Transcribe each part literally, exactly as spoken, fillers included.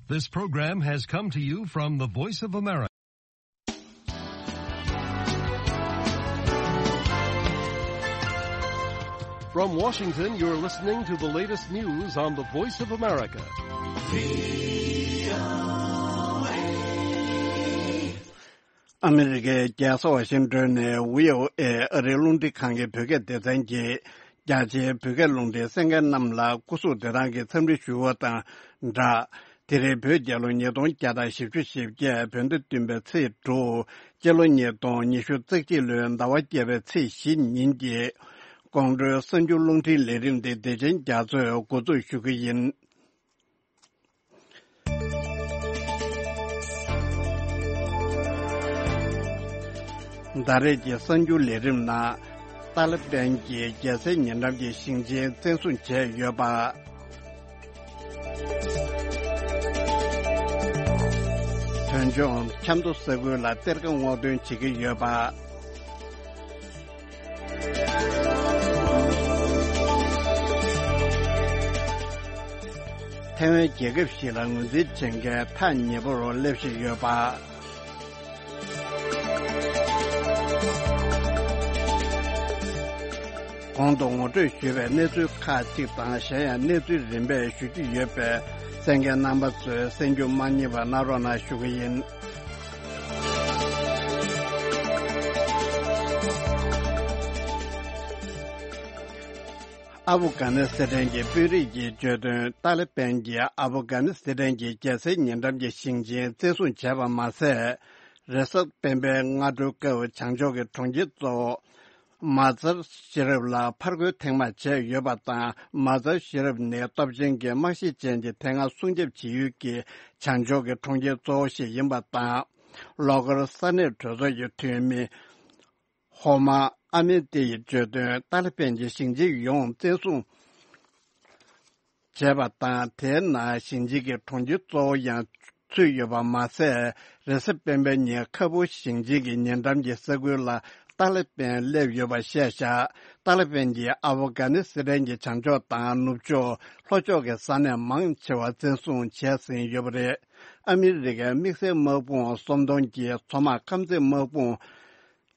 This program has come to you from the Voice of America. From Washington, you're listening to the latest news on the Voice of America. ཨ་མི་རི་ཀའི་རྒྱལ་ས་ཝ་ཤིང་ཏོན་ནས་བྷི་ཨོ་ཨེ་ཨ་རིའི་རླུང་འཕྲིན་ཁང་གི་བོད་སྐད་སྡེ་ཚན་གྱིས། རྒྱ་ཆེའི་བོད་སྐད་རླུང་འཕྲིན་གསན་མཁན་རྣམས་ལ་སྐུ་གཟུགས་བདེ་ཐང་གི་འཚམས་འདྲི་ཞུ་བ་དང་སྦྲགས། དེ་རིང་བོད་རྒྱལ་ལོ་ཉིས་སྟོང་བརྒྱ་དང་བཞི་བཅུ་ཞེ་བརྒྱད། བོད་ཟླ་བདུན་པའི་ཚེས་དྲུག་སྤྱི་ལོ་ཉིས་སྟོང་ཉི་ཤུ་རྩ་གཅིག་ལོའི་ཟླ་བ་བརྒྱད་པའི་ཚེས་བཞི་ཉིན་གྱི་ཀོང་སྤྲུལ་གསར་འགྱུར་རླུང་འཕྲིན་ལས་རིམ་དེ་བདེ་ཆེན་རྒྱ་མཚོས་འགོ་འཛུགས་ཞུ་གི་ཡིན། ད་རེས་ཀྱི་གསར་འགྱུར་ལས་རིམ་ནང་། ཏཱ་ལི་པན་གྱིས་རྒྱལ་སའི་ཉེ་འགྲམ་གྱི་ཞིང་ཆེན་བཙན་བཟུང་བྱས་ཡོད་པ། བོད་ལྗོངས་ཆབ་མདོ་ས་ཁུལ་ལ་གཏེར་ཁ་སྔོག་འདོན་བྱེད་ཀྱི་ཡོད་པ། ཐའེ་ཝན་རྒྱལ་ཁབ་ཞིག་ལ་ངོས་འཛིན་བྱེད་མཁན་ཐག་ཉེ་པོར་སླེབས་བཞིན་ཡོད་པ། གོང་དུ་ངོ་སྤྲོད་ཞུས་པའི་གནས་ཚུལ་ཁག་ཅིག་དང་། གཞན་ཡང་གནས་ཚུལ་རིམ་པས་ཞུ་རྒྱུ་ཡོད་པས། གསན་མཁན་རྣམ་པ་ཚོས་གསན་རྒྱུ་མ་བསྙེལ་བ་གནང་རོགས་གནང་ཞུ་གི་ཡིན། ཨ་ཕུ་གྷ་ནི་སི་ཐན་གྱི་དཔོན་རིགས་ཀྱིས་བརྗོད་དོན། ཏཱ་ལི་པན་གྱིས་ཨ་ཕུ་གྷ་ནི་སི་ཐན་གྱི་རྒྱལ་སའི་ཉེ་འགྲམ་གྱི་ཞིང་ཆེན་བཙན་བཟུང་བྱས་པ་མ་ཟད། རེས་གཟའ་སྤེན་པའི་སྔ་དྲོའི་སྐབས་བྱང་ཕྱོགས་ཀྱི་གྲོང་ཁྱེར་གཙོ་བོ་མ་ཛར་ཤི་རབ་ལ་ཕར་རྒོལ་ཐེངས་མ་བྱས་ཡོད་པ་དང་། མ་ཛར་ཤི་རབ་ནི་སྟོབས་ཆེན་གྱི་དམག་གཞི་ཅན་གྱི་དེ་སྔ་སྲུང་སྐྱོབ་བྱེད་ཡུལ་གྱི་བྱང་ཕྱོགས་ཀྱི་གྲོང་ཁྱེར་གཙོ་བོ་ཞིག་ཡིན་པ་དང་། ལྷོ་ཁར་ས་གནས་གྲོས་ཚོགས་ཀྱི་འཐུས་མི་ཧོ་མ་ཨ་མེ་ཏེ་ཡིས་བརྗོད་དོན། ཏཱ་ལི་པན་གྱིས་ཞིང་ཆེན་ཡོངས་བཙན་བཟུང་བྱས་པ་དང་། དེའི་ནང་ཞིང་ཆེན་གྱི་གྲོང་ཁྱེར་གཙོ་བོ་ཡང་ཚུད་ཡོད་པ་མ་ཟད། རེས་གཟའ་སྤེན་པའི་ཉིན་ཁ་སྦུག་ཞིང་ཆེན་གྱི་ཉེ་འགྲམ་གྱི་ས་ཁུལ་ལ་ཏཱ་ལི་པན་སླེབས་ཡོད་པ་བཤད་བཞག་ཏཱ་ལི་པན་གྱིས་ཨ་ཕོ་གྷ་ནི་སི་ཐན་གྱི་བྱང་ཕྱོགས་དང་ནུབ་ཕྱོགས་ལྷོ་ཕྱོགས་ཀྱི་ས་གནས་མང་ཆེ་བ་བཙན་བཟུང་བྱས་ཟིན་ཡོད་པ་རེད། ཨ་མི་རི་ཀའི་དམིགས་བསལ་དམག་དཔུང་གསོམ་སྡོམ་གྱི་མཚོ་དམག་ཁམས་ཚན་དམག་དཔུང་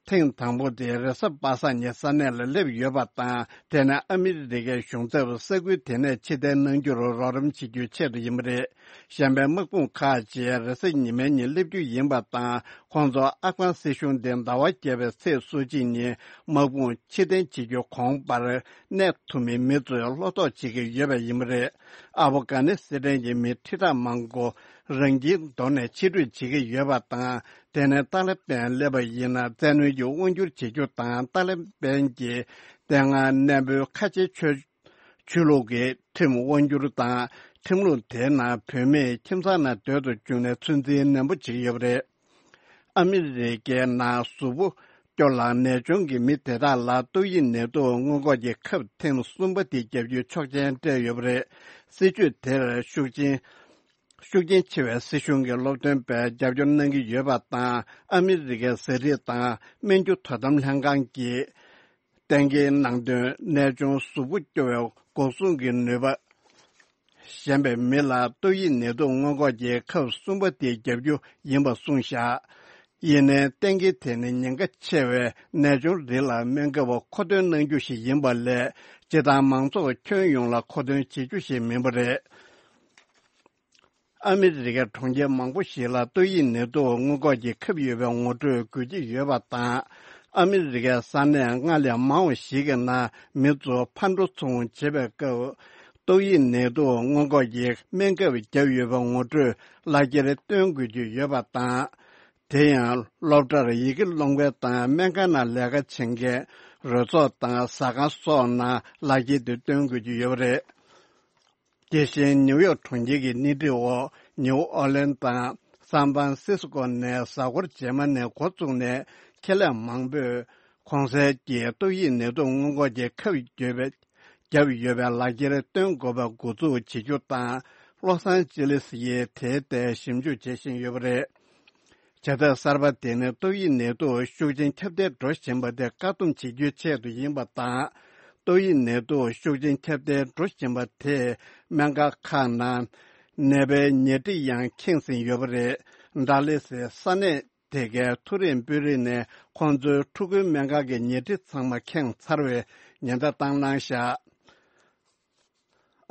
ཐེངས་དང་པོ་དེ་རེས་གཟའ་པ་སངས་ཉིན་ས་གནས་ལ་སླེབས་ཡོད་པ་དང་། དེ་ནི་ཨ་མི་རི་ཀའི་གཞུང་ཚབ་ས་ཁུལ་དེ་ནས་ཕྱིར་འཐེན་གནང་རྒྱུར་རོགས་རམ་བྱེད་རྒྱུའི་ཆེད་དུ་ཡིན་པ་རེད། གཞན་པའི་དམག་དཔུང་ཁག་ཅིག་རེས་གཟའ་ཉི་མའི་ཉིན་སླེབས་རྒྱུ་ཡིན་པ་དང་། ཁོང་ཚོ་ཨབ་གྷན་སྲིད་གཞུང་དེ་ཟླ་བ་བརྒྱད་པའི་ཚེས་སོ་གཅིག་ཉིན་དམག་དཔུང་ཕྱིར་འཐེན་བྱེད་རྒྱུ་གོང་བར་གནས་ཐུབ་མིན་མི་ཚོས་བློ་དོགས་བྱེད་ཀྱི་ཡོད་པ་ཡིན་པ་རེད། ཨ་ཕོ་གྷ་ནི་སི་ཐན་གྱི་མི་ཁྲི་ཕྲག་མང་པོ་རང་ཁྱིམ་དོར་ནས་ཕྱིར་འབྲོས་བྱེད་ཀྱི་ཡོད་པ་དང་། དེ་ནས་ཏཱ་ལི་པན་སླེབས་པ་ཡིན་ན་བཙན་གནོན་གྱི་དབང་སྒྱུར་བྱེད་རྒྱུ་དང་། ཏཱ་ལི་པན་གྱིས་དེ་སྔ་གནས་སྤོའི་ཁ་ཆེ་ཆོས་ཆོས་ལུགས་ཀྱི་ཁྲིམས་དབང་སྒྱུར་དང་། ཁྲིམས་ལུགས་དེའི་ནང་བུད་མེད་ཁྱིམ་ཚང་ནང་སྡོད་དུ་བཅུག་ནས་ཚོད་འཛིན་ནན་པོ་བྱེད་ཀྱི་ཡོད་པ་རེད། ཨ་མི་རི་ཀའི་ནང་གཟུགས་པོ་སྐྱོ་ལ་ནད་གཅོང་གི་མི་དེ་དག་ལ་ཏོག་དབྱིབས་ནད་དུག་སྔོན་འགོག་གི་ཁབ་ཐེངས་གསུམ་པ་དེ་བརྒྱབ་རྒྱུའི་ཆོག་མཆན་སྤྲད་ཡོད་པ་རེད། སྲིད་ཇུས་དེར་ཤུགས་རྐྱེན་ཤུགས་རྐྱེན་ཆེ་བའི་སྲིད་གཞུང་གི་སློབ་སྟོན་པས་རྒྱབ་སྐྱོར་གནང་གི་ཡོད་པ་དང་། ཨ་མི་རི་ཀའི་ཟས་རིགས་དང་སྨན་རྒྱུ་དོ་དམ་ལྷན་ཁང་གིས་གཏན་འཁེལ་གནང་དོན། ནད་གཅོང་གཟུགས་པོ་སྐྱོ་བའི་འགོག་སྲུང་གི་ནུས་པ་ཞན་པའི་མི་ལ་ཏོག་དབྱིབས་ནད་དུག་སྔོན་འགོག་གི་ཁབ་གསུམ་པ་དེ་བརྒྱབ་རྒྱུ་ཡིན་པ་གསུངས་བཞག་ཡིན་ནའི་གཏན་འཁེལ་དེ་ནི་ཉེན་ཁ་ཆེ་བའི་ནད་གཅོང་རིགས་ལ་སྨན་ཁབ་མཁོ་འདོན་གནང་རྒྱུ་ཞིག་ཡིན་པ་ལས། སྤྱི་བཏང་མང་ཚོགས་ཁྱོན་ཡོངས་ལ་མཁོ་འདོན་བྱེད་རྒྱུ་ཞིག་མིན་པ་རེད། ཨ་མི་རི་ཀའི་གྲོང་ཁྱེར་མང་པོ་ཞིག་ལ་ཏོག་དབྱིབས་ནད་དུག་སྔོན་འགོག་གི་ཁབ་ཡོད་པའི་ངོ་སྤྲོད་དགོས་ཀྱི་ཡོད་པ་དང་། ཨ་མི་རི་ཀའི་ས་གནས་ལྔ་ལས་མང་བ་ཞིག་གི་ནང་མི་ཚོ་ཕར་འགྲོ་ཚུར་འོང་བྱེད་པའི་སྐབས། ཏོག་དབྱིབས་ནད་དུག་སྔོན་འགོག་གི་སྨན་ཁབ་བརྒྱབ་ཡོད་པའི་ངོ་སྤྲོད་ལག་འཁྱེར་སྟོན་དགོས་ཀྱི་ཡོད་པ་དང་། དེ་ཡང་སློབ་གྲྭར་ཡི་གེ་སློང་མཁན་དང་སྨན་ཁང་ནང་ལས་ཀ་བྱེད་མཁན། རོལ་ཚོགས་དང་ཟ་ཁང་སོགས་ནང་ལག་འཁྱེར་དེ་སྟོན་དགོས་ཀྱི་ཡོད་པ་རེད། དེ་བཞིན་ནིའུ་ཡོག་གྲོང་ཁྱེར་གྱི་སྣེ་ཁྲིད་འོག་ནིའུ་ཨོ་ལན་དང་སན་ཧྥ་རན་སིས་ཀོ་ནས་གཟའ་འཁོར་རྗེས་མ་ནས་འགོ་བཙུགས་ནས། ཁེ་ལས་མང་པོས་གོང་གསལ་གྱི་ཏོག་དབྱིབས་ནད་དུག་སྔོན་འགོག་གི་ཁབ་བརྒྱབ་བརྒྱབ་ཡོད་པའི་ལག་འཁྱེར་སྟོན་དགོས་པ་འགོ་འཛུགས་བྱེད་རྒྱུ་དང་། ལོ་སན་ཅི་ལིས་ཡིས་དེའི་ཐད་ཞིབ་འཇུག་བྱེད་བཞིན་ཡོད་པ་རེད། བྱ་ཐབས་གསར་པ་དེ་ནི་ཏོག་དབྱིབས་ནད་དུག་ཤུགས་ཆེན་ཁྱབ་གདལ་འགྲོ་བཞིན་པ་དེ་བཀག་སྡོམ་བྱེད་རྒྱུའི་ཆེད་དུ་ཡིན་པ་དང་། ཏོག་དབྱིབས་ནད་དུག་ཤུགས་ཆེན་ཁྱབ་གདལ་འགྲོ་བཞིན་པ་དེས་སྨན་ཁང་ཁག་ནང་ ནད་པའི་ཉལ་ཁྲི་ཡང་ཁེངས་ཟིན་ཡོད་པ་རེད། ཌལ་ལི་སི་ས་གནས་དེ་གའི་མཐོ་རིམ་དཔོན་རིགས་ནས་ཁོང་ཚོའི་ཕྲུ་གུའི་སྨན་ཁང་གི་ཉལ་ཁྲི་ཚང་མ་ཁེངས་ཚར་བའི་ཉེན་བརྡ་བཏང་གནང་བཞག་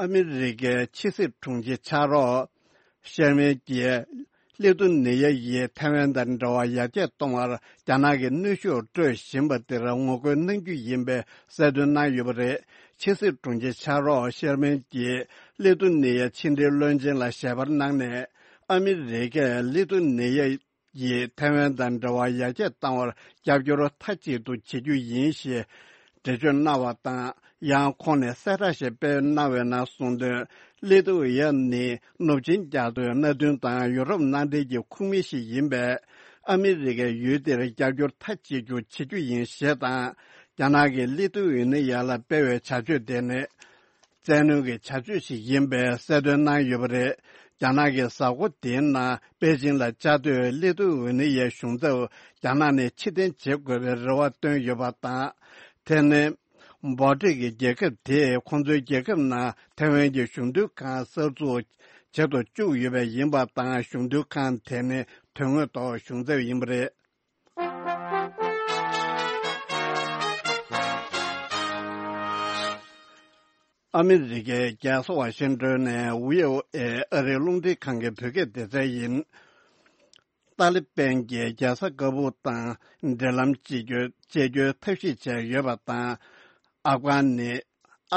ཨ་མི་རི་ཀའི་ཕྱི་སྲིད་དྲུང་ཆེ་ཕྱག་རོགས་ཤེར་མན་གྱིས་ཀླད་སྟུག་ནད་ཡམས་ཀྱིས་ཐའེ་ཝན་དང་འབྲེལ་བ་ཡར་རྒྱས་གཏོང་བར་རྒྱ་ནག་གིས་གནོན་ཤུགས་སྤྲོད་བཞིན་པ་དེར་ངོ་རྒོལ་གནང་རྒྱུ་ཡིན་པའི་གསལ་སྟོན་གནང་ཡོད་པ་རེད། ཕྱི་སྲིད་དྲུང་ཆེ་ཕྱག་རོགས་ཤེར་མན་གྱིས་ཀླད་སྟུག་ནད་ཡམས་ཕྱི་འབྲེལ་བློན་ཆེན་ལ་ཞལ་པར་གནང་ནས། ཨ་མི་རི་ཀས་ཀླད་སྟུག་ནད་ཡམས་ཀྱིས་ཐའེ་ཝན་དང་འབྲེལ་བ་ཡར་རྒྱས་གཏང་བར་རྒྱབ་སྐྱོར་མཐའ་གཅིག་ཏུ་བྱེད་རྒྱུ་ཡིན་ཞེས་འགྲེལ་བརྗོད་གནང་བ་དང་། ཡང་ཁོང་ནས་གསལ་བསྒྲགས་ཤིག་སྤེལ་གནང་བའི་ནང་གསུངས་དོན། ཀླད་སྟུག་ཡམས་ནི་ནུབ་ཆིངས་རྒྱལ་དོན་མནའ་མཐུན་དང་ཡུ་རོབ་མནའ་འབྲེལ་གྱི་ཁོངས་མི་ཞིག་ཡིན་པས། ཨ་མི་རི་ཀས་ཡུལ་དེར་རྒྱབ་སྐྱོར་མཐའ་གཅིག་ཏུ་བྱེད་རྒྱུ་ཡིན་ཞེས་དང་། རྒྱ་ནག་གིས་ཀླད་སྟུག་ཡོད་ན་ཡང་ལ་སྤེལ་བའི་བྱ་སྤྱོད་དེ་ནི། བཙན་གནོན་གྱི་བྱ་སྤྱོད་ཞིག་ཡིན་པའི་གསལ་སྟོན་གནང་ཡོད་པ་རེད། རྒྱ་ནག་གི་གཟའ་འཁོར་འདིའི་ནང་པེ་ཅིང་ལ་བཅའ་སྡོད་ཀླད་སྟུག་འོ་ནི་ཡའི་གཞུང་ཚབ་རྒྱ་ནག་ནས་ཕྱིར་འཐེན་བྱེད་དགོས་པའི་རེ་བ་བཏོན་ཡོད་པ་དང་། དེ་ནི་འབོ་ཊིག་གི་རྒྱལ་ཁབ་དེས་ཁོང་ཚོའི་རྒྱལ་ཁབ་ནང་ཐའེ་ཝན་གྱི་གཞུང་དོན་ཁང་གསར་འཛུགས་བྱེད་དུ་བཅུག་ཡོད་པ་ཡིན་པ་དང་། གཞུང་དོན་ཁང་དེ་ནི་དོན་དངོས་ཐོག་གཞུང་ཚབ་ཡིན་པ་རེད། ཨ་མི་རི་ཀའི་རྒྱལ་ས་ཝ་ཤིང་ཏོན་ནས་བྷི་ཨོ་ཨེ་ཨ་རིའི་རླུང་འཕྲིན་ཁང་གི་བོད་སྐད་སྡེ་ཚན་ཡིན། ཏཱ་ལི་པན་གྱིས་རྒྱལ་ས་ཀ་བུལ་དང་འབྲེལ་ལམ་བཅད་རྒྱུ་བཅད་རྒྱུའི་ཐབས་ཤེས་བྱས་ཡོད་པ་དང་། ཨབ་གྷ་ནི།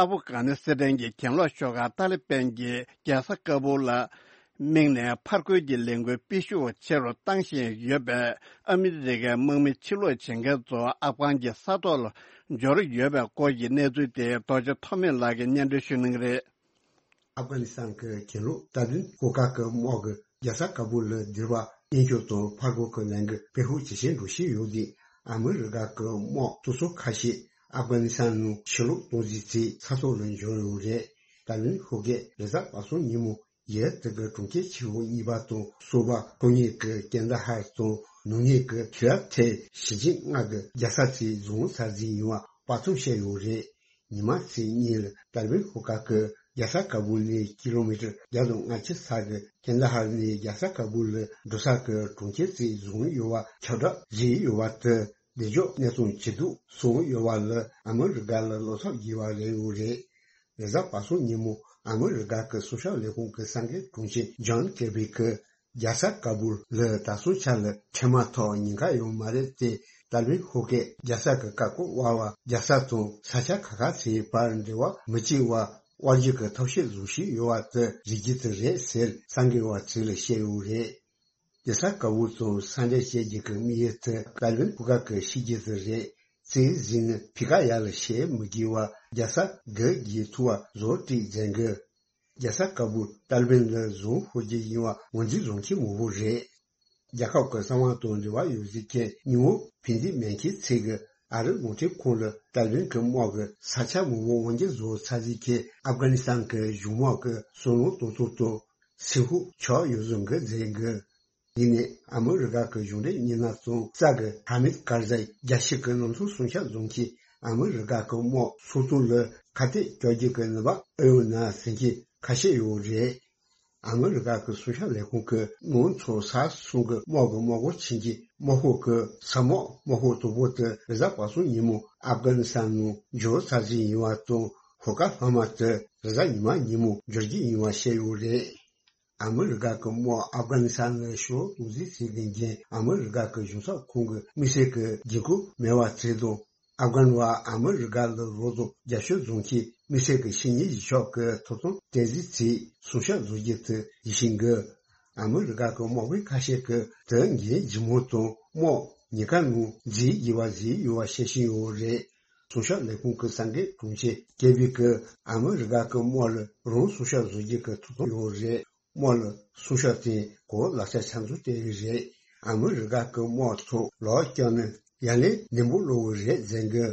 ཨ་ཕུ་གྷ་ནི་སི་ཐན་གྱི་གྱེན་ལོག་ཤོག་ཁག་ཏཱ་ལི་པན་གྱིས་རྒྱལ་ས་ཀ་བུལ་ལ་དམིགས་ནས་ཕར་རྒོལ་གྱི་ལས་འགུལ་སྤེལ་ཤུགས་ཆེ་རུ་བཏང་བཞིན་ཡོད་པས། ཨ་མི་རི་ཀའི་དམག་མི་ཕྱིར་ལོག་བྱེད་མཁན་ཚོ་ཨབ་གྷན་གྱི་ས་ཐོག་ལ་འབྱོར་ཡོད་པའི་སྐོར་གྱི་གནས་ཚུལ་དེ་རྡོ་རྗེ་ཐོགས་མེད་ལགས་ཀྱིས་སྙན་སྒྲོན་ཞུ་གནང་གི་རེད། ཨབ་གྷ་ནི་སི་ཐན་གྱི་གྱེན་ལོག་ཏཱ་ལི་པན་ཤོག་ཁག་གི་དམག་གིས་རྒྱལ་ས་ཀ་བུལ་ལ་སྡེ་བ་མཉེན་སྐྱོབ་དང་ཕར་རྒོལ་གྱི་ལས་འགུལ་སྤེལ་ཤུགས་ཇེ་ཆེར་འགྲོ་བཞིན་ཡོད་དུས། ཨ་མི་རི་ཀ་གི་དམག་ཚོགས་ཆུང་ཁ་ཤས་ཨབ་གྷ་ནི་སི་ཐན་ནང་ཕྱིར་ལོག་གཏོང་རྩིས་བྱས་ས་ཐོག་ལ་འབྱོར་ཡོད་རེད། ཏཱ་ལི་པན་ཤོག་ཁག་རེས་གཟའ་པ་སངས་ཉིན་མོ་ཡུལ་དེ་གའི་གྲོང་ཁྱེར་ཆེ་བོ་གཉིས་པ་དང་སོགས་པ་ཁོ་གཉིས་ཀྱི་ཀན་ད་ཧར་དང་ནུབ་ངོས་ཀྱི་ཁི་ལ་ཐེ་ཞི་ཅིན་ལྔ་གི་རྒྱལ་ས་ཚོ་བཟུང་ཚར་རྩིས་ཡིན་པ་དཔག་བསམ་བྱས་ཡོད་རེད། ཉི་མ་ཚེས་གཉིས་ལ་ཏཱ་ལི་པན་ཤོག་ཁག་གིས་རྒྱལ་ས་ཀ་བུལ་ནས་ཀི་ལོ་མི་ཊར་བརྒྱ་དང་ལྔ་བཅུ་ས་གི་ཀན་ད་ཧར་ནས་རྒྱལ་ས་ཀ་བུལ་ལ་འགྲོ་ས་གི་གྲོང་ཁྱེར་ཚོ་བཟུང་ཡོད་པ་ཁྱབ་བསྒྲགས་བྱས་ཡོད་པ་དེ། བདེ་འཇགས་གནས་སྟངས་ཇེ་སྡུག་སོང་ཡོད་པ་ལ་ཨ་མི་རི་ཀ་ལ་བློ་འཚབ་སྐྱེ་བ་རེད་ཡོད་རེད། རེས་གཟའ་པ་སངས་ཉིན་མོ་ཨ་མི་རི་ཀ་གི་སྲུང་སྐྱོབ་ལས་ཁུངས་ཀྱི་གསར་འགོད་དྲུང་ཆེ་ཇོན་ཀེར་བྷི་གིས་རྒྱལ་ས་ཀ་བུལ་ལ་ད་སོ་ཆ་ལ་འཕྲལ་མ་ཐོག་ཉེན་ཁ་ཡོད་མ་རེད་དེ། ཏཱ་ལི་པན་ཤོག་ཁག་རྒྱལ་ས་ཀྱི་བཀའ་བཀོད་འོག་པ་རྒྱལ་ས་དང་ས་ཆ་ཁག་ཁག་ཚོའི་བར་འབྲེལ་བ་མི་གཅིག་པ་དབར་གྱི་ཐབས་ཤེས་བཟོ་བཞིན་ཡོད་པ་དེ་རིགས་རྒྱུད་དེ་རེད་ཟེར་གསར་འགོད་པ་ཚོ་ལ་བཤད་ཡོད་རེད། རྒྱལ་ས་ཀ་བུལ་དང་ས་འབྲེལ་བྱེད་རྒྱུ་གི་དམིགས་ཡུལ་དེ་ཏཱ་ལི་པན་ཤོག་ཁག་གི་ཤི་རྒྱུ་དེ་རེད། ཚེས་བཞི་ནི་ཕི་ཀ་ཡ་ལ་བཤད་མི་དགོས་པ་རྒྱལ་ས་གི་རྒྱལ་ཐུ་བ་བཟོ་སྒྲིག་མཛད་འགོ། རྒྱལ་ས་ཀ་བུལ་ཏཱ་ལི་པན་ལ་བཟུང་ཤོར་རྒྱུ་ཡིན་པ་ངོས་འཛིན་བཟུང་མཁན་མང་པོ་རེད། རྒྱལ་ཁབ་ཀྱི་གསང་བ་དང་འབྲེལ་བ་ཡོད་ཟེར་མཁན་ཉིན་མོ་ཕན་བདེ་མེད་མཁན་ཚོས་ཀྱིས་ཨ་རིའི་རླུང་འཕྲིན་ཁང་ལ་ཏཱ་ལི་པན་གྱི་དམག་གིས་ས་ཆ་མང་པོ་དབང་སྒྱུར་བཟོ་ཚར་ཟེར་མཁན་ཨབ་གྷ་ནི་སི་ཐན་གྱི་གཞུང་དམག་གི་སྲོག་ལམ་གཏོང་སྟངས་དང་། སེམས་ཤུགས་ཆག་ཡོད་བཟོ་འགོ་མཛད་འགོ། འདི་ནི་ཨ་མི་རི་ཀ་གི་གཞུང་འབྲེལ་མི་སྣ་ཚོ་རྩ་གི་ཧ་མིད་ཀར་ཛའི་རྒྱལ་སྤྱི་གི་གནམ་ཐོག་སྲུང་སྐྱོབ་རྫོང་གིས་ཨ་མི་རི་ཀ་གི་དམག་ཚོགས་གཙོ་ལ་ཁ་གཏད་གཅོག་རྒྱུ་གི་ནུས་པ་ཨེ་ཡོད་ན་ཟེར་མཁན་ཁ་ཤས་ཡོད་རེད། ཨ་མི་རི་ཀ་གི་སྲུང་སྐྱོབ་ལས་ཁུངས་ཀྱིས་ནང་ཚོ་ས་གསུམ་གྱི་དམག་གི་དམག་སྒར་ཆེན་གྱི་དམག་ཤོག་གི་ས་དམག་དམག་ཤོག་དང་པོ་དེ་རེས་གཟའ་པ་སངས་ཉིན་མོ་ཨབ་གྷ་ནི་སི་ཐན་ནང་འབྱོར་ཚར་རྩིས་ཡིན་པ་དང་། ཤོག་ཁག་ལྷག་མ་དེ་རེས་གཟའ་ཉི་མ་ཉིན་མོ་འབྱོར་རྒྱུ་ཡིན་པ་བཤད་ཡོད་རེད། ཨ་མི་རི་ཀ་གི་དམག་ཨབ་གྷ་ནི་སི་ཐན་ལ་ཕྱིར་ལོག་གཏོང་རྩིས་བྱེད་མཁན་ཨ་མི་རི་ཀ་གི་གཞུང་ཚབ་ཁང་གི་དམིགས་བསལ་གྱི་འགན་ཁུར་མེད་པ་བྱས་དང་། ཨབ་གྷན་བ་ཨ་མི་རི་ཀ་ལ་རོགས་དང་རྒྱབ་སྐྱོར་བཟོ་མཁན་དམིགས་བསལ་གྱི་ཕྱི་ཉིན་གཞིས་ཆགས་ཀྱི་ཐོབ་ཐང་སྤྲད་རྩིས་བྱས་སྲུང་སྐྱོབ་བཟོ་རྒྱུ་དེ་ཡིད་བཞིན་གི། ཨ་མི་རི་ཀ་གི་དམག་དཔོན་ཁ་ཤས་ཀྱིས་དེ་འགན་ལྗིད་མོ་དང་དམག་ཉེན་ཁ་ནང་འཛུལ་དགོས་པ་བཟོས་ཡོད་པ་བཤད་བཞིན་ཡོད་རེད། སྲུང་སྐྱོབ་ལས་ཁུངས་ཀྱི་གསར་འགོད་དྲུང་ཆེ་ཀེར་བྷི་གིས་ཨ་མི་རི་ཀ་གི་དམག་ལ་རང་སྲུང་སྐྱོབ་བཟོ་རྒྱུ་གི་ཐོབ་ཐང་ཡོད་རེད། དམག་ལ་སྲུང་སྐྱོབ་དེ་གོ་ལག་ཆ་ཆ་འཛུགས་བསྟན་ཡོད་རེད། ཨ་མི་རི་ཀ་གི་དམག་ཚོ་ལོག་བསྐྱོད་ན་ཡ་ལན་ནན་པོ་སློག་གི་རེད་ཟེར་གི།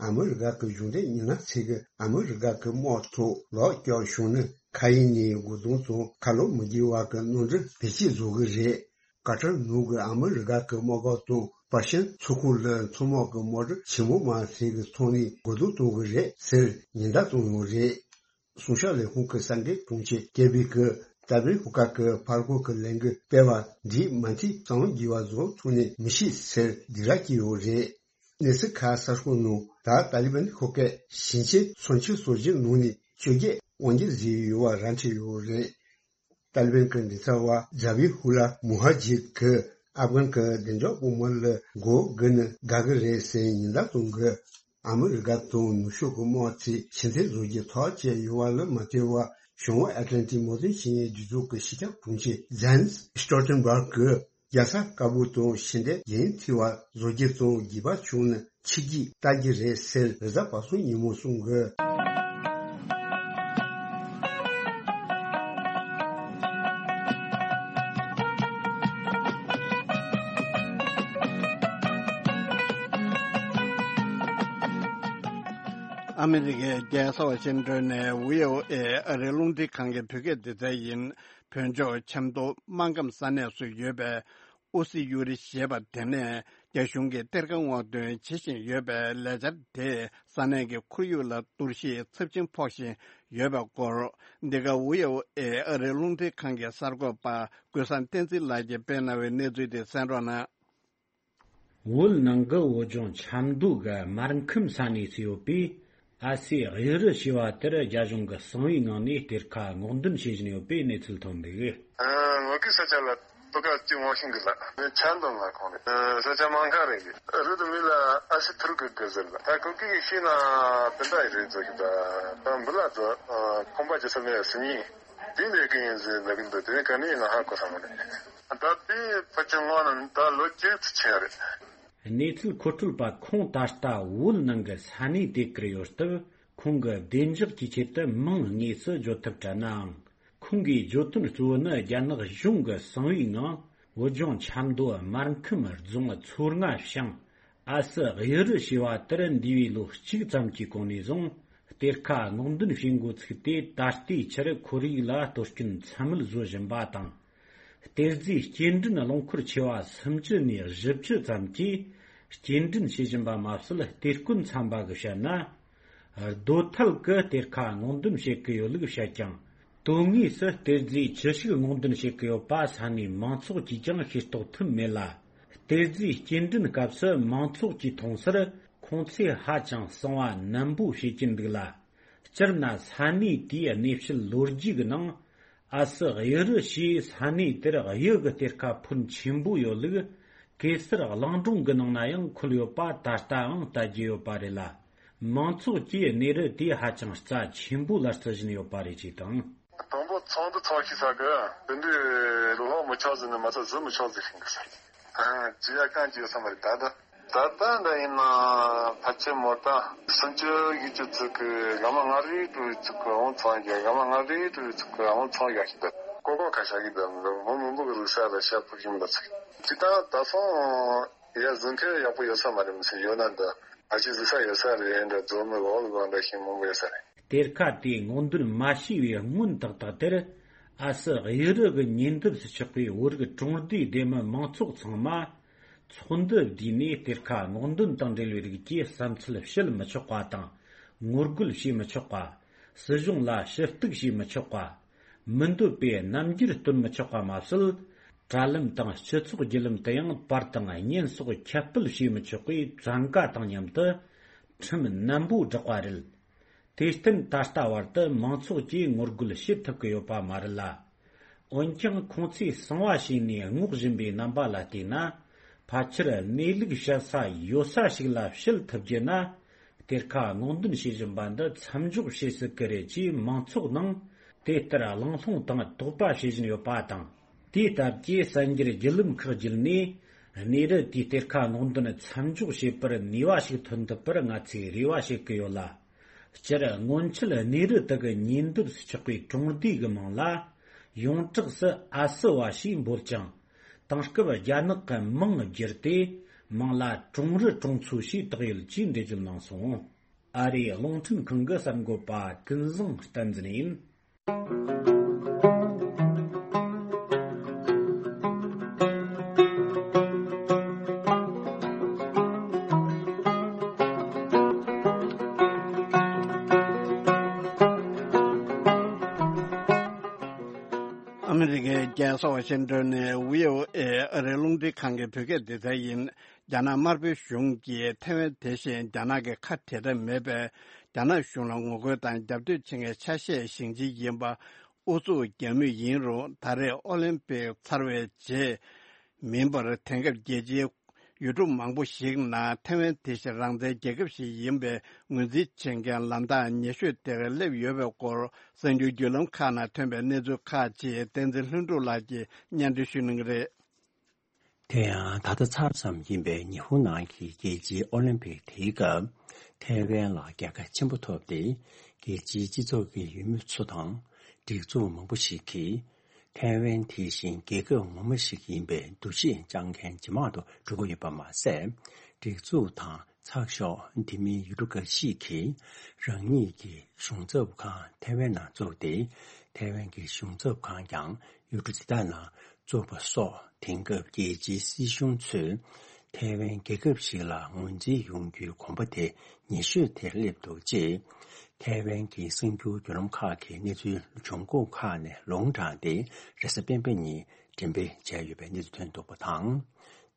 ཨ་མི་རི་ཀ་གི་གཞུང་འབྲེལ་མི་སྣ་ཚོས་གི་ཨ་མི་རི་ཀ་གི་དམག་ཚོ་ལོག་བསྐྱོད་བྱུང་ན་མཁའ་དབྱིངས་ནས་རྒོལ་རྡུང་དང་ཁ་ལོ་མི་རྒྱག་པ་གི་གནམ་གྲུ་བེད་སྤྱོད་བཟོ་གི་རེད། ཀ་ཏར་ནང་གི་ཨ་མི་རི་ཀ་གི་དམག་སྒར་དང་པར་ཤན་མཚོ་ཁུག་ལ་མཚོ་དམག་གི་དམག་གྲུ་ཆེན་མོ་མང་ཚོགས་ཀྱི་ཐོག་ནས་རྒོལ་རྡུང་གཏོང་གི་རེད་ཟེར་ཉེན་བརྡ་བཏང་ཡོད་རེད། སྲུང་སྐྱོབ་ལས་ཁུངས་ཀྱི་གསར་འགོད་དྲུང་ཆེ་ཀེར་བྷི་གིས་ ཏཱ་ལི་བན་ཤོག་ཁག་གི་ཕར་རྒོལ་གྱི་ལས་འགུལ་སྤེལ་བ་འདིས་མ་མཐའི་གསང་བ་འགྱེད་པ་བཟོ་ཐུབ་ནི་མི་ཤེས་ཟེར་སྡིགས་ར་བསྐྱལ་ཡོད་རེད། གནས་ཚུལ་ཁག་གསར་ཤོག་ནང་ད་ཏཱ་ལི་བན་ཤོག་ཁག་ཞིང་ཆེན་ཚོ་ཆུང་སོ་བཞིའི་ནང་ནས་བཅོ་བརྒྱད་དབང་སྒྱུར་བཟོས་ཡོད་པ་ར་འཕྲོད་ཡོད་རེད། ཏཱ་ལི་བན་གྱི་མགྲིན་ཚབ་པ་ཛ་བྷི་ཧུ་ལ་མུ་ཧ་ཇིར་གྱིས་ཨབ་གྷན་གྱི་བདེ་འཇགས་བོགས་མ་ལ་མགོ་སྒུར་ན་དགའ་གི་རེད་ཟེར་ཉེན་བརྡ་གཏོང་གི། ཨ་མི་རི་ཀ་དང་ནུབ་ཕྱོགས་ཀྱི་དམག་ཚོས་ཕྱིར་འཐེན་བཟོ་རྒྱུའི་ཐག་བཅད་ཡོད་པ་ལ་མ་ལྟོས་པར་བྱང་འོག་ཨེཊ་ལན་ཊིག་མོ་དོན་ཆེན་མོའི་སྒྲིག་འཛུགས་ཀྱི་སྤྱི་ཁྱབ་དྲུང་ཆེ་ཛན་སི་སི་ཊོལ་ཊེན་བྷག་གིས་རྒྱལ་ས་ཀ་བུལ་དང་ཕྱི་འབྲེལ་འགན་འཁྱེར་བ་བཟོ་རྒྱུ་དང་འགྱོད་པ་བྱུང་ན་ཕྱི་རྒྱལ་ལྟ་རྒྱུ་རེད་ཟེར་རེས་གཟའ་པ་སངས་ཉིན་མོ་གསུངས་ཡོད། ཨ་མི་རི་ཀའི་རྒྱལ་ས་ཝ་ཤིང་ཏོན་ནས་བྷི་ཨོ་ཨེ་ཨ་རིའི་རླུང་འཕྲིན་ཁང་གི་བོད་སྐད་སྡེ་ཚན་ཡིན། བོད་ལྗོངས་ཆབ་མདོ་སྨར་ཁམས་ས་གནས་སུ་ཡོད་པའི་ཨུ་སི་ཡུ་རི་ཞེས་པ་དེ་ནས་རྒྱ་གཞུང་གིས་གཏེར་ཁ་སྔོག་འདོན་བྱེད་བཞིན་ཡོད་པའི་ལས་འཆར་དེས་ས་གནས་ཀྱི་ཁོར་ཡུག་ལ་གཏོར་བཤིག་ཚབས་ཆེན་ཕོག་བཞིན་ཡོད་པའི་སྐོར། འདི་ག་བྷི་ཨོ་ཨེ་ཨ་རིའི་རླུང་འཕྲིན་ཁང་གི་གསར་འགོད་པ་ཀུན་བཟང་བསྟན་འཛིན་ལགས་ཀྱིས་སྤེལ་གནང་བའི་གནས་ཚུལ་དེ་གསན་རོགས་གནང་། བོད་ནང་གི་བོད་ལྗོངས་ཆབ་མདོ་གི་སྨར་ཁམས་ས་གནས་སུ་ཡོད་པའི་ཨ་སེ་གཡུ་རུ་ཞེས་པ་དེར་རྒྱ་གཞུང་གིས་གསང་བའི་ངང་ནས་གཏེར་ཁ་སྔོག་འདོན་བྱེད་བཞིན་ཡོད་པའི་གནས་ཚུལ་ཐོན་འདུག། ཨ། ངོ་ཀི་ས་ཆ་ལ་ཏོ་ཀ་ཅི་ངོ་ཤིང་གི་ལ་ཆ་འདོན་ལ་ཁོང་རེད། ས་ཆ་མང་ཁ་རེད། རུ་དུ་མི་ལ་ཨ་སི་ཐུར་གི་གི་ཟེར་ལ་ད་ཀོ་ཀི་གི་ཤི་ན་དེ་འདྲ་ཡི་རེད་ཟེར་གི། ད་ད་འབུ་ལ་ཚོ་ཁོང་པ་ཅི་ས་མེད་སི་ཉི་དེ་འདྲ་གི་ཡིན་ཟེར་ལ་གི་འདུག། དེ་ག་ནས་ང་ཧ་གོ་ས་མ་རེད། ད་དེ་ཕ་ཆེ་ངོ་ན་ད་ལོ་བཅུ་ཙམ་ཕྱིན་རེད། གནས་ཚུལ་མཁོ་སྤྲོད་པ་ཁོང་ད་ལྟ་བོད་ནང་གི་ས་གནས་དེ་བསྐུར་ཡོད་སྟབས། ཁོང་གི་བདེ་འཇགས་ཀྱི་ཆེད་དུ་མིང་དངོས་སུ་བརྗོད་ཐབས་བྲལ་ནའང་། ཁོང་གིས་བརྗོད་དོན་གཙོ་བོ་ནི། རྒྱ་ནག་གཞུང་གིས་གསང་བའི་ངང་བོད་ལྗོངས་ཆབ་མདོ་སྨར་ཁམས་རྫོང་མཚོ་རྔ་ཤང་ཨ་སི་གཡུ་རུ་ཞེས་པ་དེར་འདས་པའི་ལོ་གཅིག་ཙམ་གྱི་གོང་ནས་བཟུང་གཏེར་ཁ་སྔོག་འདོན་བྱེད་འགོ་ཚུགས་ཏེ། ད་ལྟའི་ཆར་ཁོར་ཡུག་ལ་གཏོར་སྐྱོན་ཚད་མེད་བཟོ་བཞིན་པ་དང་། གཏེར་རྫས་སྐྱེལ་འདྲེན་རླངས་འཁོར་ཆེ་བ་སུམ་ཅུ་ནས་བཞི་བཅུ་ཙམ་གྱིས་སྐྱེལ་འདྲེན་བྱེད་བཞིན་པ་མ་ཟད། གཏེར་སྐོན་ཚན་པ་གིས་བཤད་ན། རྡོ་ཐལ་གྱི་གཏེར་ཁ་སྔོག་འདོན་བྱེད་ཀྱི་ཡོད་ལུགས་བཤད་ཀྱང་། དོན་དངོས་སུ་གཏེར་རྫས་ཅི་ཞིག་སྔོག་འདོན་བྱེད་ཀྱི་ཡོད་པ་ས་གནས་མང་ཚོགས་ཀྱིས་ཀྱང་ཤེས་རྟོགས་ཐུབ་མེད་ལ། གཏེར་རྫས་སྐྱེལ་འདྲེན་སྐབས་སུ་མང་ཚོགས་ཀྱིས་མཐོང་སར་ཁོང་ཚོས་ཧ་ཅང་གསང་བ་ནན་པོ་བྱེད་ཀྱིན་འདུག་ལ། སྤྱིར་ན་ས་གནས་དེའི་གནས་བཤད་ལོ་རྒྱུས་ཀྱི་ནང་། ཨ་སི་གཡུ་རུ་ཞེས་ས་གནས་དེར་གཡུ་གི་གཏེར་ཁ་ཕོན་ཆེན་པོ་ཡོད་ལུགས་གེ་སར་གླིང་སྒྲུང་གི་ནང་ན་ཡང་འཁོད་ཡོད་པ་ད་ལྟའང་བལྟ་རྒྱུ་ཡོད་པ་རེད་ལ། མང་ཚོགས་ཀྱིས་གནས་རི་དེ་ཧ་ཅང་རྩ་ཆེན་པོ་ལ་བརྩི་བཞིན་ཡོད་པ་རེད་ཅེས་དང་། དང་པོ་ཚོགས་འདུ་ཚོགས་ཤིག་ས་གི་དེ་འདྲའི་ལོག་མི་ཆོག་ཟེར་ནས་མ་ཚད་གཟིགས་མི་ཆོག་ཟེར་བཞིན་གི་ས། ཨ། ཅི་ཡ་གང་ཅི་ཡོད་ས་མ་རེད་ད་ལྟ། ད་ལྟ་འདྲ་ཡིན་ན་ཕལ་ཆེར་མོ་ད་སུམ་ཅུ་བཞི་བཅུ་ཙིག་གི་ག་མ་ང་རེ་ཀྲུའུ་རི་ཙིག་གི་ཨང་ཚང་རྒྱག་ག་མ་ང་རེ་ཀྲུའུ་རི་ཙིག་གི་ཨང་ཚང་རྒྱག་ཤི་ད་ཀོ་ཀོ་ཁ་ཤ་གི་ད་མོ་མི་འབུ་གི་རུ་ས་ལ་ཤ་ཕུག་ཡིན་པ་ཚིག་ཅི་ད་ད་སོང་ཡ་གཟིགས་མཁན་ཡག་པོ་ཡོད་ས་མ་རེད། མི་ཚེ་ཡོད་ན་ད་ཨ་ཅི་གཟིགས་ས་ཡོད་ས་རེད། འདྲ་རྫོང་མི་འོག་ལ་འདྲ་ཤིང་མང་པོ་ཡོད་ས་རེད། གཏེར་ཁ་དེ་སྔོག་འདོན་མ་བྱས་པའི་སྔོན་ཏག་ཏག་དེར་ཨ་སི་གཡུ་རུ་གི་ཉེ་འདབས་སུ་ཆགས་པའི་བོད་རིགས་གྲོང་སྡེའི་སྡེ་མི་མང་ཚོགས་ཚང་མ་ཚོགས་འདུ་བསྡུས་ནས་གཏེར་ཁ་སྔོག་འདོན་དང་འབྲེལ་བའི་རིགས་ཀྱི་བསམ་ཚུལ་བཤད་མི་ཆོག་པ་དང་ངོ་རྒོལ་བྱེད་མི་ཆོག་པ། སྲིད་གཞུང་ལ་ཞུ་གཏུག་བྱེད་མི་ཆོག་པ། མི་འདོད་པའི་རྣམ་འགྱུར་སྟོན་མི་ཆོག་པ་མ་ཟད། དྲ་ལམ་དང་སྤྱི་ཚོགས་བརྒྱུད་ལམ་དུ་ཡང་པར་དང་བརྙན་སོགས་ཁྱབ་སྤེལ་བྱེད་མི་ཆོག་པའི་བཙན་བཀའ་དང་མཉམ་དུ་ཁྲིམས་ནན་པོ་བསྒྲགས་པ་རེད། དེར་བརྟེན་ད་ལྟ་བར་དུ་མང་ཚོགས་ཀྱིས་ངོ་རྒོལ་བྱེད་ཐུབ་ཀྱི་ཡོད་པ་མ་རེད་ལ། འོན་ཀྱང་ཁོང་ཚོས་གསང་བ་བྱས་ནས་སྔོག་བཞིན་པའི་རྣམ་པ་ལ་བལྟས་ན། ཕལ་ཆེར་གནས་ལུགས་བཤད་ས་ཡོད་ས་ཞིག་ལ་བཤད་ཐུབ་རྒྱུ་ན། གཏེར་ཁ་སྔོག་འདོན་བྱེད་བཞིན་པ་འདི་མཚམས་འཇོག་བྱེད་སྲིད་ཀྱི་རེད་ཅེས་མང་ཚོགས་ནང་དེ་ལྟར་གླེང་སློང་དང་དོགས་པ་བྱེད་བཞིན་ཡོད་པ་དང་། དེའི་སྟབས་ཀྱིས་གསར་འགྱུར་བརྒྱུད་ལམ་ཁག་བརྒྱུད་ནས་གནས་རི་དེའི་གཏེར་ཁ་སྔོག་འདོན་མཚམས་འཇོག་བྱེད་པར་ནུས་པ་ཞིག་ཐོན་ཐུབ་པར་ང་ཚོས་རེ་བ་བྱེད་ཀྱི་ཡོད་ལ། སྤྱིར་སྔོན་ཆད་གནས་རི་དག་གི་ཉེ་འདབས་སུ་ཆགས་པའི་གྲོང་སྡེ་གི་མིང་ལ་ཡོངས་གྲགས་སུ་ཨ་སི་བ་ཞེས་འབོད་ཀྱང་། དེང་སྐབས་རྒྱ་ནག་གི་མིང་བསྒྱུར་ཏེ་མིང་ལ་གྲོང་རི་གྲོང་ཚོ་ཞེས་བཏགས་ཡོད་ཅེས་འགྲེལ་བརྗོད་གནང་སོང་། ཨ་རིའི་རླུང་འཕྲིན་ཁང་གི་གསར་འགོད་པ་ཀུན་བཟང་བསྟན་འཛིན་ཡིན། ལྷ་ས་ཝ་ཤིང་ཏོན་ནས་བྷི་ཨོ་ཨེ་ཨ་རིའི་རླུང་འཕྲིན་ཁང་གི་བོད་སྐད་སྡེ་ཚན་ཡིན། རྒྱ་ནག་དམར་པོའི་གཞུང་གིས་ཐའེ་ཝན་དེ་བཞིན་རྒྱ་ནག་གི་ཁ་བྲལ་ཐབས་མེད་པའི་རྒྱ་ནག་གཞུང་ལ་ངོ་རྒོལ་དང་རྒྱབ་གཏོད་བྱེད་མཁན་ཆ་ཤས་ཤིག་ཅིག་ཡིན་པ་ཨུ་ཚུགས་རྒྱག་མུས་ཡིན་རུང་། ད་རེས་ཨོ་ལིམ་པིག་ཚར་བའི་རྗེས་མིན་པར། དེང་སྐབས་རྒྱལ་སྤྱིའི་ཡུལ་གྲུ་མང་པོ་ཞིག་ནང་ཐའེ་ཝན་དེ་བཞིན་རང་བཙན་རྒྱལ་ཁབ་ཞིག་ཡིན་པའི་ངོས་འཛིན་བྱེད་མཁན་ལམ་ཐག་ཉེ་ཤོས་དེར་སླེབས་ཡོད་པའི་སྐོར། གསར་འགྱུར་བརྒྱུད་ལམ་ཁག་ནང་ཐོན་པའི་གནས་ཚུལ་ཁག་ཅིག་བསྟན་འཛིན་ལྷུན་གྲུབ་ལགས་ཀྱིས་སྙན་སྒྲོན་ཞུ་གནང་གི་རེད། དེ་ཡང་ད་ལྟ་ཚར་ཙམ་ཡིན་པའི་ཉི་ཧོང་ནང་གི་རྒྱལ་སྤྱིའི་ཨོ་ལིམ་པིག་དེའི་སྐབས། ཐའེ་ཝན་ལ་རྒྱལ་ཁ་ཆེན་པོ་ཐོབ་སྟེ། རྒྱལ་སྤྱིའི་སྤྱི་ཚོགས་ཀྱི་འོས་མི་ཚོ་དང་། སྒྲིག་འཛུགས་མང་པོ་ཞིག་གིས། ཐའེ་ཝན་དེ་བཞིན་རྒྱལ་ཁབ་ངོ་མ་ཞིག་ཡིན་པའི་འདུ་ཤེས་བཅངས་མཁན་ཇེ་མང་དུ་འགྲོ་གི་ཡོད་པ་མ་ཟད། སྒྲིག་འཛུགས་དང་ཚགས་ཤོག་དེ་མིན་ཡུལ་གྲུ་འགའ་ཞིག་གིས་རང་ཉིད་ཀྱི་གཞུང་ཚབ་ཁང་ཐའེ་ཝན་ནང་བཙུགས་ཏེ། ཐའེ་ཝན་གྱི་གཞུང་ཚབ་ཁང་ཀྱང་ཡུལ་གྲུ་དེ་དག་ནང་བཙུགས་པ་སོགས། དེང་སྐབས་རྒྱལ་སྤྱིའི་སྲིད་གཞུང་ཚོས་ཐའེ་ཝན་རྒྱལ་ཁབ་ཞིག་ལ་ངོས་འཛིན་ཡོང་རྒྱུའི་གོམ་པ་དེ་ཉེ་ཤོས་དེར་སླེབས་འདུག་ཅེས། ཐའེ་ཝན་གྱི་གསར་འགྱུར་བརྒྱུད་ལམ་ཁག་གིས་གནས་ཚུལ་བྱུང་ཁུངས་ཁག་ནས་ལུང་དྲངས་ཏེ། རེས་གཟའ་སྤེན་པ་ཉིན་འགྲེམས་སྤེལ་བྱས་ཡོད་པའི་གནས་ཚུལ་ཐོན་འདུག་པ་དང་།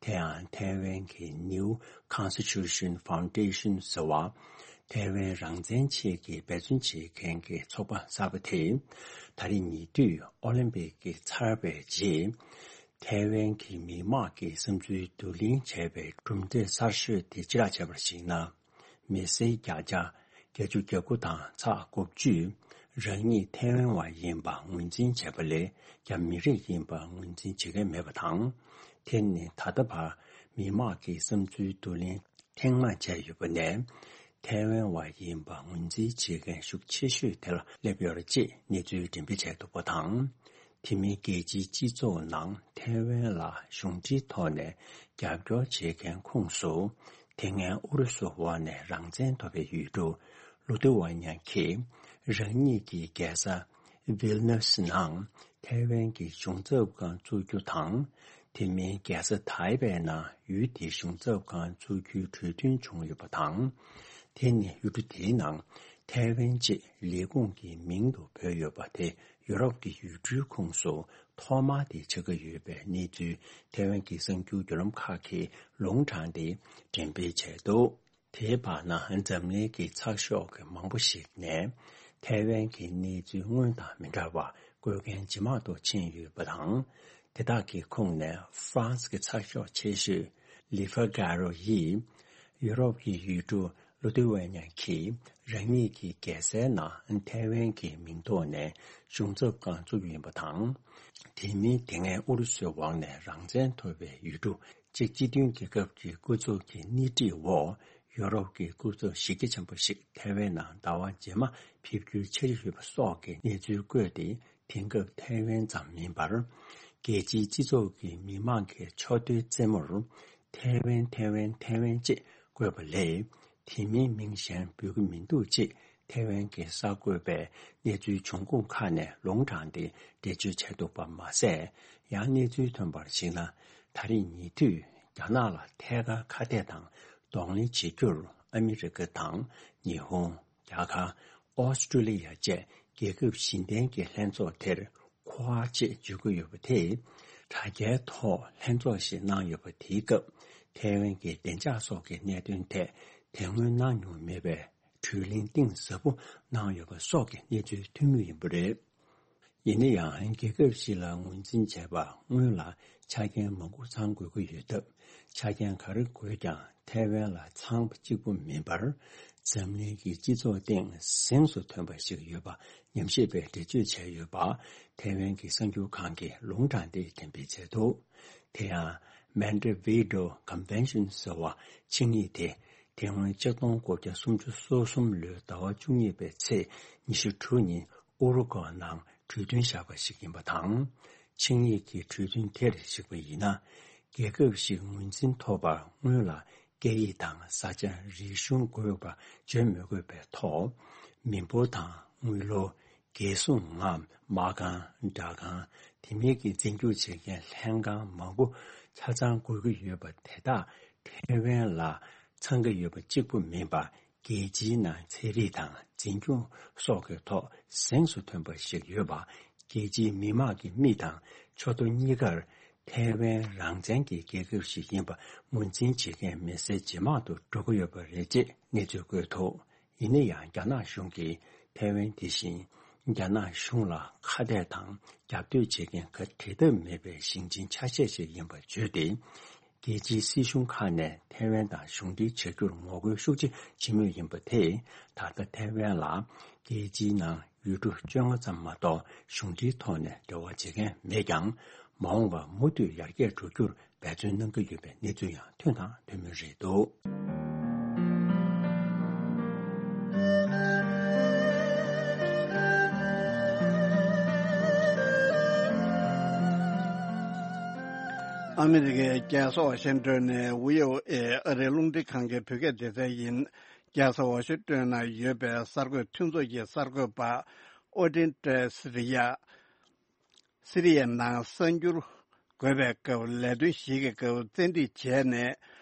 དེ་ཡང་ཐའེ་ཝན་གྱི་New Constitution Foundation ཟེར་བ། ཐའེ་ཝན་རང་བཙན་ཆེད་ཀྱི་འབད་བརྩོན་བྱེད་མཁན་གྱི་ཚོགས་པ་གསར་པ་དེས། ད་རེས་ཉེ་དུས་ཨོ་ལིམ་པིག་གི་ཚར་བའི་རྗེས། ཐའེ་ཝན་གྱི་མི་དམངས་ཀྱི་བསམ་ཚུལ་བསྡུ་ལེན་བྱས་པའི་གྲུབ་འབྲས་གསར་ཤོས་དེ་ཕྱིར་བསྒྲགས་བྱས་པར་གཞིགས་ན། མི་སེར་བརྒྱ་ཆ་བརྒྱད་ཅུ་གྱ་དགུ་དང་ཚེག་དགུ་བཅུས། རང་ཉིད་ཐའེ་ཝན་བ་ཡིན་པ་ངོས་འཛིན་བྱས་པ་ལས། རྒྱ་མི་རིགས་ཡིན་པ་ངོས་འཛིན་བྱེད་མཁན་མེད་པ་དང་། དེ་ནི་ད་ལྟ་བར་མི་དམངས་ཀྱི་བསམ་ཚུལ་བསྡུ་ལེན་ཐེངས་མང་བྱས་ཡོད་པ་ནས། ཐའེ་ཝན་བ་ཡིན་པ་ངོས་འཛིན་བྱེད་མཁན་ཤུགས་ཆེ་ཤོས་དེ་ལ་སླེབས་ཡོད་རེད་ཅེས་གནས་ཚུལ་འགྲེམས་སྤེལ་བྱས་འདུག་པ་དང་། དེ་མིན་རྒྱལ་སྤྱིའི་སྤྱི་ཚོགས་ནང་ཐའེ་ཝན་ལ་གཞུང་འབྲེལ་ཐོག་ནས་རྒྱབ་སྐྱོར་བྱེད་མཁན་ཁོངས་སུ། དེ་སྔའི་ཨུ་རུ་སུ་འོག་ནས་རང་བཙན་ཐོབ་པའི་ཡུལ་གྲུ་ལུ་ཐུ་ཝ་ཉ་གིས་རང་ཉིད་ཀྱི་རྒྱལ་ས་ཝིལ་ནུ་སི་ནང་ཐའེ་ཝན་གྱི་གཞུང་ཚབ་ཁང་བཙུགས་རྒྱུ་དང་། དེ་མིན་རྒྱལ་ས་ཐའེ་པེ་ནང་ཡུལ་དེའི་གཞུང་ཚབ་ཁང་བཙུགས་རྒྱུའི་གྲོས་མཐུན་བྱུང་ཡོད་པ་དང་། དེ་ནི་ཡུལ་གྲུ་དེའི་ནང་ཐའེ་ཝན་ཅེས་ལས་ཁུངས་ཀྱི་མིང་དུ་བོས་ཡོད་པ་དེ་ཡུ་རོབ་ཀྱི་ཡུལ་གྲུའི་ཁོངས་སུ་ཐོག་མ་དེ་ཆགས་ཀྱི་ཡོད་པའི་གནས་ཚུལ་ཐའེ་ཝན་གྱི་གསར་འགྱུར་བརྒྱུད་ལམ་ཁག་གིས་ལུང་དྲངས་ཏེ་འགྲེམས་སྤེལ་བྱས་འདུག་དེའི་བར་ན་འཛམ་གླིང་གི་ཚགས་ཤོག་གི་མང་པོ་ཞིག་ནས་ཐའེ་ཝན་གྱི་གནས་ཚུལ་སྔོན་དང་མི་འདྲ་བར་བཀོད་མཁན་ཇེ་མང་དུ་ཕྱིན་ཡོད་པ་དང་། དེ་དག་གི་ཁོངས་ནས་ཧྥ་རན་སི་གི་ཚགས་ཤོག་ཆེ་ཤོས་ལི་ཧྥ་གྷ་རོ་ཡིས་ཡུ་རོབ་ཀྱི་ཡུལ་གྲུ་ལུ་ཐུ་ཝེ་ཉ་གིས་རང་ཉིད་ཀྱི་རྒྱལ་སའི་ནང་ཐའེ་ཝན་གྱི་མིང་ཐོག་ནས་གཞུང་ཚབ་ཁང་བཙུགས་ཡོད་པ་དང་། དེ་མིན་དེ་སྔའི་ཨུ་རུ་སུའི་འོག་ནས་རང་བཙན་ཐོབ་པའི་ཡུལ་གྲུ་གཅིག་སྤྱི་མཐུན་རྒྱལ་ཁབ་ཀྱི་སྐུ་ཚབ་ཀྱི་སྣེ་ཁྲིད་འོག་ཡོ་རོབ་ཀྱི་སྐུ་ཚབ་གཞི་རྒྱ་ཆེན་པོ་ཞིག་ཐའེ་ཝན་ནང་ཟླ་བ་རྗེས་མ་ཕེབས་རྒྱུའི་འཆར་གཞི་ཡོད་པ་སོགས་ཀྱི་གནས་ཚུལ་བཀོད་དེ། དེང་སྐབས་ཐའེ་ཝན་ཙམ་མིན་པར། རྒྱལ་སྤྱིའི་སྤྱི་ཚོགས་ཀྱི་མི་མང་གི་ཕྱོགས་བསྡུས་རྩེད་མོར། ཐའེ་ཝན་ཐའེ་ཝན་ཐའེ་ཝན་ཅེས་བཀོད་པ་ལས། དེ་མིན་མིང་གཞན་འབོད་ཀྱི་མི་འདུག་ཅེས་ཐའེ་ཝན་གྱི་གསར་འགོད་པས་གནས་ཚུལ་བྱུང་ཁུངས་ཁག་ནས་ལུང་དྲངས་ཏེ་འགྲེལ་བརྗོད་བྱས་འདུག་པ་མ་ཟད། ཡང་གནས་ཚུལ་ཐོན་པར་གཞིགས་ན། ད་རེས་ཉེ་དུས་རྒྱ་ནག་ལ་ཐད་ཀར་ཁ་གཏད་དང་གདོང་ལེན་བྱེད་རྒྱུར་ཨ་མི་རི་ཀ་དང་ཉི་ཧོང་། རྒྱ་གར། ཨོ་སི་ཀྲུ་ལི་ཡ་བཅས་རྒྱལ་ཁབ་བཞི་ལྡན་གྱི་ལྷན་ཚོགས་དེར་ཁོ་ཝ་ཅེས་བརྗོད་ཀྱི་ཡོད་པ་དེས། དྲ་རྒྱའི་ཐོག་ལྷན་ཚོགས་ཤིག་གནང་ཡོད་པ་དེའི་སྐབས། ཐའེ་ཝན་གྱི་བདེ་འཇགས་སོགས་ཀྱི་གནད་དོན་ཐད་དེ་སྔོན་གནང་མྱོང་མེད་པའི་གྲོས་གླེང་གཏིང་ཟབ་པོ་གནང་ཡོད་པ་སོགས་ཀྱི་གནས་ཚུལ་ཐོན་མུས་ཡིན་པ་རེད། ཡིན་ན་ཡང་རྒྱལ་ཁབ་ཞིག་ལ་ངོས་འཛིན་བྱས་པ་སྔོན་ལ་ཆ་རྐྱེན་མང་པོ་ཚང་དགོས་ཀྱི་ཡོད་སྟབས། ཆ་རྐྱེན་ག་རེ་དགོས་ཀྱང་ཐའེ་ཝན་ལ་ཚང་བ་གཅིག་པུ་མིན་པར། འཛམ་གླིང་གི་སྤྱི་ཚོགས་སྟེང་གཟེངས་སུ་ཐོན་པ་ཞིག་ཡོད་པ་ཉམས་ཞིབ་པས་འགྲེལ་བརྗོད་བྱས་ཡོད་པ། ཐའེ་ཝན་གྱི་གསར་འགྱུར་ཁང་གིས་ལུང་དྲངས་ཏེ་འགྲེམས་སྤེལ་བྱས་འདུག་དེ་ཡང་Montevideo Convention ཟེར་བ་ཆིངས་ཡིག་དེ། དེ་སྔོན་ཆིག་སྟོང་དགུ་བརྒྱ་སུམ་ཅུ་སོ་གསུམ་ལོའི་ཟླ་བ་བཅུ་གཉིས་པའི་ཚེས་ཉི་ཤུ་དྲུག་ཉིན་ཨུ་རུ་ཀོ་ནང་གྲོས་མཐུན་བཞག་པ་ཞིག་ཡིན་པ་དང་། ཆིངས་ཡིག་གི་གྲོས་མཐུན་དེར་གཞིགས་པ་ཡིན་ན། རྒྱལ་ཁབ་ཞིག་ངོས་འཛིན་ཐོབ་པར་སྔོན་ལ་སྐད་ཡིག་དང་ས་ཆ་རིག་གཞུང་དགོས་པ་བརྗོད་མི་དགོས་པའི་ཐོག་མི་འབོར་དང་དངུལ་ལོར། རྒྱལ་སྲུང་ངམ་མ་རྐང་སྦྲག་ཁང་། དེ་མིན་གྱི་འཛིན་སྐྱོང་བྱེད་མཁན་ལྷན་ཁང་མང་པོ་ཆ་ཚང་དགོས་ཀྱི་ཡོད་པ་དེ་དག་ཐའེ་ཝན་ལ་ཚང་གི་ཡོད་པ་གཅིག་པུ་མིན་པར། རྒྱལ་སྤྱིའི་ནང་ཚན་རིག་དང་འཛིན་སྐྱོང་སོགས་ཀྱི་ཐོག་གཟེངས་སུ་ཐོན་པ་ཞིག་ཡོད་པ། རྒྱལ་སྤྱིའི་མི་དམངས་ཀྱི་མིག་དང་ཕྱོགས་མཐུན་གཉིས་ཀར་ཐའེ་ཝན་རང་བཙན་གྱི་རྒྱལ་ཁབ་ཞིག་ཡིན་པ་ངོས་འཛིན་བྱེད་མཁན་མི་སེར་ཇེ་མང་དུ་འགྲོ་གི་ཡོད་པ་རེད་ཅེས་གནས་ཚུལ་བཀོད་འདུག་ཡིན་ན་ཡང་རྒྱ་ནག་གཞུང་གིས་ཐའེ་ཝན་དེ་བཞིན་རྒྱ་ནག་གཞུང་ལ་ཁ་གཏད་དང་རྒྱབ་གཏོད་བྱེད་མཁན་ག་འབྲལ་ཐབས་མེད་པའི་ཞིང་ཆེན་ཆ་ཤས་ཤིག་ཡིན་པ་བརྗོད་དེ། རྒྱལ་སྤྱིའི་སྲིད་གཞུང་ཁག་ནས་ཐའེ་ཝན་དང་གཞུང་འབྲེལ་བྱ་རྒྱུར་ངོ་རྒོལ་ཤུགས་ཆེ་བྱེད་མུས་ཡིན་པ་དེས། ད་ལྟ་ཐའེ་ཝན་ལ་རྒྱལ་སྤྱིའི་ནང་ཡུལ་གྲུ་བཅོ་ལྔ་ཙམ་མ་གཏོགས་གཞུང་འབྲེལ་ཐོག་ནས་འབྲེལ་བ་བྱེད་མཁན་མེད་ཀྱང་། མ་འོངས་པར་མུ་མཐུད་ཡར་རྒྱས་འགྲོ་རྒྱུར་འབད་བརྩོན་གནང་གི་ཡོད་པའི་གནས་ཚུལ་ཡང་ཐོན་དང་ཐོན་མུས་རེད་འདུག་ཨ་མི་རི་ཀའི་རྒྱལ་ས་ཝ་ཤིང་ཏོན་ནས་བྷི་ཨོ་ཨེ་ཨ་རིའི་རླུང་འཕྲིན་ཁང་གི་བོད་སྐད་སྡེ་ཚན་ཡིན། རྒྱལ་ས་ཝ་ཤིང་ཏོན་ན་ཡོད་པའི་གསར་འགོད་མཐུན་ཚོགས་ཀྱི་གསར་འགོད་པ་ཨོ་ཏིན་ཏྲེ་སི་རི་ཡ། སི་རི་ཡའི་ནང་གསར་འགྱུར་འགོད་པའི་སྐབས་ལས་དོན་ཞིག་གི་སྐབས་བཙན་ཁྲིད་བྱས་ནས་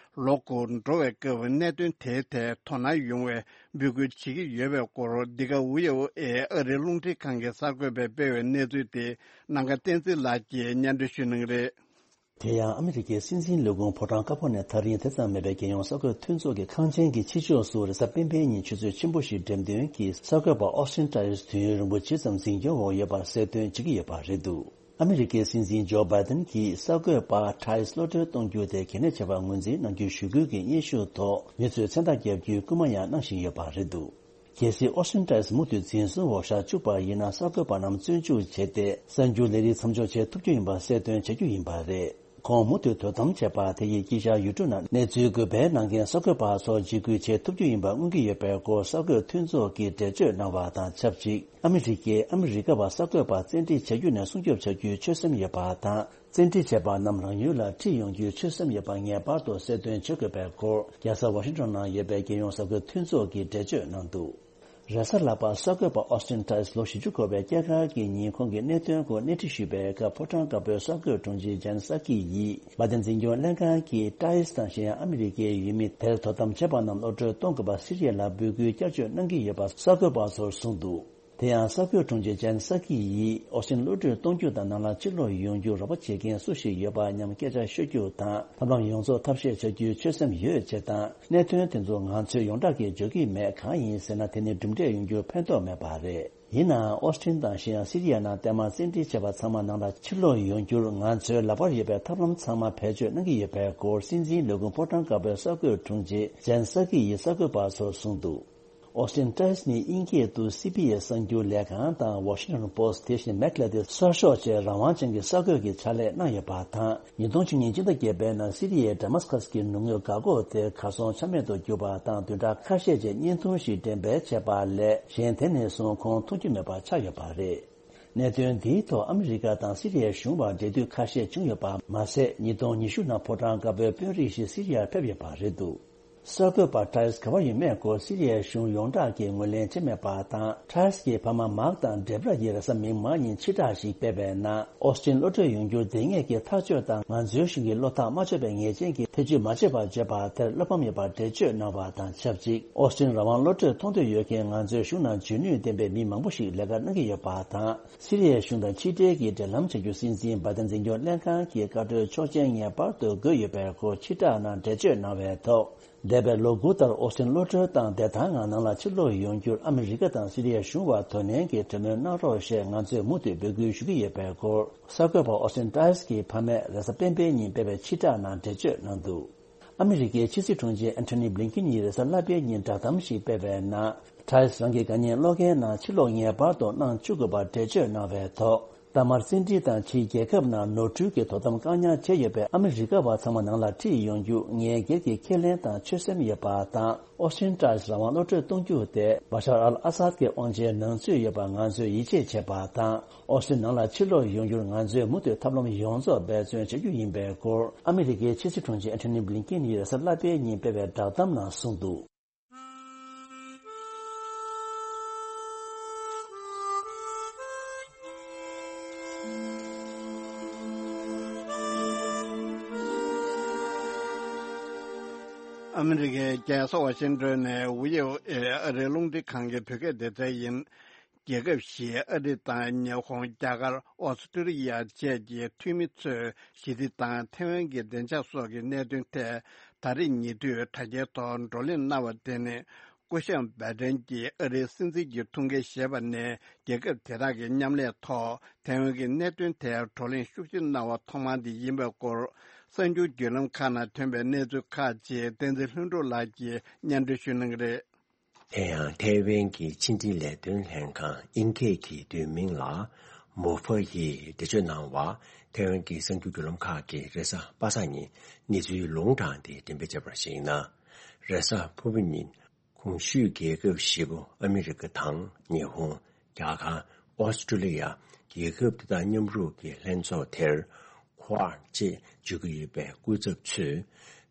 ལོ་དགུ་འགྲོ་བའི་སྐབས་གནད་དོན་དེའི་ཐད་དོ་སྣང་ཡོང་བའི་འབོད་སྐུལ་བྱེད་ཀྱི་ཡོད་པའི་སྐོར། འདི་ག་བྷི་ཨོ་ཨེ་ཨ་རིའི་རླུང་འཕྲིན་ཁང་གི་གསར་འགོད་པས་སྤེལ་བའི་གནས་ཚུལ་དེ་ནམ་མཁའ་བསྟན་འཛིན་ལགས་ཀྱིས་སྙན་སྒྲོན་ཞུ་གནང་གི་རེད། དེ་ཡང་ཨ་མི་རི་ཀའི་སྲིད་འཛིན་ལས་ཁུངས་ཕོ་བྲང་དཀར་པོ་ནས་ཐག་རིང་དེ་ཙམ་མེད་པའི་རྒྱལ་ཡོངས་གསར་འགོད་མཐུན་ཚོགས་ཀྱི་ཁང་ཆེན་གྱི་ཕྱི་ཕྱོགས་སུ་རེས་གཟའ་སྤེན་པའི་ཉིན་ཆུ་ཚོད་ཆེན་པོ་ཞིག་འགྲེམས་སྟོན་གྱིས་གསར་འགོད་པ་ཨོ་སི་ཊིན་ཏྲེ་སི་དུས་ཡུན་རིང་པོ་ཇི་ཙམ་འཛིན་སྐྱོང་འོག་ཡོད་པར་གསལ་སྟོན་བྱེད་ཀྱི་ཡོད་པ་རེད་འདུག་ཨ་མི་རི་ཀའི་སྲིད་འཛིན་ཇོ་བྷའི་ཏིན་གྱིས་གསར་འགོད་པ་ཏྲེ་སི་གློད་གྲོལ་གཏོང་རྒྱུ་དེ་གལ་གནད་ཆེ་བར་ངོས་འཛིན་གནང་རྒྱུའི་ཞུ་སྐུལ་གྱི་སྙན་ཞུ་ཐོག་མི་ཚོས་མཚན་རྟགས་བརྒྱབ་རྒྱུའི་སྐུལ་མ་ཡང་གནང་བཞིན་ཡོད་པ་རེད་འདུག་གལ་སྲིད་ཨོ་སི་ཊིན་ཏྲེ་སི་མུ་མཐུད་འཛིན་བཟུང་འོག་བཞག་བཅུག་པ་ཡིན་ན། གསར་འགོད་པ་རྣམས་བཙོན་འཇུག་བྱས་ཏེ་གསར་འགྱུར་ལས་རིགས་མཚམས་འཇོག་བྱེད་ཐུབ་རྒྱུ་ཡིན་པ་གསལ་སྟོན་བྱ་རྒྱུ་ཡིན་པ་རེད། ཁོང་མུ་མཐུད་དོ་དམ་བྱས་པ་དེ་ཡིས་དཀྱིལ་ཤར་ཡུལ་གྲུ་ནང་གནས་ཚུལ་འགོད་པའི་ནང་འགན་གསར་འགོད་པ་ཚོར་འཇིགས་སྐུལ་བྱེད་ཐུབ་རྒྱུ་ཡིན་པ་མངོན་གྱི་ཡོད་པའི་སྐོར་གསར་འགོད་མཐུན་ཚོགས་ཀྱིས་འགྲེལ་བརྗོད་གནང་བ་དང་ཆབས་ཅིག་ཨ་མི་རི་ཀས་ཨ་མི་རི་ཀ་བ་གསར་འགོད་པ་བཙན་ཁྲིད་བྱ་རྒྱུ་ནས་སྲུང་སྐྱོབ་བྱ་རྒྱུའི་ཆོད་སེམས་ཡོད་པ་དང་། བཙན་ཁྲིད་བྱས་པ་རྣམས་རང་ཡུལ་ལ་ཁྲིད་ཡོང་རྒྱུའི་ཆོད་སེམས་ཡོད་པ་ངེས་པར་དུ་གསལ་སྟོན་བྱེད་དགོས་པའི་སྐོར། རྒྱལ་ས་ཝ་ཤིང་ཊོན་ནང་ཡོད་པའི་རྒྱལ་ཡོངས་གསར་འགོད་མཐུན་ཚོགས་ཀྱིས་འགྲེལ་བརྗོད་གནང་འདུག་རེས་གཟའ་ལྷག་པར་གསར་འགོད་པ་ཨོ་སི་ཊིན་ཏྲེ་སི་ལོ་བཞི་བཅུ་འཁོར་བའི་སྐྱེས་སྐར་གྱི་ཉིན་ཁོང་གི་གནད་དོན་སྐོར་སྣེ་ཁྲིད་ཞུས་པའི་སྐབས། ཕོ་བྲང་དཀར་པོའི་གསར་འགོད་དྲུང་ཆེ་ཇན་སཱ་ཀི་ཡིས་བྷའི་ཏིན་འཛིན་སྐྱོང་ལྷན་ཁང་གིས་ཏྲེ་སི་དང་གཞན་ཡང་ཨ་མི་རི་ཀའི་ཡུལ་མི་དེར་དོ་དམ་བྱས་པ་རྣམས་གློད་གྲོལ་གཏོང་དགོས་པ་སི་རི་ཡ་ལ་འབོད་སྐུལ་བསྐྱར་བཅོས་གནང་གི་ཡོད་པ་གསར་འགོད་པ་ཚོར་གསུངས་འདུག་དེ་ཡང་གསར་འགོད་དྲུང་ཆེ་ཇན་སཱ་ཀི་ཡིས་ཨོ་སི་ཊིན་གློད་གྲོལ་གཏོང་རྒྱུ་དང་ནང་ལ་ཕྱིར་ལོག་ཡོང་རྒྱུར་རོགས་པ་བྱེད་མཁན་སུ་ཞིག་ཡོད་པ་སྙམ་སྐད་ཆ་ཤོད་རྒྱུ་དང་། ཐབས་ལམ་ཡོངས་རྫོགས་ཐབས་ཤེས་བྱ་རྒྱུའི་ཆོད་སེམས་ཡོད་ཅེས་དང་། གནད་དོན་དེ་ཚོ་ང་ཚོས་ཡོངས་གྲགས་ཀྱིས་འཇོག་གི་མེད། གང་ཡིན་ཟེར་ན། དེ་ནི་གྲུབ་འབྲས་ཡོང་རྒྱུར་ཕན་ཐོགས་མེད་པ་རེད། ཡིན་ནའང་ཨོ་སི་ཊིན་དང་གཞན་ཡང་སི་རི་ཡ་ནང་བརྟན་མར་བཙན་ཁྲིད་བྱས་པ་ཚང་མ་ནང་ལ་ཕྱིར་ལོག་ཡོང་རྒྱུར་ང་ཚོའི་ལག་པར་ཡོད་པའི་ཐབས་ལམ་ཚང་མ་བེད་སྤྱོད་གནང་གི་ཡོད་པའི་སྐོར། སྲིད་འཛིན་ལས་ཁུངས་ཕོ་བྲང་དཀར་པོའི་གསར་འགོད་དྲུང་ཆེ་ཇན་སཱ་ཀི་ཡིས་གསར་འགོད་པ་ཚོར་གསུངས་འདུག་ཨོ་སི་ཊིན་ཏྲེ་སི་ནི་དབྱིན་སྐད་དུ་སི་བྷི་ཨེས་གསར་འགྱུར་ལས་ཁང་དང་ཝ་ཤིང་ཊོན་པོ་སི་ཊི་དེ་བཞིན་མེག་ལ་ཏི་གསར་ཤོག་བཅས་རང་དབང་ཅན་གྱི་གསར་འགོད་ཀྱི་ཕྱག་ལས་གནང་ཡོད་པ་དང་། ཉིས་སྟོང་བཅུ་གཉིས་སྤྱི་ཟླ་བརྒྱད་པའི་ནང་སི་རི་ཡའི་ཌ་མཱ་སི་ཀ་སི་གི་ནུབ་ངོས་འགག་སྒོ་དེ་གར་སོང་ཆ་མེད་དུ་གྱུར་པ་དང་། བདུན་ཕྲག་ཁ་ཤས་རྗེས་བརྙན་ཐུང་ཞིག་འགྲེམས་སྤེལ་བྱས་པ་ལས་གཞན་དེ་ནས་བཟུང་ཁོང་མཐོང་རྒྱུ་མེད་པ་ཆགས་ཡོད་པ་རེད། གནད་དོན་འདིའི་ཐོག་ཨ་མི་རི་ཀ་དང་སི་རི་ཡའི་གཞུང་བར་འབྲེལ་མཐུད་ཁ་ཤས་བྱུང་ཡོད་པ་མ་ཟད། ཉིས་སྟོང་ཉི་ཤུ་ནང་ཕོ་བྲང་དཀར་པོའི་དཔོན་རིགས་ཤིག་སི་རི་ཡར་ཕེབས་ཡོད་པ་རེད་འདུག་གསར་འགོད་པ་ཏྲེ་སི་ག་པར་ཡོད་མེད་སྐོར་སི་རི་ཡའི་གཞུང་ཡོངས་གྲགས་ཀྱིས་ངོས་ལེན་བྱས་མེད་པ་དང་། ཏྲེ་སི་ཡི་ཕ་མ་མཱག་དང་ཌེབ་ར་ཡིས་རེས་གཟའ་མིག་དམར་ཉིན་ཕྱིར་བསྒྲགས་ཤིག་སྤེལ་བའི་ནང་། ཨོ་སི་ཊིན་གློད་གྲོལ་ཡོང་རྒྱུར་དེ་སྔས་ཀྱི་ཐག་གཅོད་དང་ང་ཚོའི་གཞུང་གི་བློ་ཐག་མ་ཆོད་པའི་ངེས་ཅན་གྱི་ཐེ་ཇུས་མ་བྱེད་པར་བརྗོད་པ་དེར་བློ་ཕམ་ཡོད་པར་འགྲེལ་བརྗོད་གནང་བ་དང་ཆབས་ཅིག་ཨོ་སི་ཊིན་རང་དབང་གློད་གྲོལ་གཏོང་འདོད་ཡོད་མཁན་ང་ཚོའི་གཞུང་ནང་འཇོན་ནུས་ལྡན་པའི་མི་མང་པོ་ཞིག་ལས་ཀ་གནང་གི་ཡོད་པ་དང་། སི་རི་ཡའི་གཞུང་དང་ཕྱི་འབྲེལ་གྱི་འབྲེལ་ལམ་བྱ་རྒྱུ་སྲིད་འཛིན་བྷའི་ཏིན་འཛིན་སྐྱོང་ལྷན་ཁང་གིས་བཀའ་འཁྲོལ་ཆོག་མཆན་ངེས་པར་དུ་དགོས་ཡོད་པའི་སྐོར་ཕྱིར་བསྒྲགས་ནང་འགྲེལ་བརྗོད་གནང་བའི་ཐོག་འདས་པའི་ལོ་དགུ་ལྟར་ཨོ་སི་ཊིན་གློད་གྲོལ་དང་བདེ་ཐང་ངང་ནང་ལ་ཕྱིར་ལོག་ཡོང་རྒྱུར་ཨ་མི་རི་ཀ་དང་སི་རི་ཡའི་གཞུང་བར་དོ་ནན་གྱིས་གྲོས་མོལ་གནང་རོགས་ཞེས་ང་ཚོས་མུ་མཐུད་འབོད་སྐུལ་ཞུ་གི་ཡོད་པའི་སྐོར། གསར་འགོད་པ་ཨོ་སི་ཊིན་ཏྲེ་སི་གི་ཕ་མས་རེས་གཟའ་སྤེན་པའི་ཉིན་སྤེལ་བའི་ཕྱིར་བསྒྲགས་ནང་འགྲེལ་བརྗོད་གནང་འདུག་ཨ་མི་རི་ཀའི་ཕྱི་སྲིད་དྲུང་ཆེ་ཨན་ཐོ་ནི་བྷི་ལིན་ཀིན་ཡིས་རེས་གཟའ་ལྷག་པའི་ཉིན་བསྒྲགས་གཏམ་ཞིག་སྤེལ་བའི་ནང་། ཏྲེ་སི་རང་གི་དགའ་ཉེ་བློ་འགེལ་ནང་ཕྱིར་ལོག་ངེས་པར་དུ་གནང་བཅུག་དགོས་པར་འགྲེལ་བརྗོད་གནང་བའི་ཐོག་མཐའ་མར་བཙན་ཁྲིད་དང་ཕྱིའི་རྒྱལ་ཁབ་ནང་ནོར་འཁྲུལ་གྱི་དོ་དམ་བཀག་ཉར་བྱས་ཡོད་པའི་ཨ་མི་རི་ཀ་བ་ཚང་མ་ནང་ལ་ཁྲིད་ཡོང་རྒྱུ་ངས་སྒེར་གྱི་ཁས་ལེན་དང་ཆོད་སེམས་ཡོད་པ་དང་། ཨོ་སི་ཊིན་ཏྲེ་སི་རང་དབང་གློད་གྲོལ་གཏོང་རྒྱུ་དེ་བ་ཤར་ཨལ་ཨ་སཱད་ཀྱི་དབང་ཆའི་ནང་ཚུད་ཡོད་པར་ང་ཚོས་ཡིད་ཆེས་བྱེད་པ་དང་། ཨོ་སི་ཊིན་ནང་ལ་ཕྱིར་ལོག་ཡོང་རྒྱུར་ང་ཚོས་མུ་མཐུད་ཐབས་ལམ་ཡོངས་རྫོགས་འབད་བརྩོན་བྱ་རྒྱུ་ཡིན་པའི་སྐོར། ཨ་མི་རི་ཀའི་ཕྱི་སྲིད་དྲུང་ཆེ་ཨན་ཐོ་ནི་བྷི་ལིན་ཀིན་ཡིས་རེས་གཟའ་ལྷག་པའི་ཉིན་སྤེལ་བའི་བསྒྲགས་གཏམ་ནང་གསུངས་འདུག་ཨ་མི་རི་ཀའི་རྒྱལ་ས་ཝ་ཤིང་ཏོན་ནས་བྷི་ཨོ་ཨེ་ཨ་རིའི་རླུང་འཕྲིན་ཁང་གི་བོད་སྐད་སྡེ་ཚན་ཡིན། རྒྱལ་ཁབ་བཞིའི་ཨ་རི་དང་ཉི་ཧོང་། རྒྱ་གར། ཨོ་སི་ཀྲི་ལི་ཡ་བཅས་ཀྱི་འཐུས་མི་ཚོས་ཞི་བདེ་དང་ཐའེ་ཝན་གྱི་བདེ་འཇགས་སོགས་ཀྱི་གནད་དོན་ཐད་ད་རེས་ཉེ་དུས་དྲ་རྒྱའི་ཐོག་བགྲོ་གླེང་གནང་བ་དེ་ནི། སྐུ་ཞབས་བྷའི་ཏན་གྱིས་ཨ་རིའི་སྲིད་འཛིན་གྱི་ཐུགས་འགན་བཞེས་པ་ནས་རྒྱལ་ཁབ་དེ་དག་གི་མཉམ་ལས་ཐོག་ཐའེ་ཝན་གྱི་གནད་དོན་ཐད་བགྲོ་གླེང་ཤུགས་ཆེ་གནང་བ་ཐོག་མ་དེ་ཡིན་པའི་སྐོར། གསར་འགྱུར་བརྒྱུད་ལམ་ཁག་ནང་ཐོན་པའི་གནས་ཚུལ་ཁག་ཅིག་བསྟན་འཛིན་ལྷུན་གྲུབ་ལགས་ཀྱིས་སྙན་སྒྲོན་ཞུ་གནང་གི་རེད། དེ་ཡང་ཐའེ་ཝན་གྱི་ཕྱི་འབྲེལ་ལས་དོན་ལྷན་ཁང་ཨིན་སྐད་ཀྱི་བསྡུས་མིང་ལ་མོ་ཧྥ་ཡིས་འགྲེལ་བརྗོད་གནང་བར། ཐའེ་ཝན་གྱི་གསར་འགྱུར་བརྒྱུད་ལམ་ཁག་གིས་རེས་གཟའ་པ་སངས་ཉིན་གནས་ཚུལ་ལུང་དྲངས་ཏེ་འགྲེམས་སྤེལ་བྱས་པར་གཞིགས་ན། རེས་གཟའ་ཕུར་བུ་ཉིན་གོང་ཞུས་རྒྱལ་ཁབ་བཞི་པོ་ཨ་མི་རི་ཀ་དང་ཉི་ཧོང་། རྒྱ་གར། ཨོ་སི་ཀྲི་ལི་ཡ། རྒྱལ་ཁབ་དེ་དག་མཉམ་རུབ་ཀྱི་ལྷན་ཚོགས་དེར། ཁོ་ཨར་ཅེས་བརྗོད་ཀྱི་ཡོད་པའི་སྐུ་ཚབ་ཚོས་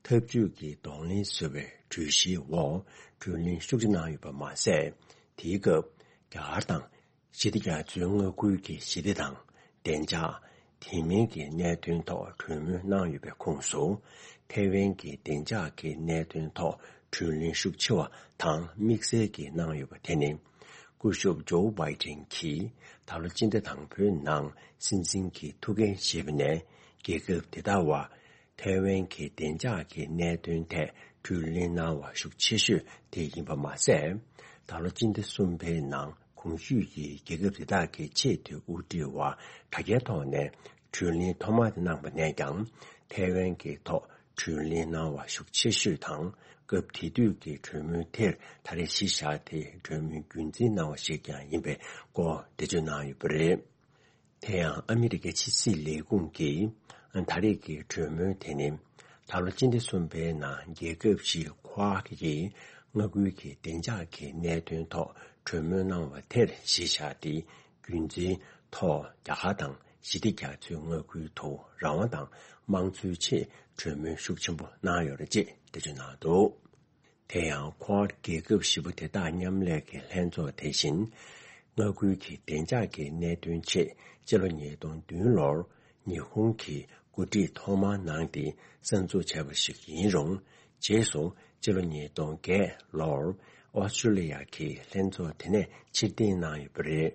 འཐབ་ཇུས་ཀྱི་གདོང་ལེན་བཟོ་བའི་གྲོས་གཞིའི་འོག་གྲོས་གླེང་ཤུགས་ཆེ་གནང་ཡོད་པ་མ་ཟད། དེའི་སྐབས་རྒྱ་གར་དང་ཞི་བདེ་རྒྱ་མཚོའི་མངའ་ཁུལ་གྱི་ཞི་བདེ་དང་བདེ་འཇགས། དེ་མིན་གྱི་གནད་དོན་ཐོག་གྲོས་མོལ་གནང་ཡོད་པའི་ཁོངས་སུ། ཐའེ་ཝན་གྱི་བདེ་འཇགས་ཀྱི་གནད་དོན་ཐོག་གྲོས་གླེང་ཤུགས་ཆེ་བ་དང་དམིགས་བསལ་གྱིས་གནང་ཡོད་པ་དེ་ནི། སྐུ་ཞབས་ཇོ་བྷའི་ཏིན་གྱིས་ད་ལོ་སྤྱི་ཟླ་དང་པོའི་ནང་སྲིད་འཛིན་གྱི་ཐུགས་འགན་བཞེས་པ་ནས་རྒྱལ་ཁབ་དེ་དག་བར་ཐའེ་ཝན་གྱི་བདེ་འཇགས་ཀྱི་གནད་དོན་ཐད་གྲོས་གླེང་གནང་བ་ཤུགས་ཆེ་ཤོས་དེ་ཡིན་པ་མ་ཟད། ད་ལོ་སྤྱི་ཟླ་གསུམ་པའི་ནང་གོང་ཞུས་ཀྱི་རྒྱལ་ཁབ་དེ་དག་གི་ཆེས་མཐོའི་དབུ་ཁྲིད་བར་དྲ་རྒྱའི་ཐོག་ནས་གྲོས་གླེང་ཐོག་མ་དེ་གནང་པ་ནས་ཀྱང་ཐའེ་ཝན་གྱི་ཐོག་གྲོས་གླེང་གནང་བ་ཤུགས་ཆེ་ཤོས་དང་། སྐབས་དེ་དུས་ཀྱི་གྲོས་མོལ་དེར་ད་རེས་གཞི་བཞག་སྟེ་གྲོས་མོལ་རྒྱུན་འཛིན་གནང་བ་ཞིག་ཀྱང་ཡིན་པའི་སྐོར་འགྲེལ་བརྗོད་གནང་ཡོད་པ་རེད། དེ་ཡང་ཨ་མི་རི་ཀའི་ཕྱི་སྲིད་ལས་ཁུངས་ཀྱིས་ད་རེས་ཀྱི་གྲོས་མོལ་དེ་ནི་ད་ལོ་སྤྱི་ཟླ་གསུམ་པའི་ནང་རྒྱལ་ཁབ་བཞི་ཁོ་ཝཱ་ཀི་ཡིས་མངའ་ཁུལ་གྱི་བདེ་འཇགས་ཀྱི་གནད་དོན་ཐོག་གྲོས་མོལ་གནང་བ་དེར་གཞི་བཞག་སྟེ། རྒྱུན་འཛིན་ཐོག་རྒྱ་གར་དང་ཞི་བདེ་རྒྱ་མཚོའི་མངའ་ཁུལ་དུ་རང་དབང་དང་དམངས་གཙོའི་ཆེད་གྲོས་མོལ་ཤུགས་ཆེན་པོ་གནང་ཡོད་རེད་ཅེས་འགྲེལ་བརྗོད་གནང་འདུག་དེ་ཡང་ཁོ་ཝཱཌ་རྒྱལ་ཁབ་བཞི་པོ་དེ་དག་མཉམ་ལས་ཀྱི་ལྷན་ཚོགས་དེ་བཞིན། མངའ་ཁུལ་གྱི་བདེ་འཇགས་ཀྱི་གནད་དོན་ཆེད་སྤྱི་ལོ་ཉིས་སྟོང་བདུན་ལོར་ཉི་ཧོང་གིས་འགོ་ཁྲིད་ཐོག་མར་གནང་སྟེ་གསར་འཛུགས་བྱས་པ་ཞིག་ཡིན་རུང་། རྗེས་སུ་སྤྱི་ལོ་ཉིས་སྟོང་བརྒྱད་ལོར་ཨོ་སི་ཀྲི་ལི་ཡ་གིས་ལྷན་ཚོགས་དེ་ནས་ཕྱིར་འཐེན་གནང་ཡོད་པ་རེད།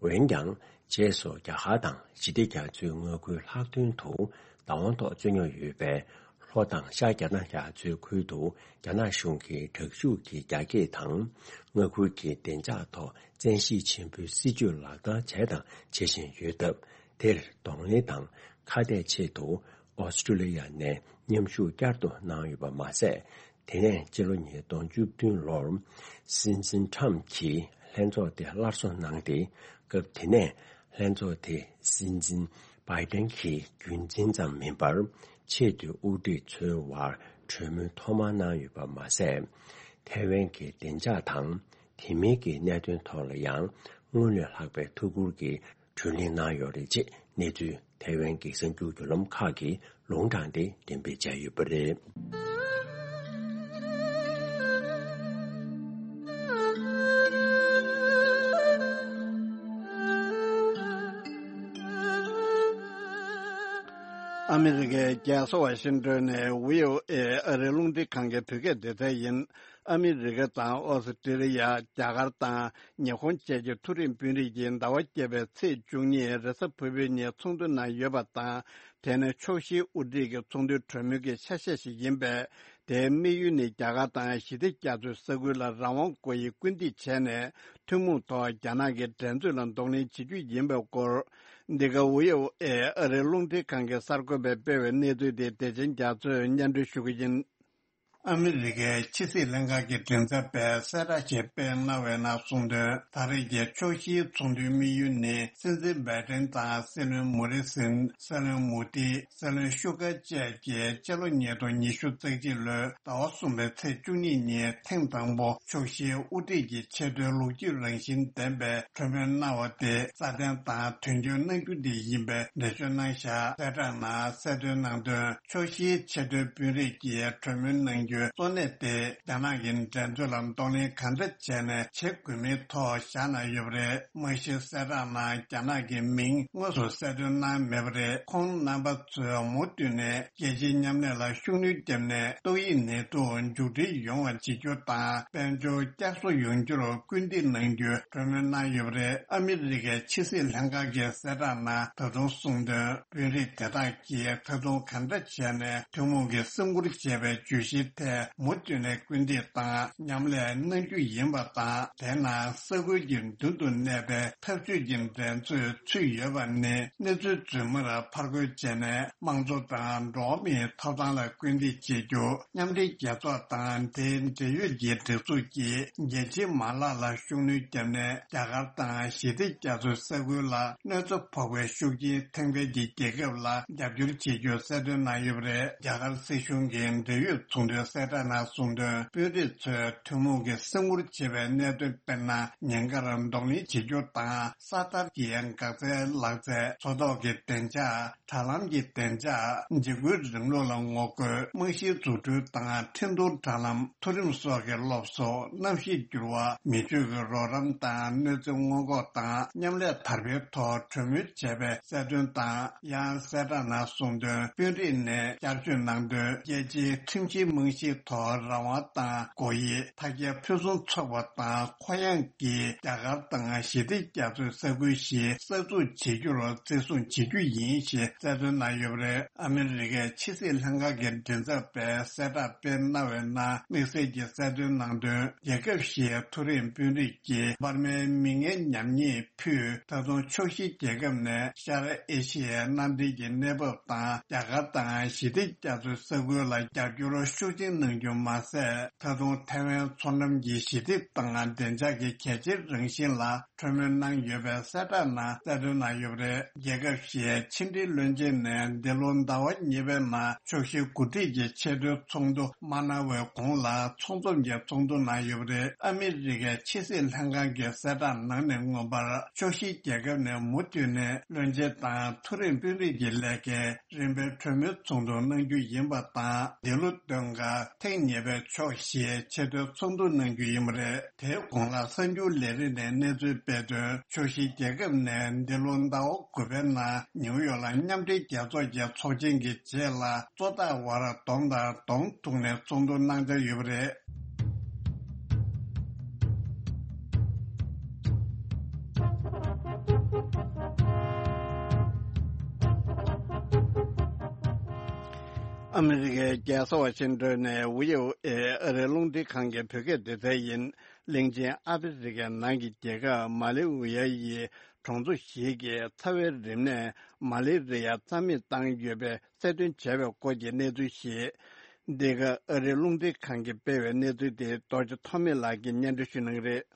འོན་ཀྱང་། རྗེས་སུ་རྒྱ་གར་དང་ཞི་བདེ་རྒྱ་མཚོའི་མངའ་ཁུལ་ལྷག་དོན་དུ་བདག་དབང་ཐོག་རྩོད་རྙོག་ཡོད་པའི་ལྷོ་དང་ཤར་རྒྱ་ནག་རྒྱ་མཚོའི་ཁུལ་དུ་རྒྱ་ནག་གཞུང་གིས་དྲག་ཤུགས་ཀྱི་རྒྱ་སྐྱེད་དང་། མངའ་ཁུལ་གྱི་བདེ་འཇགས་ཐོག་བཙན་ཤེད་ཆེན་པོའི་སྲིད་བྱུས་ལག་བསྟར་བྱས་དང་བྱེད་བཞིན་ཡོད་སྟབས། དེར་གདོང་ལེན་དང་ཁ་གཏད་ཆེད་དུ་ཨོ་སི་ཀྲི་ལི་ཡ་ནས་མཉམ་ཞུགས་བསྐྱར་དུ་གནང་ཡོད་པ་མ་ཟད། དེ་ནས་སྤྱི་ལོ་ཉིས་སྟོང་བཅུ་བདུན་ལོར་སྲིད་འཛིན་ཁྲམ་གྱིས་ལྷན་ཚོགས་དེ་སླར་གསོ་གནང་སྟེ། སྐབས་དེ་ནས་ལྷན་ཚོགས་དེ་སྲིད་འཛིན་བྷའི་ཏན་གྱིས་རྒྱུན་འཛིན་ཙམ་མིན་པར། ཆེས་མཐོའི་དབུ་ཁྲིད་ཚོའི་དབར་གྲོས་མོལ་ཐོག་མར་གནང་ཡོད་པ་མ་ཟད། ཐའེ་ཝན་གྱི་བདེ་འཇགས་དང་དེ་མིན་གྱི་གནད་དོན་ཐོག་ལ་ཡང་སྔོན་ལས་ལྷག་པའི་ཐུགས་ཁུར་གྱིས་གྲོས་གླེང་གནང་ཡོད་རེད་ཅེས་གནས་ཚུལ་ཐའེ་ཝན་གྱི་གསར་འགྱུར་བརྒྱུད་ལམ་ཁག་གིས་ལུང་དྲངས་ཏེ་འགྲེམས་སྤེལ་བྱས་ཡོད་པ་རེད། ཨ་མི་རི་ཀའི་རྒྱལ་ས་ཝ་ཤིང་ཏོན་ནས་བྷི་ཨོ་ཨེ་ཨ་རིའི་རླུང་འཕྲིན་ཁང་གི་བོད་སྐད་སྡེ་ཚན་ཡིན། ཨ་མི་རི་ཀ་དང་ཨོ་སི་ཀྲི་ལི་ཡ། རྒྱ་གར་དང་ཉི་ཧོང་བཅས་ཀྱི་མཐོ་རིམ་དཔོན་རིགས་ཀྱིས་ཟླ་བ་བརྒྱད་པའི་ཚེས་བཅུ་གཉིས་རེས་གཟའ་ཕུར་བུའི་ཉིན་ཚོགས་འདུ་གནང་ཡོད་པ་དང་། དེ་ནི་ཕྱོགས་བཞིའི་དབུ་ཁྲིད་ཀྱི་ཚོགས་འདུའི་གྲོས་མོལ་གྱི་ཆ་ཤས་ཤིག་ཡིན་པས། དེའི་དམིགས་ཡུལ་ནི་རྒྱ་གར་དང་ཞི་བདེ་རྒྱ་མཚོའི་ས་ཁུལ་ལ་རང་དབང་དགོས་ཡིན་སྐུལ་འདེད་བྱས་ནས། ཐུན་མོང་ཐོག་རྒྱ་ནག་གི་འགྲན་རྩོད་ལ་གདོང་ལེན་བྱེད་རྒྱུ་ཡིན་པའི་སྐོར། འདི་ག་བྷི་ཨོ་ཨེ་ཨ་རིའི་རླུང་འཕྲིན་ཁང་གི་གསར་འགོད་པས་སྤེལ་བའི་གནས་ཚུལ་དེ་བདེ་ཆེན་རྒྱ་མཚོས་སྙན་སྒྲོན་ཞུ་གི་ཡིན། ཨ་མི་རི་ཀའི་ཕྱི་སྲིད་ལྷན་ཁང་གི་མགྲིན་ཚབ་པས་གསལ་བསྒྲགས་ཤིག་སྤེལ་གནང་བའི་ནང་གསུངས་དོན། ད་རེས་ཀྱི་ཕྱོགས་བཞིའི་ཚོགས་འདུའི་དམིགས་ཡུལ་ནི། སྲིད་འཛིན་བྷའི་ཏན་དང་སྲིད་བློན་མོ་རི་སིན། སྲིད་བློན་མོ་དི། སྲིད་བློན་ཤུ་ཀ་བཅས་ཀྱིས་སྤྱི་ལོ་ཉིས་སྟོང་ཉི་ཤུ་རྩ་གཅིག་ལོའི་ཟླ་བ་གསུམ་པའི་ཚེས་བཅུ་གཉིས་ཉིན་ཐེངས་དང་པོ་ཕྱོགས་བཞིའི་དབུ་ཁྲིད་ཀྱི་ཆེས་མཐོའི་ལོ་རྒྱུས་རང་བཞིན་ལྡན་པའི་གྲོས་མོལ་གནང་བ་དེ་སྲ་བརྟན་དང་དོན་འཁྱོལ་གནང་རྒྱུ་དེ་ཡིན་པའི་འགྲེལ་བརྗོད་གནང་བཞག་གསལ་བསྒྲགས་ནང་གསལ་སྟོན་གནང་དོན། ཕྱོགས་བཞིའི་ཆེས་མཐོའི་དཔོན་རིགས་ཀྱིས་གྲོས་མོལ་གནང་ རྒྱུའི་གཙོ་གནད་དེ་རྒྱ་ནག་གི་འགྲན་རྩོད་ལ་གདོང་ལེན་ག་འདྲ་བྱས་ནས་བྱེད་དགོས་མིན་ཐོག་བཞག་གནང་ཡོད་པ་རེད། རྨང་གཞིའི་གསལ་བསྒྲགས་ནང་རྒྱ་ནག་གི་མིང་དངོས་སུ་གསལ་སྟོན་གནང་མེད་པ་རེད། ཁོང་རྣམ་པ་ཚོས་མུ་མཐུད་ནས་རྒྱལ་སྤྱིའི་མཉམ་ལས་ལ་ཤུགས་སྣོན་བརྒྱབ་ནས་ཏོག་དབྱིབས་ནད་དུག་མཇུག་སྒྲིལ་ཡོང་བ་བྱེད་རྒྱུ་དང་། དཔལ་འབྱོར་བསྐྱར་གསོ་ཡོང་རྒྱུར་སྐུལ་འདེད་གནང་རྒྱུའི་གྲོས་མོལ་གནང་ཡོད་པ་རེད། ཨ་མི་རི་ཀའི་ཕྱི་སྲིད་ལྷན་ཁང་གི་གསལ་བསྒྲགས་ནང་ད་དུང་གསུངས་དོན། དཔོན་རིགས་དེ་དག་གིས་ད་དུང་གང་འདྲ་བྱས་ནས་ཐུན་མོང་གི་སེམས་ཁུར་བྱས་པའི་བརྗོད་གཞིའི་ཐད་མུ་མཐུད་ནས་སྐུལ་འདེད་དང་མཉམ་ལས་གནང་རྒྱུ་ཡིན་པ་དང་། དེས་ན་ས་ཁུལ་གྱི་མདུན་དུ་གནས་པའི་འཐབ་ཇུས་ཀྱི་འགྲན་རྩོད་ཚུད་ཡོད་པ་ནི་གནས་ཚུལ་རྫུན་མར་ཕར་རྒོལ་བྱས་ནས་དམངས་གཙོ་དང་འགྲོ་བ་མིའི་ཐོབ་ཐང་ལ་སྐུལ་འདེད་བྱེད་རྒྱུ། མཉམ་འབྲེལ་རྒྱལ་ཚོགས་དང་དེའི་འབྲེལ་ཡོད་ཀྱི་སྒྲིག་འཛུགས་ཀྱིས་རྒྱལ་སྤྱིའི་མ་ལག་ལ་ཤུགས་སྣོན་བརྒྱབ་ནས་རྒྱ་གར་དང་ཞི་བདེ་རྒྱ་མཚོའི་ས་ཁུལ་ལ་གནོད་འཚེ་ཕོག་པའི་ཤུགས་རྐྱེན་ཐེབས་མཁན་གྱི་རྒྱལ་ཁབ་ལ་རྒྱབ་སྐྱོར་བྱེད་རྒྱུ་གསལ་སྟོན་གནང་ཡོད་པ་རེད། རྒྱ་གར་སྲིད་གཞུང་གི་འབྲེལ་ཡོད་ཚོགས་འདུའི་གསལ་བསྒྲགས་ནང་གསུངས་དོན། དཔོན་རིགས་ཚོས་ཐུན་མོང་གི་སེམས་ཁུར་བྱེད་པའི་གནད་དོན། དཔེར་ན། ཉེན་ཁར་གདོང་ལེན་བྱེད་རྒྱུ་དང་། ས་མཐར་གྱི་འགག་རྩའི་ལག་རྩལ། མཚོ་ཐོག་གི་བདེ་འཇགས། དྲ་ལམ་གྱི་བདེ་འཇགས། འཇིགས་སྐུལ་རིང་ལུགས་ལ་ངོ་རྒོལ། རྨང་གཞིའི་འཛུགས་སྐྲུན་དང་འཕྲིན་གཏོང་དྲ་ལམ། མཐོ་རིམ་སོགས་ཀྱི་སློབ་གསོ། གནམ་གཤིས་འགྱུར་བ། མི་ཆོས་ཀྱི་རོགས་རམ་དང་གནོད་འཚེ་སྔོན་འགོག་དང་མཉམ་ལས་དར་སྤེལ་ཐོག་གྲོས་མོལ་བྱས་པའི་གསལ་སྟོན་དང་། ཡང་གསལ་བསྒྲགས་ནང་གསུངས་དོན། དཔོན་རིགས་ནས་བསྐྱར་བརྗོད་གནང་དོན། རྒྱལ་སྤྱིའི་ཁྲིམས་བཞིའི་རྨང་གཞིའི་ཐོག་རང་དབང་དང་། སྒོ་དབྱེ། མཐའ་རྒྱལ་ཕུན་སུམ་ཚོགས་པ་དང་། ཁོག་ཡངས་ཀྱི་རྒྱ་གར་དང་ཞི་བདེ་རྒྱ་མཚོའི་ས་ཁུལ་ཞིག་གསར་འཛུགས་བྱེད་རྒྱུར་བརྩི་སྲུང་བྱེད་རྒྱུ་ཡིན་ཞེས་གསལ་སྟོན་གནང་ཡོད་པ་རེད། ཨ་མི་རི་ཀའི་ཕྱི་སྲིད་ལྷན་ཁང་གི་མགྲིན་ཚབ་པས་གསལ་བསྒྲགས་སྤེལ་གནང་བའི་ནང་དམིགས་བསལ་གྱིས་གསལ་སྟོན་གནང་དོན། རྒྱལ་ཁབ་བཞིའི་མཐོ་རིམ་དཔོན་རིགས་ཀྱིས་འབར་མའི་མིང་ངན་ཉམས་ཉེས་ཕུད། ད་དུང་ཕྱོགས་བཞིའི་རྒྱལ་ཁབ་ནས་ཤར་ཨེ་ཤི་ཡའི་མནའ་འབྲེལ་གྱི་གནས་བབ་དང་། རྒྱ་གར་དང་ཞི་བདེ་རྒྱ་མཚོའི་ས་ཁུལ་ལ་རྒྱབ་སྐྱོར་ཤུགས་ཆེན་གནང་རྒྱུ་མ་ཟད། ད་དུང་ཐའེ་ཝན་མཚོ་འགྲམ་གྱི་ཞི་བདེ་དང་བདེ་འཇགས་ཀྱི་གལ་ཆེའི་རང་བཞིན་ལ་གྲོས་མོལ་གནང་ཡོད་པའི་གསལ་བསྒྲགས་ནང་གསལ་སྟོན་གནང་ཡོད་པ་རེད། རྒྱལ་ཁབ་བཞིའི་ཕྱི་འབྲེལ་བློན་ཆེན་ནས་འདི་ལོ་ཟླ་བ་གཉིས་པའི་ནང་ཕྱོགས་བཞི་འགོ་ཁྲིད་ཀྱི་ཆེས་མཐོའི་ཚོགས་འདུ་མ་གནང་བའི་གོང་ལ་ཚོགས་འཛོམས་ཀྱི་ཚོགས་འདུ་གནང་ཡོད་པ་རེད། ཨ་མི་རི་ཀའི་ཕྱི་སྲིད་ལྷན་ཁང་གི་གསལ་བསྒྲགས་ནང་ནས་མངོན་པར་ཕྱོགས་བཞིའི་རྒྱལ་ཁབ་ནས་མུ་མཐུད་ནས་བློན་ཆེན་དང་མཐོ་རིམ་དཔོན་རིགས་ཀྱི་ལས་ཀའི་རིམ་པའི་གྲོས་མོལ་ཚོགས་འདུ་གནང་རྒྱུ་ཡིན་པ་དང་། འདི་ལོ་སྟོན་ཁ་ཐེངས་གཉིས་པའི་ཕྱོགས་བཞིའི་ཆེས་མཐོའི་ཚོགས་འདུ་གནང་རྒྱུ་ཡིན་པ་རེད། དེའི་གོང་ལ་གསར་འགྱུར་ལས་རིགས་ནས་གནས་ཚུལ་སྤེལ་དོན། ཕྱོགས་བཞིའི་རྒྱལ་ཁབ་ནས་འདི་ལོ་ཟླ་བ་དགུ་པའི་ནང་ནིའུ་ཡོག་ལ་མཉམ་འབྲེལ་རྒྱལ་ཚོགས་ཀྱི་ཚོགས་ཆེན་གྱི་རྗེས་ལ་གཙོ་བདག་དབར་གདོང་དང་གདོང་ཐུག་ནས་ཚོགས་འདུ་གནང་འཆར་ཡོད་པ་རེད། ཨ་མི་རི་ཀའི་རྒྱལ་ས་ཝ་ཤིང་ཏོན་ནས་ཝི་ཨོ་ཨེ་ཨ་རིའི་རླུང་འཕྲིན་ཁང་གི་བོད་སྐད་སྡེ་ཚན་ཡིན། གླིང་ཆེན་ཨ་ཧྥེ་རི་ཁའི་ནང་གི་རྒྱལ་ཁབ་མ་ལེ་ཝི་ཡ་ཡི་གྲོང་ཚོ་ཞིག་གི་ཚ་བའི་རིམས་ནད་མ་ལེ་རི་ཡ་རྩ་མེད་བཏང་ཡོད་པའི་གསལ་སྟོན་བྱས་པའི་སྐོར་གྱི་གནས་ཚུལ་ཞིག་འདི་ག་ཨ་རིའི་རླུང་འཕྲིན་ཁང་གིས་སྤེལ་བའི་གནས་ཚུལ་དེ་རྡོ་རྗེ་ཐོགས་མེད་ལགས་ཀྱིས་སྙན་སྒྲོན་ཞུ་གནང་གི་རེད།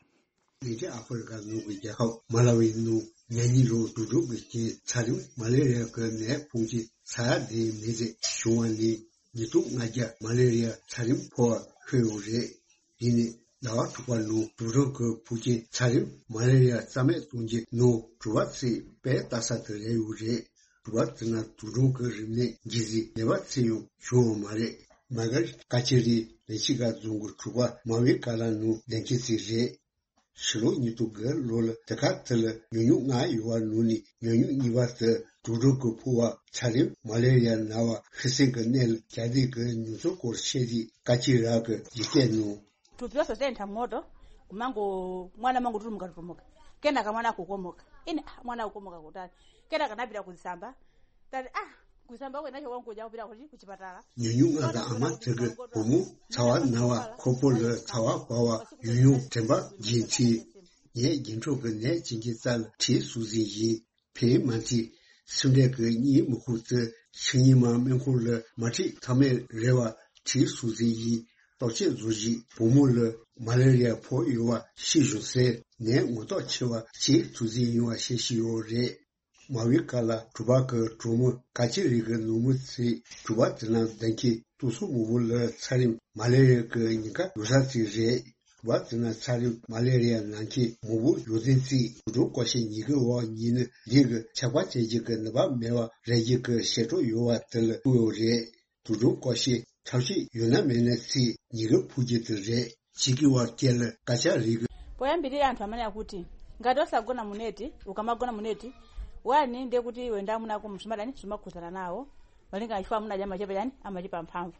གླིང་ཆེན་ཨ་ཧྥེ་རི་ཁ་ནང་གི་རྒྱལ་ཁབ་མ་ལ་ཝི་ནང་ཉེར་གཉིས་ལོར་དུད་འགྲོ་གི་རྐྱེན་ཚ་རིམས་མ་ལེ་རི་ཡ་གི་ནད་ཕོག་མཁན་ས་ཡ་དེའི་མི་ཚེ་བྱུང་བ་ནི། ཉིས་སྟོང་ལྔ་བརྒྱ་མ་ལེ་རི་ཡ་ཚ་རིམས་ཕོག་པ་ཤོད་ཡོད་རེད། འདི་ནི་ཟླ་བ་དྲུག་པ་ནང་དུད་འགྲོ་གི་ཕོག་མཁན་ཚ་རིམས་མ་ལེ་རི་ཡ་རྩ་མེད་གཏོང་རྒྱུའི་ནང་དྲུག་པ་ཙམ་དཔེ་ལྟ་ས་དེ་རེད་ཡོད་རེད། དྲུག་པ་དེ་ན་དུད་འགྲོ་གི་རིམས་ནད་གྱིས་ཟིན་ནད་པ་ཚེ་ཡང་བྱུང་ཡོད་མ་རེད། མ་གར་ཀ་ཆེ་རི་ལན་ཆི་ག་རྫོང་གི་གྲོང་པ་མ་བའི་ཀ་ལ་ནང་བསྡད་མཁན་ཚོ་རེད། ཕྱི་ལོ་ཉིས་སྟོང་དགུ་ལོ་ལ་དེ་ག་དེ་ལ་ཉུང་ཉུང་ལྔ་ཡོད་པ་ནང་ནས་ཉུང་ཉུང་གཉིས་པ་དེ་དུད་འགྲོ་གི་ཕོག་པ་ཚ་རིམས་མ་ལེ་རི་ཡ་ན་བ་ཤི་གསོན་གྱི་གནས་ལ་གྱ་སྟོན་གྱི་མྱོང་ཚོར་སྐོར་བཤད་དུས་ཀ་ཅི་རག་གི་ཡིག་སྐད་ནང་། 主要是在他们的，我们个我那么个住么个住么个，跟那个我那个过么个，因为我那个过么个过的，跟那个那边个上班，但是啊，过上班我那些我过家不了，我就不去巴扎了。 ཉུང་ཉུང་ང་དང་ཨ་མ་དེ་གི་བུ་མོ་ཚ་བ་ན་བ་ཁོ་པོ་ལ་ཚ་བ་བབས་པ་ཡུན་རིང་དྲན་པ་བརྗེད་ཚེ། ངས་རྒྱན་ཕྲུག་གི་ནད་ཅན་གྱི་རྩ་ལ་དྲིའི་ཟུག་གཟེར་ཡིན། ཕན་མ་ཚིག་སེམས་ཁྲལ་གྱི་གཉིད་མི་ཁུག་ཚེ་ཤི་ཉི་མ་སྨན་ཁང་ལ་མ་ཁྲིད་ཐབས་མེད་རེད་བ། དྲིའི་ཟུག་གཟེར་ཡིན། ལྟོ་ཆས་བཟོ་བཞིན་བུ་མོ་ལ་མ་ལེ་རི་ཡ་ཕོག་ཡོད་བ་ཤེས་བྱུང་ཟེར་ནད་ངོ་ཐོག་ཆེ་བ་ཞིག་ཟུག་གཟེར་ཡིན་བ་བཤད་བཞིན་ཡོད་རེད། མ་བའི་ཀ་ལ་གྲོང་པ་གི་གྲོགས་མོ་ཀ་ཅི་རི་གི་ནུ་མོ་ཚོས་གྲོང་པ་དེ་ན་བསྡད་མཁན་ཏུ་སུ་མོ་བོ་ལ་ཚ་རིམས་མ་ལེ་རི་ཡ་གི་ཉེན་ཁ་ཡོད་ས་ཅིག་རེད། གྲོང་པ་དེ་ན་ཚ་རིམས་མ་ལེ་རི་ཡ་ན་མཁན་མོ་བོ་ཡོད་དོན་རྩིས་དུད་འགྲོ་ཀོ་ཤ་ཉིས་ཀའི་འོག་ཉིས་ནི་ལུས་ཀྱི་ཆག་པ་བྱེད་རྒྱུ་གི་ནུས་པ་མེད་པ་རེད་རྒྱུ་གི་ཞེ་དྲག་ཡོད་པ་དེ་ལ་ཐུག་ཡོད་རེད། དུག་སྦྲང་བཀོལ་ཤེས་ཐབས་ཤེས་ཡོད་ན་མེད་ན་ཚེ་ཉེན་ཁ་ཕོག་རྒྱུ་དེ་རེད། ཕྱི་རྒྱལ་བ་སྐད་ལ་སྐད་ཆ་རིག་གི། Poyambi ri anthu amene akuti ngati osagonamo neti, ukamagona muneti, wani ndiye kuti iwe ndi amuna ako musumadani, sumakhuzana nawo. Malinga chifukwa amuna aja amachepa chani, amachepa mphamvu.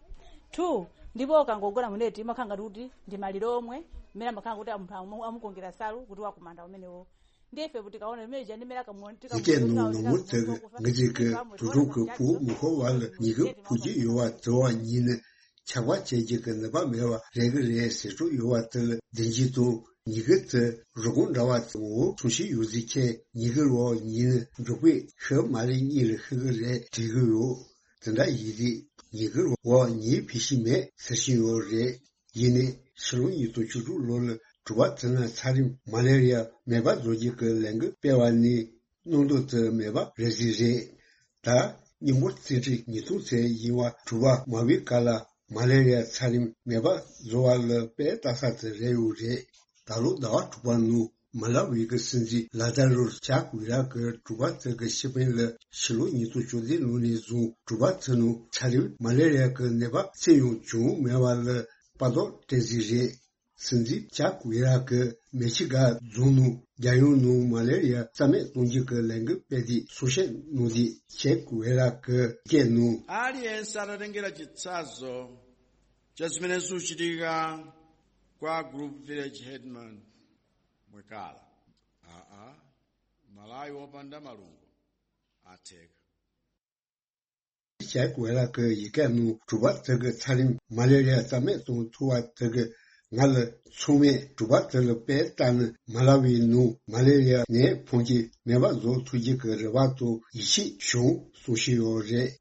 Two, ndipo ukangogona muneti, umakhala ngati kuti ndi maliro omwe, mmene amakhala kuti munthu amu- amukongera nsalu kuti wakumanda umenewo. Ndiye ife kuti kaona limene lija ndi mmene akamuona, ཡི་གེ་ནང་ནང་མོ་ཚེ་གི་ང་ཅིག་གི་དུག་སྦྲང་གི་ཕུ་མི་ཁོ་བ་ལ་ཉེན་ཁ་ཕོག་རྒྱུ་ཡོད་པ་དེ་བ་ཉིད་ནི། ཆགས་པ་བྱེད་ཀྱི་གི་ནུས་པ་མེད་པ་རེད་གི་རེད་ཟེར་གྲུ་ཡོད་པ་དེ་ལ་བདེན་གྱི་དང་ཉི་གི་དེ་རུ་གུང་འདྲ་བ་དེ་འོ་ཚོང་ཤི་ཡོད་ཟིག་ཁྱེད་ཉི་གི་རོ་ཉིན་མགྱོགས་པོས་ཤི་མ་ལེ་གཉིས་ལ་ཤི་གི་རེད་དྲིས་གི་ཡོད། དེ་འདྲ་ཡིན་ཟིག་ཉི་གི་རོ་ཉིན་ཕི་ཤི་མེད་ཟེར་ཤི་ཡོད་རེད། ཡིན་ནས་ཕྱི་ལོ་ཉིས་སྟོང་བཅུ་དྲུག་ལོ་ལ་གྲུ་པ་དེ་ན་ཚ་རིམས་མ་ལེ་རི་ཡ་མེད་པ་བཟོ་རྒྱུ་གི་ལས་འགུལ་སྤེལ་བ་ནི། སྣང་དོན་དུ་མེད་པ་རེད་ཟིག་རེད། ད་སྙིང་པོ་རྩིས་ཁྲི་ཉིས་སྟོང་ཚེ་ཡིན་བ་གྲུ་པ་མ་བི་ཀ་ལ་མ་ལེ་རི་ཡ་ཚ་རིམས་མེད་པ་བཟོ་བ་ལ་དཔེ་ལྟ་ས་དེ་རེད་ཡོད་རེད། ད་ལོ་ཟླ་བ་དྲུག་པ་ནང་མ་ལ་ཝི་གི་སྲིད་འཛིན་ལ་ད་རུ་ཅག་ཝི་ར་གི་གྲུ་པ་དེ་གི་ཤི་པིན་ལ་ཕྱི་ལོ་ཉིས་སྟོང་བཅུ་བདུན་ལོ་ནས་བཟུང་གྲུ་པ་དེ་ནང་ཚ་རིམས་མ་ལེ་རི་ཡ་གི་ནད་པ་ཚེ་ཡང་བྱུང་མེད་པ་ལ་དཔའ་རྟགས་སྤྲད་ཟིག་རེད། སྲིད་འཛིན་ཅག་ཝེ་ར་གིས་མེ་ཆི་ག་རྫོང་ནང་རྒྱལ་ཡོངས་ནང་མ་ལེ་རི་ཡ་རྩ་མེད་གཏོང་རྒྱུ་གི་ལས་འགུལ་སྤེལ་དུས་གསུང་བཤད་གནང་དུས་ཅག་ཝེ་ར་གིས་བཀོད་གནང་། Alguien sarà ringira chitsazo, jasmine suchiriga, qua group village headman, mwekala. Aa, malai wopanda malungo, atek. ཅག་ཝེ་ར་གི་ཡི་གེ་ནང་གྲུ་པ་དེ་གི་ཚ་རིམས་མ་ལེ་རི་ཡ་རྩ་མེད་གཏོང་ཐུབ་པ་དེ་གི་ང་ལ་ཚང་མས་གྲུ་པ་དེ་ལ་དཔེ་ལྟ་ནི་མ་ལ་ཝི་ནང་མ་ལེ་རི་ཡ་ནད་ཕོག་རྒྱུ་མེད་པ་བཟོ་ཐུབ་རྒྱུ་གི་རེ་བ་དང་ཡིད་ཆེས་བྱུང་གསུང་བཞིན་ཡོད་རེད།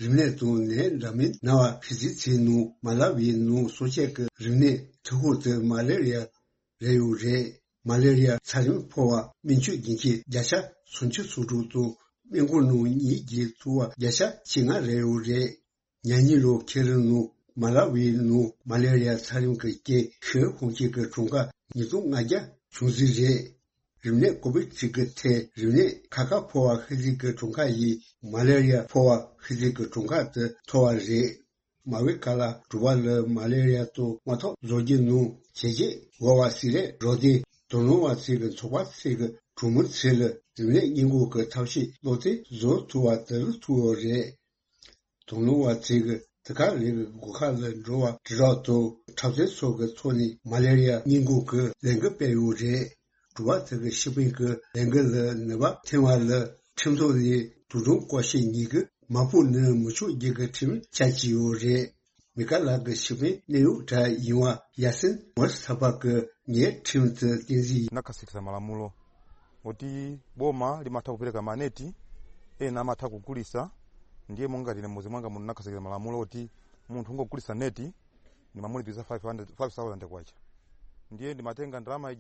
རིམས་ནད་དང་ནད་འདྲ་མིན་ན་བ་ཕི་ཟི་ཚེ་ནང་མ་ལ་ཝི་ནང་གསོ་དཔྱད་ཀྱི་རིམས་ནད་ཐུག་ཁུངས་དེ་མ་ལེ་རི་ཡ་རེད་ཡོད་རེད། མ་ལེ་རི་ཡ་ཚ་རིམས་ཕོག་པ་སྨན་བཅོས་རྒྱུན་ཆད་བརྒྱ་ཆ་སུམ་ཅུ་སོ་དྲུག་དང་སྨན་ཁང་ནང་ཉིན་བརྒྱད་ཐུག་པ་བརྒྱ་ཆ་བཅོ་ལྔ་རེད་ཡོད་རེད། ཉ་ཉི་ལོ་ཁེ་རི་ནང་མ་ལ་ཝི་ནང་མ་ལེ་རི་ཡ་ཚ་རིམས་ཀྱི་རྐྱེན་ཤི་ཧོང་ཆེན་གྱི་གྲངས་ཀ་ཉིས་སྟོང་ལྔ་བརྒྱ་བྱུང་ཟིག་རེད། རིམས་ནད་ཀོ་བིད་གཅིག་གི་ཐད་རིམས་ནད་ཁ་ཁ་ཕོག་པ་ཤི་ཟིག་གི་གྲངས་ཀ་ཡིས་མ་ལེ་རི་ཡ་ཕོག་པ་ཤི་ཟིག་གི་གྲངས་ཀ་དེ་མཐོ་བ་རེད། མ་ཝི་ཀ་ལ་གྲུ་པ་ལ་མ་ལེ་རི་ཡ་དང་དམག་ཐོག་བཟོ་རྒྱུ་ནང་བྱས་རྗེས་འོག་བ་སི་རེད་རོ་དེ་དོ་སྣང་བ་ཚིག་གི་ཚོགས་པ་ཚིག་གི་གྲོང་མི་ཚེ་ལ་རིམས་ནད་སྔོན་འགོག་གི་ཐབས་ཤེས་བློ་བརྟན་བཟོ་ཐུབ་པ་དེ་ལ་ཐུག་ཡོད་རེད། དོ་སྣང་བ་ཚིག་གི་དེ་ག་རེ་གི་སྒོ་ཁ་ལ་འགྲོ་བ་དྲི་རོགས་དང་འཁྲབ་ཚན་སོགས་ཀྱི་ཐོག་ནས་མ་ལེ་རི་ཡ་སྔོན་འགོག་གི་ལས་འགུལ་སྤེལ་ཡོད་རེད། གྲུ་པ་དེ་གི་ཤི་པིན་གི་ལས་འགུལ་ལ་ནུས་པ་ཐོན་པ་ལ་ཁྲིམས་ཐོག་ནས་དུག་སྦྲང་བཀོལ་ཤེས་ཉེས་ཀྱི་མ་ཕོག་ནི་མི་ཆོག་རྒྱུ་གི་ཁྲིམས་ཆད་ཀྱི་ཡོད་རེད། མི་ཀ་ལག་གི་ཤི་པིན་གནས་ཡུག་གྲྭ་ཡིན་བ་ཡ་སིན་མོར་ས་པ་གི་ངའི་ཁྲིམས་དེ་བསྟན་འཛིན་ཡིན། ན་ཁ་སིག་ས་མ་ལ་མུ་ལོ། འོ་ཏི་བོ་མ་ལི་མ་ཐག་པུ་རེ་ག་མ་ནེ་ཏི། ཨེ་ན་མ་ཐག་གུ་ཀུ་རི་ས། འདིའི་མོང་ག་རི་ནས་མོ་ཟི་མང་ག་མུ་ན་ཁ་སིག་ས་མ་ལ་མུ་ལོ་ཏི། མོང་ཁྲུང་གོ་ཀུ་རི་ས་ནེ་ཏི། ནི་མ་མུ་ལི་བི་ས་ཕའི་ཧན་ཕའི་སའོ་ཟན་ཏེ་ཀ་ཅ། འདིའི་འདི་མ་ཐེན་ག་འདྲ་མ་ཡ།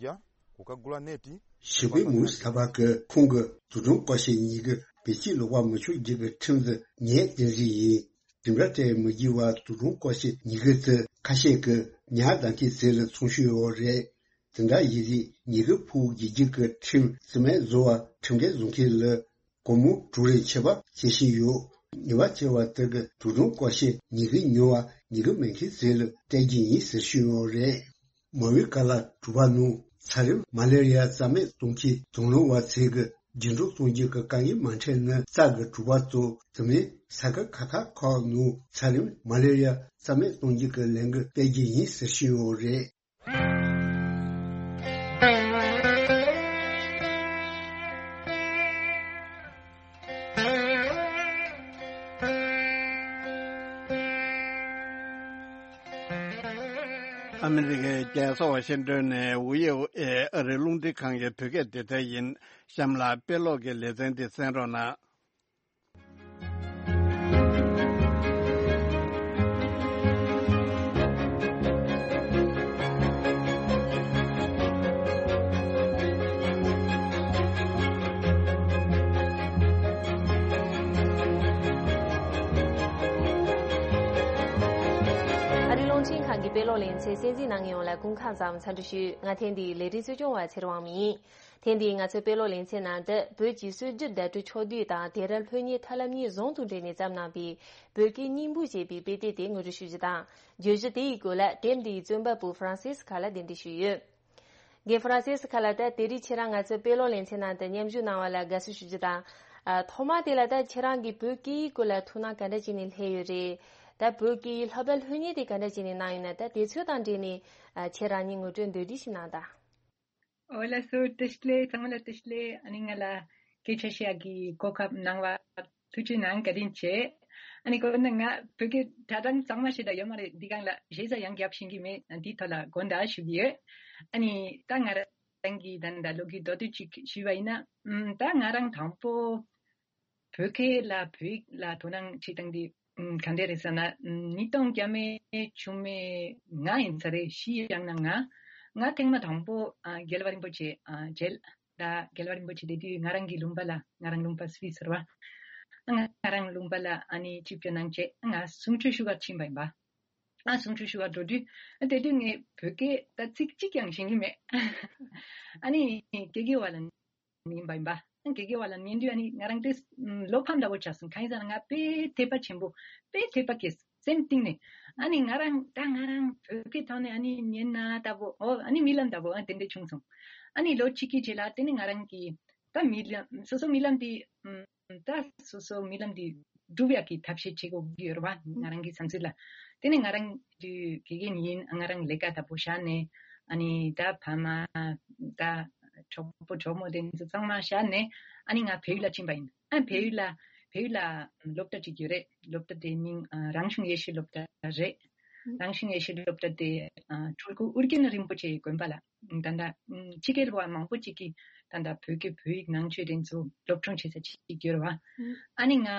གོ་ཀ་གུ་ལ་ནེ་ཏི། ཞི་བའི་མུའུ་ས་བ་གི་ཁོང་གི་དུག་སྦྲང་བཀོལ་ཤེས་ཉེས་ཀྱི་བེད་སྤྱོད་ལོག་པ་མི་ཆོག་རྒྱུ་གི་ཁྲིམས་འདི་ངས་བསྟན་འཛིན་ཡིན། དེ་འདྲ་སྤྲད་མི་རྒྱུ་བ་དུག་སྦྲང་བཀོལ་ཤེས་ཉེས་ཀྱི་དེ་ཁ་ཤས་ཀྱི་ཉ་དང་གི་ཚེ་ལ་ཚོང་ཤུལ་ཡོད་རེད། དེ་འདྲ་ཡིན་དུས་ཉེས་ཀྱི་ཕུག་རྒྱུ་རྒྱུ་གི་ཁྲིམས་རྩིས་མེད་བཟོ་བ་ཁྲིམས་འགལ་བཟོ་མཁན་ལ། སྒོར་མོ་དྲུག་རེ་ཆད་པ་བཅད་བཞིན་ཡོད། ཉེས་པ་ཆེ་བ་དེ་གི་དུག་སྦྲང་བཀོལ་ཤེས་ཉེས་ཀྱི་ཉོ་བ་ཉེས་ཀྱི་མེད་མཁན་ཚོ་ལ་སྤྲད་རྒྱུ་ཡིན་ཟེར་ཞུས་ཡོད་རེད། མ་ཝི་ཀ་ལ་གྲུ་པ་ནང་ཚ་རིམས་མ་ལེ་རི་ཡ་རྩ་མེད་གཏོང་ཆེད་དོ་སྣང་བ་ཚོས་ཀྱི་རྒྱུན་འགྲོ་གཏོང་རྒྱུ་གི་དཀའ་ངལ་མ་འཕྲད་ན་རྩ་གི་གྲུ་པ་ཚོ་དེ་མིན་ས་ཁུལ་ཁག་ཁག་ཁག་ནང་ཚ་རིམས་མ་ལེ་རི་ཡ་རྩ་མེད་གཏོང་རྒྱུ་གི་ལས་འགུལ་སྤེལ་རྒྱུ་ཡིན་ཟེར་ཞུས་ཡོད་རེད། ཨ་མི་རི་ཀའི་རྒྱལ་ས་ཝ་ཤིང་ཏོན་ནས་ཝི་ཨོ་ཨེ་ཨ་རིའི་རླུང་འཕྲིན་ཁང་གི་བོད་སྐད་སྡེ་ཚན་ཡིན། གཤམ་ལ་དཔེ་ཀློག་གི་ལེ་ཚན་འདི་གསན་རོགས་གནང་། ཨ་རིའི་རླུང་འཕྲིན་ཁང་གི་དཔེ་ཀློག་ལེ་ཚན་གསན་གཟིགས་གནང་མཁན་ཡོངས་ལ་སྐུ་ཁམས་བཟང་འཚམས་འདྲི་ཞུ། ང་ཐེངས་འདིའི་ལས་རིམ་གཙོ་སྐྱོང་བ་ཚེ་རིང་དབང་མོ་ཡིན། ཐེངས་འདིའི་ང་ཚོའི་དཔེ་ཀློག་ལེ་ཚན་ནང་དུ། བོད་ཀྱི་སྲོལ་རྒྱུན་བརྡ་སྤྲོད་ཕྱོགས་བསྡུས་དང་དེང་རབས་ལྷོད་གཉེར་ཐབས་ལམ་གཉིས་ཟུང་དུ་འབྲེལ་ནས་བརྩམས་གནང་བའི་བོད་སྐད་སྙིང་པོ་ཞེས་པའི་དཔེ་དེབ་དེ་ངོ་སྤྲོད་ཞུ་རྒྱུ་དང་། བརྗོད་གཞི་དེའི་སྐོར་ལ་དེབ་འདིའི་རྩོམ་པ་པོ་ཧྥ་རན་སིས་ཁ་ལ་གདན་འདྲེན་ཞུས་ཡོད། རྒན་ཧྥ་རན་སིས་ཁ་ལ། ད་དེ་རིང་ཁྱེད་རང་ང་ཚོའི་དཔེ་ཀློག་ལེ་ཚན་ནང་དུ་མཉམ་ཞུགས་གནང་བ་ལ་དགའ་བསུ་ཞུ་རྒྱུ་དང་། ཨ། ཐོག་མ་དེ་ལ་ད་ཁྱེད་རང་གིས་བོད་སྐད་ཡིག་སྐོར་ལ་ཐུགས་སྣང་ག་འདྲ་བྱས་ནས་སླེབས་ཡོད་རེད། ད་བོད་སྐད་ཡིག་སློབ་གྲྭ་ལྷོད་གཉེར་དེ་ག་འདྲ་བྱས་ནས་གནང་ཡོད་ན། ད་དེ་ཚོ་དང་འབྲེལ་ནས། ཨ། ཁྱེད་རང་ཉིད་ངོ་སྤྲོད་མདོར་བསྡུས་ཤིག་གནང་དང་། ཨོ་ལགས་སོ། བཀྲ་ཤིས་བདེ་ལེགས། ཚང་མ་ལ་བཀྲ་ཤིས་བདེ་ལེགས། ཨ་ནི་ང་ལ་སྐད་ཆ་བཤད་ཡག་གི་གོ་སྐབས་གནང་བ་ཐུགས་རྗེ་གནང་། བཀའ་དྲིན་ཆེ། ཨ་ནི་དགོངས་ན་ང་བོད་སྐད་གྲྭ་གྲངས་གཙང་མ་ཞིག་ད་ཡོད་མ་རེད། འདི་སྒང་ལ་ཞེ་ས་ཡང་རྒྱབ་ཤེས་ཀྱི་མེད། འདིའི་ཐོག་ལ་དགོངས་དག་ཞུ་གི་ཡོད། ཨ་ནི་ད་ང་རང་གི་ད་ད་ལོ་རྒྱུས་མདོར་བསྡུས་ཅིག་ཞུས་པ་ཡིན་ན། ཨམ། ད་ང་རང་དང་པོ་བོད་སྐད་ལ་བོད་ཡིག་ལ་དོ་སྣང་བྱེད་སྟངས་འདི། ཨམ། ག་འདྲ་རེད་ཟེར་ན། ཨམ། ཉིས་སྟོང་བརྒྱ་མེད་བཅུ་མེད་ལྔ་ཡིན་ས་རེད། བཞི་ཡང་ན་ལྔ། ང་ཐེངས་མ་དང་པོ། ཨ། རྒྱལ་བ་རིན་པོ་ཆེ། ཨ། མཇལ། ད་རྒྱལ་བ་རིན་པོ་ཆེ་དེ་དུས་ང་རང་གི་ལུང་པ་ལ། ང་རང་ལུང་པ་སུད་སི་རེད་བ། ང་རང་ལུང་པ་ལ་ཨ་ནི་ཆིབས་བསྒྱུར་གནང་བྱས་ང་གསུང་ཆོས་ཞུ་གར་ཕྱིན་པ་ཡིན་པ། ཨ། གསུང་ཆོས་ཞུ་གར་འགྲོ་དུས། དེ་དུས་ངས་བོད་སྐད་ད་ཚིག་གཅིག་ཀྱང་ཤེས་ཀྱི་མེད། ཨ་ནི་དགེ་རྒན་པ་ལ་ཉན་པ་ཡིན་པ། དགེ་རྒན་པ་ལ་ཉན་དུས་ཨ་ནི་ང་རང་དེ་བློ་ཕམ་འདྲ་པོ་ཆགས་སོང་། གང་ཡིན་ཟེར་ན་ང་དཔེ་དད་པ་ཆེན་པོ། དཔེ་དད་པ་སྐྱེས་སོང་སེམས་གཏིང་ནས། ཨ་ནི་ང་རང་ད་ང་རང་བོད་སྐད་ཐོག་ནས་ཨ་ནི་ཉན་ན་ལྟ་བུ། ཨོ། ཨ་ནི་རྨི་ལམ་ལྟ་བུ། ཨ། དེ་འདྲ་བྱུང་སོང་། ཨ་ནི་ལོ་གཅིག་གི་རྗེས་ལ་དེ་ནི་ང་རང་གི་ད་རྨི་ལམ། སོ་སོ་རྨི་ལམ་དེ། ཨམ། ད་སོ་སོ་རྨི་ལམ་དེ་འགྲུབ་ཡག་གི་ཐབས་ཤེས་བྱེད་དགོས་ཀྱི་ཡོད་རེད་བ། ང་རང་གི་བསམ་ཚུལ་ལ། དེ་ནི་ང་རང་དུས་དགེ་རྒན་ཡིན། ང་རང་ལས་ཀ་ལྟ་བུ་བཞག་ནས། ཨ་ནི་ད་ཕ་མ། ད་གྲོགས་པོ་གྲོགས་མོ་དེ་ཚོ་ཚང་མ་བཞག་ནས། ཨ་ནི་ང་བལ་ཡུལ་ལ་ཕྱིན་པ་ཡིན། ཨ། བལ་ཡུལ་ལ། བལ་ཡུལ་ལ་སློབ་གྲྭ་གཅིག་ཡོད་རེད། སློབ་གྲྭ་དེའི་མིང་། ཨ། རང་གཞུང་ཡེ་ཤུའི་སློབ་གྲྭ་རེད། རང་གཞུང་ཡེ་ཤུའི་སློབ་གྲྭ་དེ། ཨ། སྤྲུལ་སྐུ་ཨོ་རྒྱན་རིན་པོ་ཆེའི་དགོན་པ་ལ། ད་ལྟ་ཕྱི་རྒྱལ་བ་མང་པོ་ཅིག་གིས་ད་ལྟ་བོད་སྐད་བོད་ཡིག་ནང་ཆོས་དེ་ཚོ་སློབ་སྦྱོང་བྱེད་ས་ཅིག་ཡོད་རེད་བ། ཨ་ནི་ང་།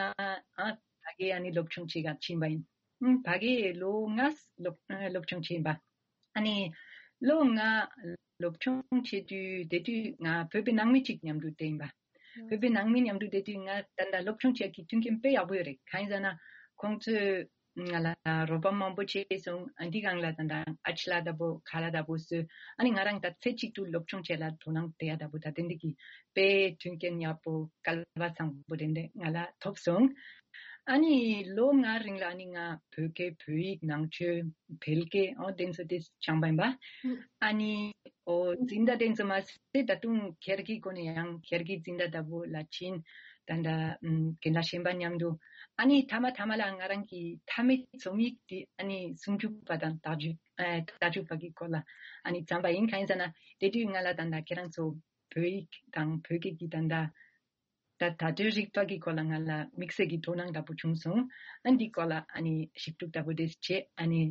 ཨ། ཕ་གིར་ཨ་ནི་སློབ་སྦྱོང་བྱེད་གར་ཕྱིན་པ་ཡིན། ཕ་གིར་ལོ་ལྔ་སློབ་སློབ་སྦྱོང་བྱས་ཡིན་པ། ཨ་ནི་ལོ་ལྔ་སློབ་སྦྱོང་བྱེད་དུས་དེ་དུས་ང་བོད་པའི་ནང་མི་གཅིག་མཉམ་དུ་བསྡད་ཡིན་པ། བོད་པའི་ནང་མི་མཉམ་དུ་བསྡད་དུས་ང་ད་ལྟ་སློབ་སྦྱོང་བྱེད་ཀྱི་མཐུན་རྐྱེན་དཔེ་ཡག་པོ་ཡོད་རེད། གང་ཡིན་ཟེར་ན་ཁོང་ཚོས་ང་ལ་རོགས་པ་མང་པོ་བྱས་སོང་། ཨ། འདི་སྒང་ལ་ད་ལྟ་ཨ་ཅི་ལ་ལྟ་བུ། ཁ་ལ་ལྟ་བུ་བཟོས། ཨ་ནི་ང་རང་ད་ཚེ་གཅིག་ཏུ་སློབ་སྦྱོང་བྱེད་ལ་དོ་སྣང་བསྡད་ཡ་ལྟ་བུ། ད་དེ་འདྲ་གི་དཔེ་མཐུན་རྐྱེན་ཡག་པོ། སྐལ་བ་བཟང་པོ་དེ་འདྲ་ང་ལ་ཐོབ་སོང་། ཨ་ནི་ལོ་ལྔ་རིང་ལ་ཨ་ནི་ང་བོད་སྐད་བོད་ཡིག་ནང་ཆོས་བལ་སྐད། ཨོ། དེ་ཚོ་དེ་སྦྱངས་པ་ཡིན་པ། ཨ་ནི། ཨོ། འཛིན་གྲྭ་དེ་ཚོ་མ་ཟད་ད་དུང་སྒེར་གྱི་སྒོ་ནས་ཡང་སྒེར་གྱི་འཛིན་གྲྭ་ལྟ་བུ་ལ་ཕྱིན། ད་ལྟ། ཨམ། རྒན་ལགས་གཞན་པ་མཉམ་དུ། ཨ་ནི་མཐའ་མ་མཐའ་མ་ལ་ང་རང་གི་མཐའ་མའི་རྩོམ་ཡིག་དེ་ཨ་ནི་སུམ་ཅུ་པ་དང་རྟགས་ཅན། ཨ། རྟགས་ཅན་པ་གི་སྐོར་ལ་ཨ་ནི་བརྩམས་པ་ཡིན། གང་ཡིན་ཟེར་ན་དེ་དུས་ང་ལ་ད་ལྟ་ཁྱེད་རང་ཚོ་བོད་ཡིག་དང་བོད་སྐད་ཀྱི་ད་ལྟ་ད་བརྡ་སྤྲོད་རིག་པ་གི་སྐོར་ལ་ང་ལ་དམིགས་བསལ་གྱི་དོ་སྣང་ལྟ་བུ་བྱུང་སོང་། ཨ། འདི་སྐོར་ལ་ཨ་ནི་ཞིབ་འཇུག་ལྟ་བུ་དེ་བྱས། ཨ་ནི།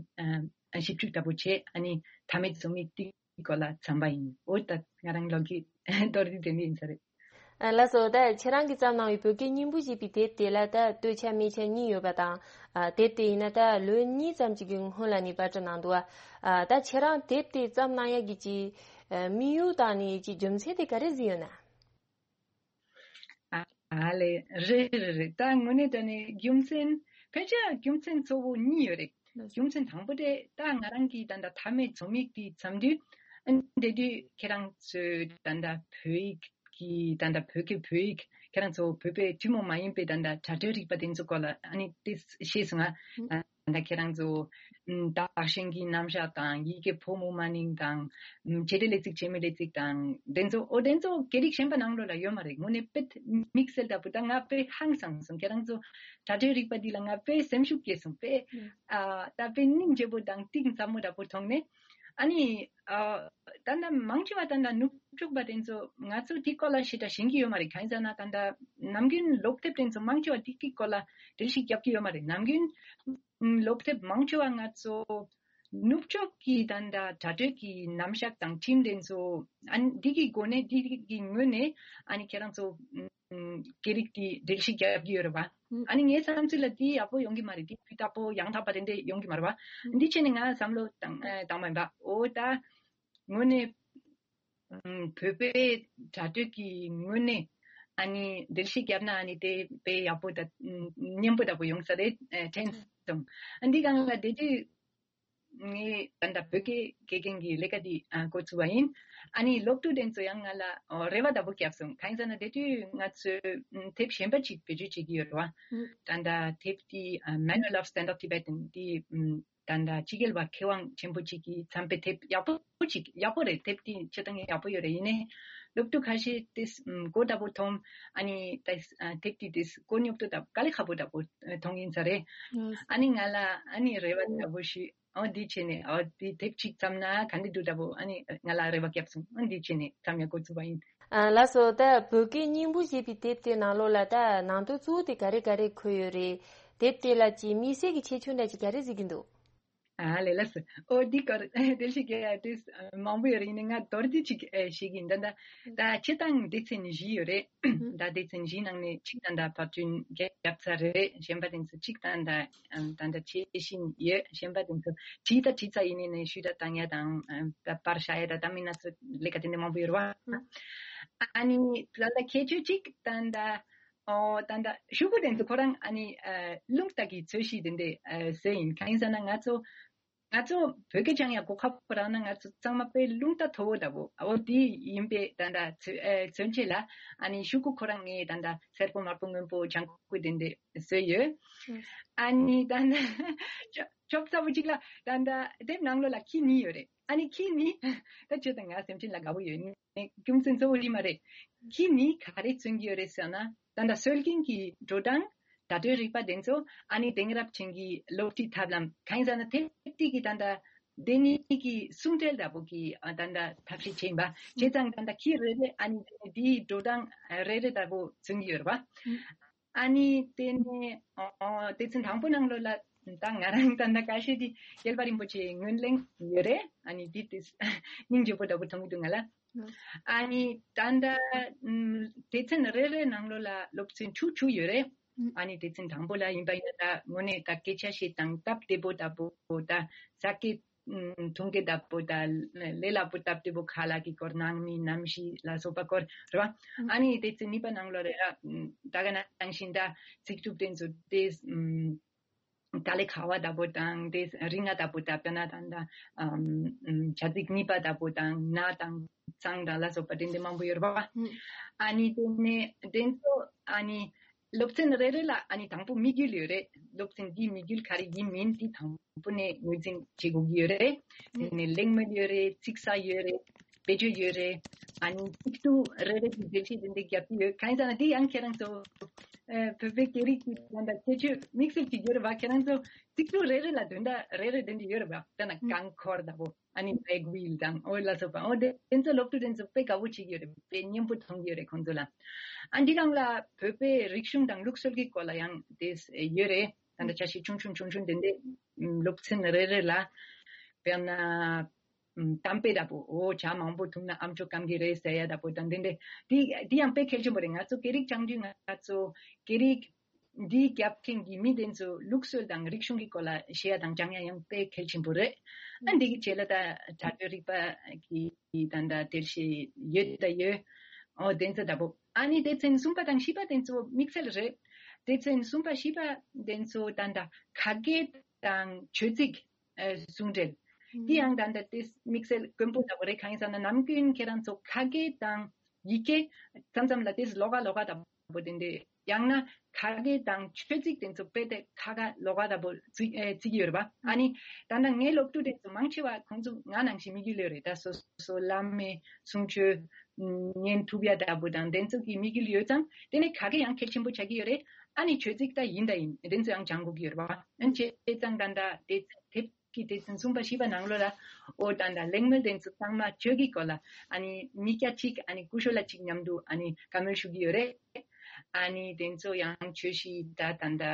ཨ། ཞིབ་འཇུག་ལྟ་བུ་བྱས། ཨ་ནི་མཐའ་མའི་རྩོམ་ཡིག་དེ་སྐོར་ལ་བརྩམས་པ་ཡིན། འོ། ད་ང་རང་ལོ་རྒྱུས་མདོར་བསྡུས་དེ་འདྲ་ཡིན་ས་རེད། ཨ། ལགས་སོ། ད་ཁྱེད་རང་གིས་བརྩམས་གནང་བའི་བོད་སྐད་སྙིང་པོ་ཞེས་པའི་དེབ་དེ་ལ་ད་སྟོད་ཆ་སྨད་ཆ་གཉིས་ཡོད་པ་དང་། ཨ། དེབ་དེ་ཡིན་ན་ད་ལོ་གཉིས་ཙམ་ཅིག་གི་སྔོན་ལ་ནས་པར་སྐྲུན་གནང་འདུག། ཨ། ད་ཁྱེད་རང་དེབ་དེ་བརྩམས་གནང་ཡ་གི་ཅིག། ཨ། དམིགས་ཡུལ་དང་ནི་ཅིག་རྒྱུ་མཚན་དེ་ག་རེ་ཟིག་ཡོད་ན། ཨ་ལེ། རེད་རེད་རེད། ད་དངོས་གནས་དྲང་གནས་རྒྱུ་མཚན། ཕལ་ཆེར་རྒྱུ་མཚན་གཙོ་བོ་གཉིས་ཡོད་རེད། རྒྱུ་མཚན་དང་པོ་དེ་ད་ང་རང་གི་ད་ལྟ་མཐའ་མའི་རྩོམ་ཡིག་དེ་བརྩམས་དུས། ཨ། དེ་དུས་ཁྱེད་རང་ཚོས་ད་ལྟ་བོད་ཡིག་གི་ད་ལྟ་བོད་སྐད་བོད་ཡིག་ཁྱེད་རང་ཚོ་བོད་པའི་ཐུན་མོང་མ་ཡིན་པའི་ད་ལྟ་སྒྲ་སྦྲེལ་རིག་པ་དེ་ཚོ་སྐོར་ལ་ཨ་ནི་དེ་ཤེས་སོང་ང་། ཨ། ད་ཁྱེད་རང་ཚོ། ཨམ། བདག་གཞན་གྱི་རྣམ་གཞག་དང་། ཡི་གེ་ཕོ་མོ་མ་ནིང་དང་། ཨམ། བྱེད་སྒྲའི་ལས་ཚིག་བྱེད་མེད་ལས་ཚིག་དང་། དེ་ཚོ། ཨོ། དེ་ཚོ་སྐད་རིགས་གཞན་པ་ནང་ལོགས་ལ་ཡོད་མ་རེད། དངོས་གནས་དཔེ་དམིགས་བསལ་ལྟ་བུ། ད་ང་དཔེ་ཧང་སངས་སོང་། ཁྱེད་རང་ཚོ་སྒྲ་སྦྲེལ་རིག་པ་འདི་ལ་ང་དཔེ་སེམས་ཤུགས་སྐྱེས་སོང་། དཔེ། ཨ། ད་དཔེ་སྙིང་རྗེ་པོ་དང་གཏིང་ཟབ་མོ་འདྲ་པོ་མཐོང་ནས། ཨ་ནི། ཨ། ད་ལྟ་མང་ཆེ་བ་ད་ལྟ་ནུབ་ཕྱོགས་པ་དེ་ཚོ་ང་ཚོ་དེ་སྐོར་ལ་ཞེ་དྲག་ཤེས་ཀྱི་ཡོད་མ་རེད། གང་ཡིན་ཟེར་ན་ད་ལྟ་ནམ་རྒྱུན་སློབ་དེབ་དེ་ཚོ་མང་ཆེ་བ་དེ་གི་སྐོར་ལ་འགྲེལ་བཤད་རྒྱབ་ཀྱི་ཡོད་མ་རེད། ནམ་རྒྱུན། ཨམ། སློབ་དེབ་མང་ཆེ་བ་ང་ཚོ་ནུབ་ཕྱོགས་ཀྱི་ད་ལྟ་སྒྲ་སྦྲེལ་གྱི་རྣམ་གཞག་དང་ཁྲིམས་དེ་ཚོ། ཨ། འདི་གི་སྒོ་ནས་འདི་གི་ངོས་ནས་ཨ་ནི་ཁྱེད་རང་ཚོ། ཨམ། སྐད་རིགས་དེ་འགྲེལ་བཤད་རྒྱབ་ཀྱི་ཡོད་རེད་བ། ཨ་ནི་ངའི་བསམ་ཚུལ་ལ་དེ་ཡག་པོ་ཡོང་གི་མ་རེད། དེ་སྤུས་དག་པོ་ཡང་དག་པ་དེ་འདྲ་ཡོང་གི་མ་རེད་བ། འདི་བྱས་ནས་ང་བསམ་བློ་བཏང་། ཨ། བཏང་བ་ཡིན་པ། འོ། ད་དངོས་གནས། ཨམ། བོད་པའི་སྒྲ་སྦྲེལ་གྱི་ངོས་ནས་ཨ་ནི་འགྲེལ་བཤད་བརྒྱབ་ན་ཨ་ནི་དེ་དཔེ་ཡག་པོ་དང་སྙན་པོ་འདྲ་པོ་ཡོང་ས་རེད། ཨ། དྲན་སོང་། ཨ། འདི་སྒང་ལ་དེ་དུས་ ངས་ད་ལྟ་བོད་སྐད་དགེ་རྒན་གྱི་ལས་ཀ་འདི་ཨ་འགོ་བཙུགས་པ་ཡིན། ཨ་ནི་སློབ་ཕྲུག་དེ་ཚོ་ཡང་ང་ལ་ཨོ་རེ་བ་ལྟ་བུ་བརྒྱབ་སོང་། གང་ཡིན་ཟེར་ན་དེ་དུས་ང་ཚོས་ཨམ་དེབ་གཞན་པ་ཅིག་བེད་སྤྱོད་བྱེད་ཀྱི་ཡོད་རེད་བ། ཨུམ། ད་ལྟ་དེབ་འདི་ཨ་Manual of Standard Tibetan འདི་ཨམ་ད་ལྟ་སྤྱི་རྒྱལ་བ་མཁས་དབང་ཆེན་པོ་ཅིག་གིས་བརྩམས་པའི་དེབ་ཡག་པོ་ཅིག་ཡག་པོ་རེད། དེབ་འདི་སྤྱིར་བཏང་ཡག་པོ་ཡོད་རེད། ཡིན་ནའི་སློབ་ཕྲུག་ཁ་ཤས་དེས་ཨམ་མགོ་ལྟ་བུ་འཐོམ། ཨ་ནི་ད་ཨ་དེབ་འདི་དེས་མགོ་རྙོག་ཏོ་ལྟ་བུ་དཀའ་ལས་ཁག་པོ་ལྟ་བུ་མཐོང་ཡིན་ས་རེད། ཨ་ནི་ང་ལ་ཨ་ནི་རེ་བ་ལྟ་བུ་ཞིག་ཨོ་འདི་བྱས་ནས་ཨོ་འདི་དེབ་ཅིག་བརྩམས་ན་ག་འདྲ་འདུག་ལྟ་བུ་ཨ་ནི་ང་ལ་རེ་བ་བརྒྱབ་སོང་། ཨོ་འདི་བྱས་ནས་བརྩམས་ཡག་འགོ་བཙུགས་པ་ཡིན། ཨ་ལགས་སོ། ད་བོད་སྐད་སྙིང་པོ་ཞེས་པའི་དེབ་དེ་ནང་ལོགས་ལ་ད་ནང་དོན་གཙོ་བོ་དེ་ག་རེ་ག་རེ་འཁོད་ཡོད་རེད། དེབ་དེ་ལ་ཅིག་དམིགས་བསལ་གྱི་ཁྱད་ཆོས་འདྲ་ཅིག་ག་རེ་གཟིགས་ཀྱི་འདུག་ཨ་ལས་ལགས་སོ། ཨོ་འདི་སྐོར་དེ་ཞིག་གི་དེ་མང་པོ་ཡོད་རེད། ཡིན་ནའི་ང་མདོར་བསྡུས་ཅིག་ཨེ་ཞིག་ཡིན། ད་ད་ད་སྤྱིར་བཏང་སྡེ་ཚན་བཞི་ཡོད་རེད། ད་སྡེ་ཚན་བཞི་ནང་ནས་གཅིག་ད་ལྟ་ཕབ་སྐྲུན་བརྒྱབ་ཚར་རེད། གཞན་པ་དེ་ཚོ་གཅིག་ད་ལྟ་ཨམ་ད་ལྟ་བྱེད་བཞིན་ཡོད། གཞན་པ་དེ་ཚོ་བྲིས་ད་བྲིས་ཚར། ཡིན་ནའི་ནས་ཤུལ་ད་བཏང་ཡ་དང་ཨམ་ད་པར་བཞག་ཡ་ད་ད་མིན་ན་ཚོ་ལས་ཀ་དེ་འདྲ་མང་པོ་ཡོད་རེད་བ། ཨ་ནི་ད་ལྟ་ཁྱད་ཆོས་གཅིག་ད་ལྟ་ཨོ་ད་ལྟ་ཤོག་གུ་དེ་ཚོ་ཁོ་རང་ཨ་ནི་ཨ་རླུང་རྟ་གི་ཚོས་གཞི་དེ་འདྲ་ཨ་བཟོས་ཡིན། གང་ཡིན་ཟེར་ན་ང་ཚོ་ང་ཚོ་བོད་སྐད་སྦྱང་ཡ་གོ་སྐབས་རག་ན་ང་ཚོ་ཚང་མ་དཔེ་རླུང་རྟ་མཐོ་བོ་ལྟ་བུ་ཨོ་དེ་ཡིན་པས། ད་ལྟ་མཚོན་ཨེ་མཚོན་བྱེད་ལ་ཨ་ནི་ཤོག་གུ་ཁོ་རང་ངས་ད་ལྟ་སེར་པོ་དམར་པོ་སྔོན་པོ་ལྗང་ཁུ་དེ་འདྲ་བཟོས་ཡོད། ཨ་ནི་ད་ལྟ་ཆོབ་ཚ་བོ་གཅིག་ལ་ད་ལྟ་དེབ་ནང་ལོགས་ལ་ཁྱི་གཉིས་ཡོད་རེད། ཨ་ནི་ཁྱི་གཉིས་ད་ཁྱོད་དང་ང་སེམས་ཅན་ལ་དགའ་བོ་ཡོད། ནི་རྒྱུ་མཚན་གཙོ་བོ་དེ་མ་རེད། ཁྱི་གཉིས་ག་རེ་མཚོན་གྱི་ཡོད་རེད་ཟེར་ན། ད་ལྟ་སྲོལ་རྒྱུན་གྱི་འགྲོ་སྟངས་བརྡ་སྤྲོད་རིག་པ་དེ་ཚོ་ཨ་ནི་དེང་རབས་ཅན་གྱི་སློབ་ཁྲིད་ཐབས་ལམ་གང་ཡིན་ཟེར་ན་དེབ་དེ་གི་ད་ལྟ་དེ་གཉིས་ཀྱི་ཟུང་འབྲེལ་ལྟ་བུ་གི་ཨ་ད་ལྟ་ཐབས་ཤེས་བྱས་ཡིན་པ། བྱས་ཙང་ད་ལྟ་ཁྱི་རེ་རེ་ཨ་ནི་དེ་ནས་དེའི་འགྲོ་སྟངས་རེ་རེ་ལྟ་བུ་མཚོན་གྱི་ཡོད་རེད་པ། ཨ་ནི་དེ་ནས་ཨོ་སྡེ་ཚན་དང་པོ་ནང་ལོགས་ལ་ད་ང་རང་ད་ལྟ་ཁ་ཤས་དེ་རྒྱལ་བ་རིན་པོ་ཆེའི་ངོས་ལེན་ཡོད་རེད། ཨ་ནི་དེ་དེ་སྙིང་རྗེ་པོ་འདྲ་པོ་མཐོང་གི་འདུག་ང་ལ། ཨ་ནི་ད་ལྟ་ཨམ་སྡེ་ཚན་རེ་རེ་ནང་ལོགས་ལ་སློབ་ཚན་དྲུག་དྲུག་ཡོད་རེད། ཨ་ནི་སྡེ་ཚན་དང་པོ་ལ་ཡིན་པ་ཡིན་ན་ད་དངོས་གནས་ད་སྐད་ཆ་བཤད་སྟངས་སྟབས་བདེ་པོ་ལྟ་བུ། ད་ས་སྐད་ཨམ་ཐུང་གེ་ལྟ་བུ། ད་ལས་སླ་པོ་སྟབས་བདེ་པོ། ཁ་ལག་གི་སྐོར་ནང་མི་རྣམ་ཤེས་ལ་སོགས་པ་སྐོར་རེད་བ། ཨ་ནི་སྡེ་ཚན་གཉིས་པ་ནང་ལོགས་རེད། ཨ་ད་ག་ནང་བཞིན་ད་ཚིག་གྲུབ་དེ་ཚོ་དེ་ཨམ་དཀའ་ལས་ཁག་པ་ལྟ་བུ་དང་དེ་རིང་ང་ལྟ་བུ་ད་ལྟ་ན་དང་ད་ཨམ་ཨམ་བྱ་ཚིག་གཉིས་པ་ལྟ་བུ་དང་ན་དང་ཚང་དང་ལ་སོགས་པ་དེ་འདྲ་མང་པོ་ཡོད་རེད་བ། ཨ་ནི་དེ་ནས་དེ་ཚོ་ཨ་ནི་སློབ་ཚན་རེ་རེ་ལ་ཨ་ནི་དང་པོ་དམིགས་ཡུལ་ཡོད་རེད། སློབ་ཚན་འདིའི་དམིགས་ཡུལ་ག་རེ་ཡིན་མིན་དེ་དང་པོ་ནས་ངོས་འཛིན་བྱེད་དགོས་ཀྱི་ཡོད་རེད། དེ་ནས་གླེང་མོལ་ཡོད་རེད། ཚིག་གསར་ཡོད་རེད། བེད་སྤྱོད་ཡོད་རེད། ཨ་ནི་ཚིག་ཐོ་རེ་རེ་གི་འགྲེལ་བཤད་དེ་འདྲ་རྒྱབ་ཀྱི་ཡོད། གང་ཡིན་ཟེར་ན་དེ་ཡང་ཁྱེད་རང་ཚོ་ཨ་བོད་པའི་སྐད་རིགས་ཀྱི་ད་ལྟ་ཁྱད་ཆོས་དམིགས་བསལ་གྱི་ཡོད་རེད་བ། ཁྱེད་རང་ཚོ་ཚིག་ཐོ་རེ་རེ་ལ་དོན་དག་རེ་རེ་དེ་འདྲ་ཡོད་རེད་བ། ད་ན་རྐང་འཁོར་ལྟ་བུ། ཨ་ནི་བྷེག་ཝིལ་དང་ཨོ་ལ་སོགས་པ། ཨོ་དེ་དེ་ཚོ་སློབ་ཕྲུག་དེ་ཚོ་དཔེ་དགའ་བོ་བྱེད་ཀྱི་ཡོད་རེད། དཔེ་སྙན་པོ་མཐོང་གི་ཡོད་རེད་ཁོང་ཚོ་ལ། ཨ་འདི་སྒང་ལ་བོད་པའི་རིག་གཞུང་དང་ལུགས་སྲོལ་གྱི་སྐོར་ལ་ཡང་དེ་ཡོད་རེད། ད་ལྟ་ཆ་ཤས་ཆུང་ཆུང་ཆུང་ཆུང་དེ་འདྲ་སློབ་ཚན་རེ་རེ་ལ་དཔེར་ན་གཏམ་དཔེ་ལྟ་བུ། ཨོ་ཇ་མང་པོ་འཐུང་ན་ཨམ་ཅོག་སྐམ་གྱི་རེད་ཟེར་ཡ་ལྟ་བུ་དང་དེ་འདྲ། དེ་དེ་ཡང་དཔེ་གལ་ཆེན་པོ་རེད། ང་ཚོ་སྐད་རིགས་སྦྱང་དུས་ང་ཚོ་སྐད་རིགས་འདི་རྒྱབ་མཁན་གྱི་མི་དེ་ཚོ་ལུགས་སྲོལ་དང་རིག་གཞུང་གི་སྐོར་ལ་བཤད་ཡ་དང་སྦྱང་ཡ་ཡང་དཔེ་གལ་ཆེན་པོ་རེད། ཨ་འདི་གི་རྗེས་ལ་ད་དྲ་གྲོགས་རིག་པ་གི་ད་ལྟ་དེར་ཤེས་ཡོད་ད་ཡོད། ཨོ་དེ་ཚོ་ལྟ་བུ། ཨ་ནི་སྡེ་ཚན་གསུམ་པ་དང་བཞི་པ་དེ་ཚོ་དམིགས་བསལ་རེད། སྡེ་ཚན་གསུམ་པ་བཞི་པ་དེ་ཚོ་ད་ལྟ་ཁ་སྐད་དང་བརྗོད་ཚིག་ཨ་ཟུང་འབྲེལ། དེ་ཡང་ད་ལྟ་དེ་དམིགས་བསལ་དཀོན་པོ་ལྟ་བུ་རེད། གང་ཡིན་ཟེར་ན་ནམ་རྒྱུན་ཁྱེད་རང་ཚོ་ཁ་སྐད་དང་ཡི་གེ་མཚམས་མཚམས་ལ་དེ་ལོགས་ཀ་ལོགས་ཀ་ལྟ་བུ་དེ་འདྲ། ཡང་ན་ཁ་སྐད་དང་བརྗོད་ཚིག་དེ་ཚོ་དཔེ་དེ་ཁ་ཁ་ལོགས་ཀ་ལྟ་བུ་བརྩི་ཨེ་བརྩི་གི་ཡོད་རེད་པ། ཨ་ནི་ད་ལྟ་ངའི་སློབ་ཕྲུག་དེ་ཚོ་མང་ཆེ་བ་ཁོང་ཚོ་ང་ནང་བཞིན་དམིགས་ཡུལ་ཡོད་རེད། ད་སོ་སོ་བླ་མའི་གསུང་ཆོས་ཉན་ཐུབ་ཡ་ལྟ་བུ་དང་དེ་ཚོ་གི་དམིགས་ཡུལ་ཡོད་ཙང་དེ་ནས་ཁ་སྐད་ཡང་གལ་ཆེན་པོ་ཆགས་ཀྱི་ཡོད་རེད། ཨ་ནི་བརྗོད་ཚིག་ད་ཡིན་ད་ཡིན་དེ་ཚོ་ཡང་སྦྱང་དགོས་ཀྱི་ཡོད་རེད་པ། ཨ་ནི་བྱས་ཙང་ད་ལྟ་དེ་དེབ་ཀྱི་སྡེ་ཚན་གསུམ་པ་བཞི་པ་ནང་ལོགས་ལ་ཨོ་ད་ལྟ་གླེང་མོལ་དེ་ཚོ་ཚང་མ་བརྗོད་ཀྱི་སྐོར་ལ་ཨ་ནི་མི་སྐྱ་གཅིག་ཨ་ནི་སྐུ་ཞབས་ལགས་གཅིག་མཉམ་དུ་ཨ་ནི་བཀའ་མོལ་ཞུ་གི་ཡོད་རེད། ཨ་ནི་དེ་ཚོ་ཡང་བརྗོད་གཞི་ད་ད་ལྟ་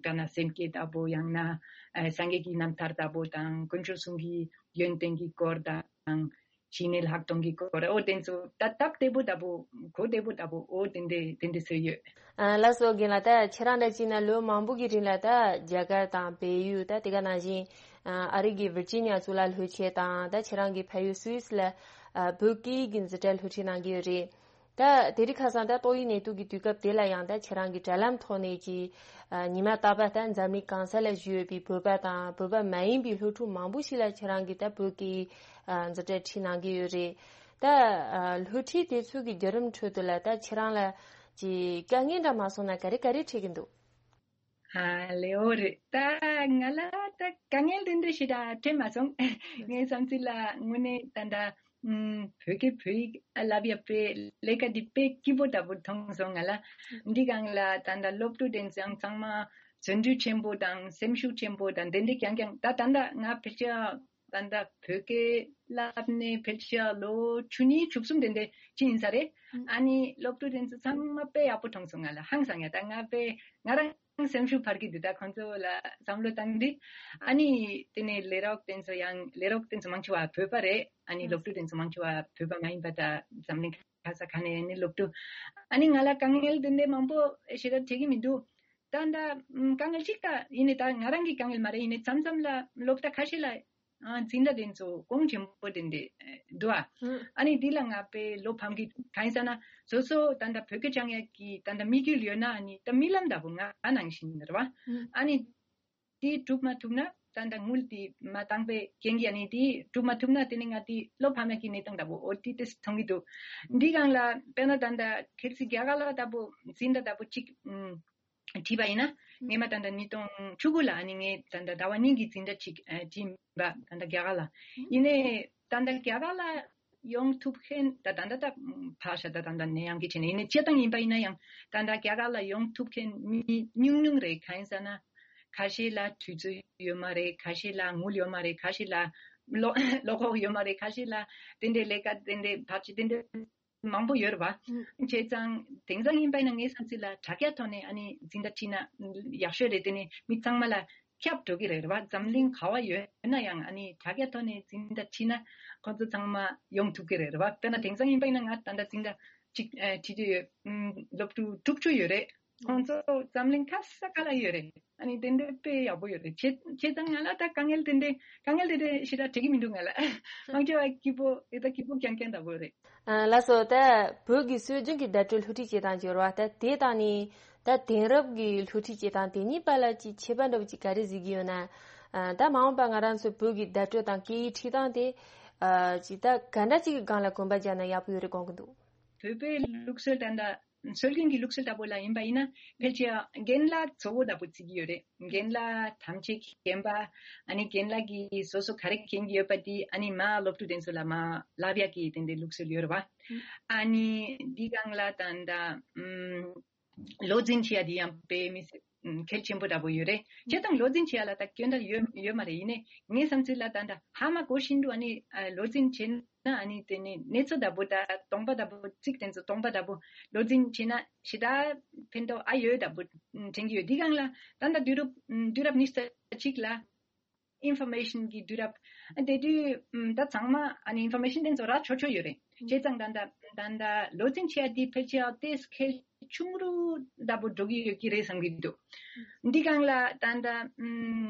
ད་ན་སེམས་བསྐྱེད་ལྟ་བུ། ཡང་ན་ཨ་སངས་རྒྱས་ཀྱི་རྣམ་ཐར་ལྟ་བུ་དང་དཀོན་མཆོག་གསུམ་གྱི་ཡོན་ཏན་གྱི་སྐོར་དང་ཞི་གནས་ལྷག་མཐོང་གི་སྐོར། ཨོ་དེ་ཚོ་ད་སྟབས་བདེ་པོ་ལྟ་བུ་གོ་བདེ་པོ་ལྟ་བུ་ཨོ་དེ་འདྲས་དེ་འདྲས་བཟོས་ཡོད། ཨ་ལགས་སོ། རྒན་ལགས། ད་ཁྱེད་རང་འདྲ་བྱས་ན་ལོ་མང་པོ་གི་རིང་ལ་ད་རྒྱ་གར་དང་བལ་ཡུལ། ད་དེ་ག་ནང་བཞིན་ཨ་རི་གི་ཝིར་ཇི་ནི་ཡ་གཙུག་ལག་སློབ་ཆེན་དང་ད་ཁྱེད་རང་གི་ཕ་ཡུལ་སུད་སི་ལ་ཨ་བོད་སྐད་ཀྱི་འཛིན་གྲྭ་སློབ་ཁྲིད་གནང་གི་ཡོད་རེད། ད་དེ་རིང་ཁ་སང་ད་ཏོག་དབྱིབས་ནད་དུག་གི་དུས་སྐབས་དེ་ལ་ཡང་ད་ཁྱེད་རང་གིས་དྲ་ལམ་ཐོག་ནས་ཀྱི་ཨ་ཉི་མ་རྟག་པར་ད་འཛམ་གླིང་གང་ས་ལ་བཞུགས་ཡོད་པའི་བོད་པ་དང་བོད་པ་མ་ཡིན་པའི་སློབ་ཕྲུག་མང་པོ་ཞིག་ལ་ཁྱེད་རང་གིས་ད་བོད་ཀྱི་ཨ་འཛིན་གྲྭ་ཁྲིད་གནང་གི་ཡོད་རེད། ད་ཨ་སློབ་ཁྲིད་དེ་ཚོ་གི་བརྒྱུད་རིམ་ཁྲོད་དུ་ལ་ད་ཁྱེད་རང་ལ་ཀྱི་དཀའ་ངལ་འདྲ་མ་སོང་ན་ག་རེ་ག་རེ་འཕྲད་ཀྱི་འདུག་ཨ་ལེའོ་རེད། ད་ང་ལ་ད་དཀའ་ངལ་དེ་འདྲ་ཞེ་དྲག་འཕྲད་མ་སོང་། ངའི་བསམ་ཚུལ་ལ་དངོས་གནས་ད་ལྟ་ཨུམ་བོད་སྐད་བོད་ཡིག་བསླབ་ཡག་པའི་ལས་ཀ་འདི་དཔེ་སྐྱིད་པོ་འདྲ་པོ་མཐོང་སོང་ང་ལ། འདི་སྒང་ལ་ད་ལྟ་སློབ་ཕྲུག་དེ་ཚང་ཚང་མ་བརྩོན་འགྲུས་ཆེན་པོ་དང་སེམས་ཤུགས་ཆེན་པོ་དང་དེ་འདྲ་རྐྱང་རྐྱང་། ད་ད་ལྟ་ང་ཕལ་ཆེར་ད་ལྟ་བོད་སྐད་བསླབ་ནས་ཕལ་ཆེར་ལོ་བཅུ་གཉིས་བཅུ་གསུམ་དེ་འདྲ་ཅིག་ཡིན་ས་རེད། ཨ་ནི་སློབ་ཕྲུག་དེ་ཚོ་ཚང་མ་དཔེ་ཡག་པོ་མཐོང་སོང་ང་ལ། ཧང་སང་ཡ། ད་ང་དཔེ་ང་རང་སེམས་ཤུགས་འཕར་གྱི་འདུག་ད་ཁོང་ཚོ་ལ་བསམ་བློ་བཏང་དུས། ཨ་ནི་དེ་ནས་ལས་རོགས་དེ་ཚོ་ཡང་ལས་རོགས་དེ་ཚོ་མང་ཆེ་བ་བོད་པ་རེད། ཨ་ནི་སློབ་ཕྲུག་དེ་ཚོ་མང་ཆེ་བ་བོད་པ་མ་ཡིན་པ། ད་འཛམ་གླིང་ག་ས་ག་ནས་ནི་སློབ་ཕྲུག་ཨ་ནི་ང་ལ་དཀའ་ངལ་དེ་འདྲ་མང་པོ་ཞེ་དྲག་འཕྲད་ཀྱི་མི་འདུག་ད་ད་དཀའ་ངལ་གཅིག་ད་ཡིན་ནི་ད་ང་རང་གི་དཀའ་ངལ་མ་རེད། ཡིན་ནི་མཚམས་མཚམས་ལ་སློབ་གྲྭ་ཁ་ཤས་ལ་ཨ་འཛིན་གྲྭ་དེ་ཚོ་གོང་ཆེན་པོ་དེ་འདྲ་འདུག་ཨ། ཨ་ནི་འདི་ལ་ང་དཔེ་བློ་ཕམ་གྱི་གང་ཡིན་ཟེར་ན། སོ་སོ་ད་ལྟ་བོད་སྐད་སྦྱང་ཡག་གི་ད་ལྟ་དམིགས་ཡུལ་ཡོད་ན། ཨ་ནི་ད་རྨི་ལམ་འདྲ་པོ་ང་ནང་བཞིན་རེད་བ། ཨ་ནི་དེ་སྒྲུབ་མ་ཐུབ་ན། ད་ལྟ་དངུལ་དེ་མ་བཏང་པའི་རྐྱེན་གྱིས་ཨ་ནི་དེ་སྒྲུབ་མ་ཐུབ་ན་དེ་ནི་ང་དེ་བློ་ཕམ་ཡག་གི་གནས་སྟངས་འདྲ་པོ་འོ་དེ་དེ་མཐོང་གི་འདུག་འདི་སྒང་ལ་དཔེར་ན་ད་ལྟ་ཁེལ་སི་རྒྱ་གར་ལ་འདྲ་པོ་འཛིན་གྲྭ་འདྲ་པོ་གཅིག་ཨུམ། བྲིས་པ་ཡིན་ན། སྔོན་མ་ད་ལྟ་ཉིས་སྟོང་བཅུ་དགུ་ལ་ཨ་ནི་ངས་ད་ལྟ་ཟླ་བ་གཉིས་ཀྱི་འཛིན་གྲྭ་གཅིག་ཨ་བྲིས་པ་ད་ལྟ་རྒྱ་གར་ལ། ཡིན་ནའི་ད་ལྟ་རྒྱ་གར་ལ་ཡོང་ཐུབ་མཁན་ད་ད་ལྟ་ད་ཕར་ཞོག་ད་ད་ལྟ་ནད་ཡམས་ཀྱི་ཆ་ནས་ཡིན་ནའི་སྤྱིར་བཏང་ཡིན་པ་ཡིན་ན་ཡང་ད་ལྟ་རྒྱ་གར་ལ་ཡོང་ཐུབ་མཁན་མི་ཉུང་ཉུང་རེད། གང་ཡིན་ཟེར་ན། ཁ་ཤས་ལ་དུས་ཚོད་ཡོད་མ་རེད། ཁ་ཤས་ལ་དངུལ་ཡོད་མ་རེད། ཁ་ཤས་ལ་བློ་བློ་ཁོག་ཡོད་མ་རེད། ཁ་ཤས་ལ་དེ་འདྲའི་ལས་ཀ་དེ་འདྲའི་བར་ཆད་དེ་འདྲའི་མང་པོ་ཡོད་རེད་བ། ཨུ། བྱས་ཙང་དེང་སང་ཡིན་པ་ཡིན་ན་ངའི་བསམ་ཚུལ་ལ་དྲ་རྒྱ་ཐོག་ནས་ཨ་ནི་འཛིན་གྲྭ་ཁྲིད་ན་ཡག་ཤོས་རེད། དེ་ནི་མི་ཚང་མ་ལ་ཁྱབ་འགྲོ་གི་རེད་བ། འཛམ་གླིང་ག་བ་ཡོད་ན་ཡང་ཨ་ནི་དྲ་རྒྱ་ཐོག་ནས་འཛིན་གྲྭ་ཁྲིད་ན་ཁོང་ཚོ་ཚང་མ་ཡོང་ཐུབ་ཀྱི་རེད་བ། དཔེར་ན་དེང་སང་ཡིན་པ་ཡིན་ན་ང་ད་ལྟ་འཛིན་གྲྭ་གཅིག་ཨ་ཁྲིད་ཀྱི་ཡོད། ཨུམ། སློབ་ཕྲུག་དྲུག་ཅུ་ཡོད་རེད། ཁོང་ཚོ་འཛམ་གླིང་ག་ས་ག་ལ་ཡོད་རེད། ཨ་ནི་དེ་འདྲའི་དཔེ་ཡག་པོ་ཡོད་རེད། བྱས་བྱས་ཙང་ང་ལ་ད་དཀའ་ངལ་དེ་འདྲའི་དཀའ་ངལ་དེ་འདྲའི་ཞེ་དྲག་འཕྲད་ཀྱི་མི་འདུག་ང་ལ། མང་ཆེ་བ་སྐྱིད་པོ་ཨེ་ད་སྐྱིད་པོ་རྐྱང་རྐྱང་འདྲ་པོ་རེད། ཨ་ལགས་སོ། ད་བོད་ཀྱི་སྲོལ་རྒྱུན་གྱི་བརྡ་སྤྲོད་སློབ་ཁྲིད་བྱེད་སྟངས་ཀྱི་རེད་བ། ད་དེ་དང་ནི་ད་དེང་རབས་ཀྱི་སློབ་ཁྲིད་བྱེད་སྟངས་དེ་གཉིས་བར་ལ་ཅིག་ཁྱད་པར་འདྲ་པོ་ཅིག་ག་རེ་གཟིགས་ཀྱི་ཡོད་ན། ཨ་ད་མ་འོངས་པ་ང་རང་ཚོ་བོད་ཀྱི་བརྡ་སྤྲོད་དང་སྐད་ཡིག་ཁྲིད་སྟངས་དེ་ཨ་ཅིག་ད་ག་འདྲ་ཅིག་གི་སྒང་ལ་གོམ་པ་རྒྱག་ན་ཡག་པོ་ཡོད་རེད་དགོངས་ཀྱི་འདུག་བོད་པའི་ལུགས་སྲོལ་ད་ལྟ་སྲོལ་རྒྱུན་གྱི་ལུགས་སྲོལ་ལྟ་བུ་ལ་ཡིན་པ་ཡིན་ན་ཕལ་ཆེར་རྒན་ལགས་གཙོ་བོ་ལྟ་བུ་བརྩི་གི་ཡོད་རེད། རྒན་ལགས་ཐམས་ཅད་མཁྱེན་པ། ཨ་ནི་རྒན་ལགས་ཀྱིས་སོ་སོ་ག་རེ་མཁྱེན་གྱི་ཡོད་པ་དེ་ཨ་ནི་མར་སློབ་ཕྲུག་དེ་ཚོ་ལ་མར་བསླབ་ཡག་གི་དེ་འདྲའི་ལུགས་སྲོལ་ཡོད་རེད་བ། ཨ་ནི་འདི་སྒང་ལ་ད་ལྟ་ཨུམ། བློ་འཛིན་བྱེད་ཡ་དེ་ཡང་དཔེ་མི་སྲིད་ཨུམ་གལ་ཆེན་པོ་འདྲ་པོ་ཡོད་རེད། བྱས་ཙང་བློ་འཛིན་བྱེད་ཡ་ལ་ད་སྐྱོན་ད་ཡོད་ཡོད་མ་རེད། ཡིན་ནའི་ངའི་བསམ་ཚུལ་ལ་ད་ད་ཧ་མ་གོ་བཞིན་དུ་ཨ་ནི་ཨ་བློ་འཛིན་བྱས་ན་ཨ་ནི་དེ་ནི་གནས་ཚུལ་འདྲ་པོ་ད་སྟོང་པ་འདྲ་པོ་ཚིག་དེ་ཚོ་སྟོང་པ་འདྲ་པོ་བློ་འཛིན་བྱས་ན་ཞེ་དྲག་ཕན་ཐོགས་ཨ་ཡོད་འདྲ་པོ་དྲན་གྱི་ཡོད། འདི་སྒང་ལ་ད་ད་དུས་རབས་དུས་རབས་ཉི་ཤུ་རྩ་གཅིག་ལ་ཨིན་ཕོར་མེ་ཤན་གྱི་དུས་རབས། དེ་དུས་ཨམ་ད་ཚང་མ་ཨ་ནི་ཨིན་ཕོར་མེ་ཤན་དེ་ཚོ་རག་ཆོག་ཆོག་ཡོད་རེད། བྱས་ཙང་ད་ད་ད་ད་བློ་འཛིན་བྱེད་ཡ་དེ་ཕལ་ཆེར་ཏོག་ཙམ་གལ་ཆུང་རུ་འདྲ་པོ་འགྲོ་གི་ཡོད་ཀྱི་རེད་བསམ་གྱི་འདུག་འདི་སྒང་ལ་ད་ད་ཨམ་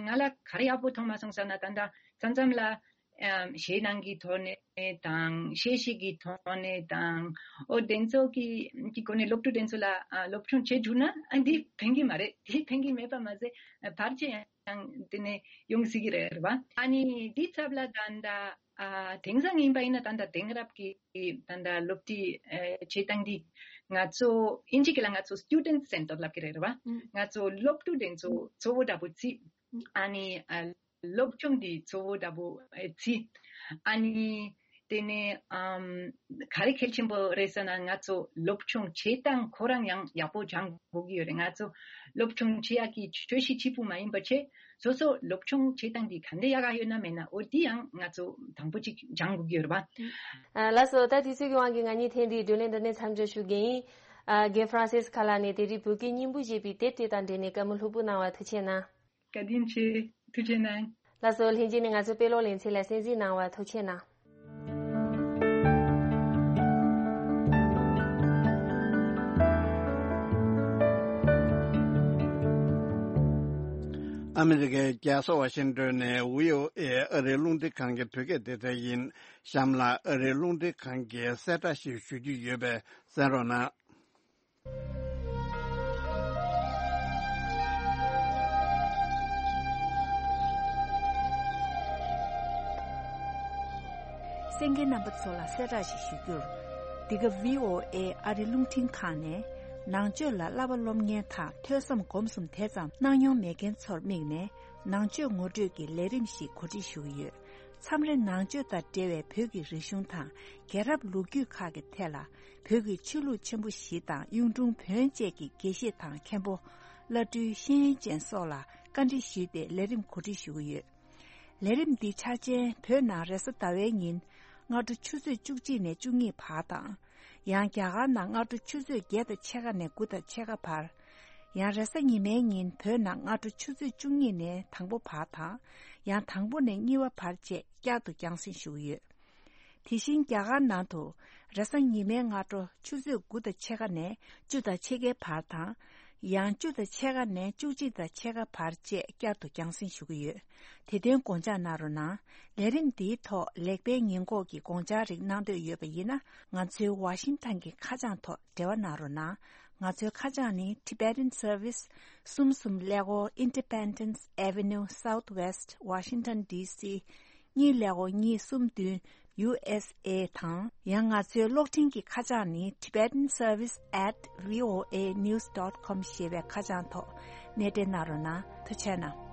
ང་ལ་ག་རེ་ཡག་པོ་མཐོང་མ་སོང་ཟེར་ན། ད་ད་མཚམས་མཚམས་ལ་ཨམ་གཞས་ནང་གི་ཐོག་ནས་དང་གཞས་ཤིག་གི་ཐོག་ནས་དང་། ཨོ་དེ་ཚོ་གི་གི་སྒོ་ནས་སློབ་ཕྲུག་དེ་ཚོ་ལ་ཨ་སློབ་སྦྱོང་བྱེད་འཇུག་ན་ཨ་འདི་ཕན་གྱི་མ་རེད། འདི་ཕན་གྱི་མེད་པ་མ་ཟད་བར་ཆད་ཡང་དེ་ནས་ཡོང་སྲིད་ཀྱི་རེད་བ། ཨ་ནི་འདི་ཚབ་ལ་ད་ལྟ་ཨ་དེང་སང་ཡིན་པ་ཡིན་ན་ད་ལྟ་དེང་རབས་ཀྱི་ད་ལྟ་སློབ་ཁྲིད་ཨ་བྱེད་སྟངས་འདི་ང་ཚོ་ཨིན་ཇི་སྐད་ལ་ང་ཚོ་སི་ཊུ་ཌེན་ཊི་སེན་ཊར་ལབ་ཀྱི་རེད་བ། ང་ཚོ་སློབ་ཕྲུག་དེ་ཚོ་གཙོ་བོ་འདྲ་པོ་བརྩི། ཨ་ནི་ཨ་སློབ་སྦྱོང་འདི་གཙོ་བོ་འདྲ་པོ་ཨ་བརྩི། ཨ་ནི་དེ་ནས་ཨམ་ག་རེ་གལ་ཆེན་པོ་རེད་ཟེར་ན། ང་ཚོ་སློབ་སྦྱོང་བྱེད་སྟངས་ཁོ་རང་ཡང་ཡག་པོ་སྦྱང་དགོས་ཀྱི་ཡོད་རེད། ང་ཚོ་སློབ་སྦྱོང་བྱེད་ཡག་གི་ཆོས་གཞི་གཅིག་པུ་མ་ཡིན་པ་བྱས། སོ་སོ་སློབ་སྦྱོང་བྱེད་སྟངས་འདི་ག་འདྲ་ཡག་ག་ཡོད་ན་མེད་ན་འོ་འདི་ཡང་ང་ཚོ་དང་པོ་གཅིག་སྦྱང་དགོས་ཀྱི་ཡོད་རེད་པ། ཨ་ལགས་སོ། ད་དུས་ཚོད་ཀྱི་དབང་གིས་ང་གཉིས་ཐེངས་འདིའི་བགྲོ་གླེང་འདི་ནས་མཚམས་འཇོག་ཞུ་གི་ཡིན། ཨ་རྒན་ཧྥ་རན་སིས་ཁ་ལགས་ནས་དེ་རིང་བོད་སྐད་སྙན་པོ་ཞེས་པའི་དེབ་དེ་དང་འབྲེལ་ནས་བཀའ་མོལ་ལྷུག་པོ་གནང་བར་ཐུགས་རྗེ་གནང་། བཀའ་དྲིན་ཆེ། ཐུགས་རྗེ་གནང་། ལགས་སོ། ལྷན་རྒྱས་ནས་ང་ཚོའི་དཔེ་ཀློག་ལེ་ཚན་ལ་གསན་གཟིགས་གནང་བར་ཐུགས་རྗེ་གནང་། ཨ་མི་རི་ཀའི་རྒྱལ་ས་ཝ་ཤིང་ཏོན་ནས་ཝི་ཨོ་ཨེ་ཨ་རིའི་རླུང་འཕྲིན་ཁང་གི་བོད་སྐད་སྡེ་ཚན་ཡིན། གཤམ་ལ་ཨ་རིའི་རླུང་འཕྲིན་ཁང་གི་གསལ་བསྒྲགས་ཤིག་ཞུ་རྒྱུ་ཡོད་པས་གསན་རོགས་གནང་། གསན་མཁན་རྣམ་པ་ཚོ་ལ་གསལ་བསྒྲགས་ཤིག་ཞུ་རྒྱུར། འདི་ག་ཝི་ཨོ་ཨེ་ཨ་རི་རླུང་འཕྲིན་ཁང་ནས་ནང་ཆོས་ལ་བསླབ་པ་སློབ་གཉེར་དང་ཐོས་བསམ་སྒོམ་གསུམ་དེ་ཙམ་གནང་མྱོང་མེད་མཁན་ཚོར་དམིགས་ནས་ནང་ཆོས་ངོ་སྤྲོད་ཀྱི་ལས་རིམ་ཞིག་གོ་སྒྲིག་ཞུ་གི་ཡོད། མཚམས་རེ་ནང་ཆོས་དང་འབྲེལ་བའི་བོད་ཀྱི་རིག་གཞུང་དང་རྒྱལ་རབས་ལོ་རྒྱུས་ཁག་གི་ཐད་ལ་བོད་ཀྱི་ཆོས་ལུགས་ཆེན་པོ་བཞི་དང་གཡུང་དྲུང་བོན་བཅས་ཀྱི་དགེ་བཤེས་དང་མཁན་པོ། བླ་སྤྲུལ་ཤེས་ཡོན་ཅན་སོགས་ལ་བཀའ་འདྲི་ཞུས་ཏེ་ལས་རིམ་གོ་སྒྲིག་ཞུ་གི་ཡོད། ལས་རིམ་འདི་འཆར་ཅན་བོད་ནང་རེས་གཟའ་ཟླ་བའི་ཉིན་སྔ་དྲོ་ཆུ་ཚོད་བཅུ་གཅིག་ནས་བཅུ་གཉིས་བར་དང་། ཡང་རྒྱ་གར་ནང་སྔ་དྲོ་ཆུ་ཚོད་བརྒྱད་དང་ཕྱེད་ཀ་ནས་དགུ་དང་ཕྱེད་ཀ་བར། ཡང་རེས་གཟའ་ཉི་མའི་ཉིན་བོད་ནང་སྔ་དྲོ་ཆུ་ཚོད་བཅུ་གཉིས་ནས་དང་པོ་བར་དང་། ཡང་དང་པོ་ནས་གཉིས་པ་བར་བཅས་བསྐྱར་དུ་རྒྱང་སྲིང་ཞུ་གི་ཡོད། དེ་བཞིན་རྒྱ་གར་ནང་དུ་རེས་གཟའ་ཉི་མའི་སྔ་དྲོ་ཆུ་ཚོད་དགུ་དང་ཕྱེད་ཀ་ནས་བཅུ་དང་ཕྱེད་ཀའི་བར་དང་། ཡང་བཅུ་དང་ཕྱེད་ཀ་ནས་བཅུ་གཅིག་དང་ཕྱེད་ཀ་བར་བཅས་བསྐྱར་དུ་རྒྱང་སྲིང་ཞུ་གི་ཡོད། དེ་དོན་དགོངས་འཇགས་གནང་རོགས་གནང་། ལས་རིམ་འདིའི་ཐོག་ལེགས་སྤེལ་ཉེས་འགོག་གི་དགོངས་འཆར་རིགས་གནང་འདོད་ཡོད་པ་ཡིན་ན། ང་ཚོའི་ཝ་ཤིང་ཐན་གྱི་ཁ་བྱང་ཐོག་འབྲེལ་བ་གནང་རོགས་གནང་། ང་ཚོའི་ཁ་བྱང་ནི། Tibetan Service། གསུམ་གསུམ་ཀླད་ཀོར། Independence Avenue Southwest, Washington D C གཉིས་ཀླད་ཀོར་གཉིས་གསུམ་བདུན། ཡུ་ཨེས་ཨེ་དང་། ཡང་ང་ཚོའི་གློག་འཕྲིན་གྱི་ཁ་བྱང་ནི། Tibetan Service at V O A news dot com ཞེས་པའི་ཁ་བྱང་ཐོག་གནས་འབྲེལ་གནང་རོགས་གནང་། ཐུགས་རྗེ་གནང་།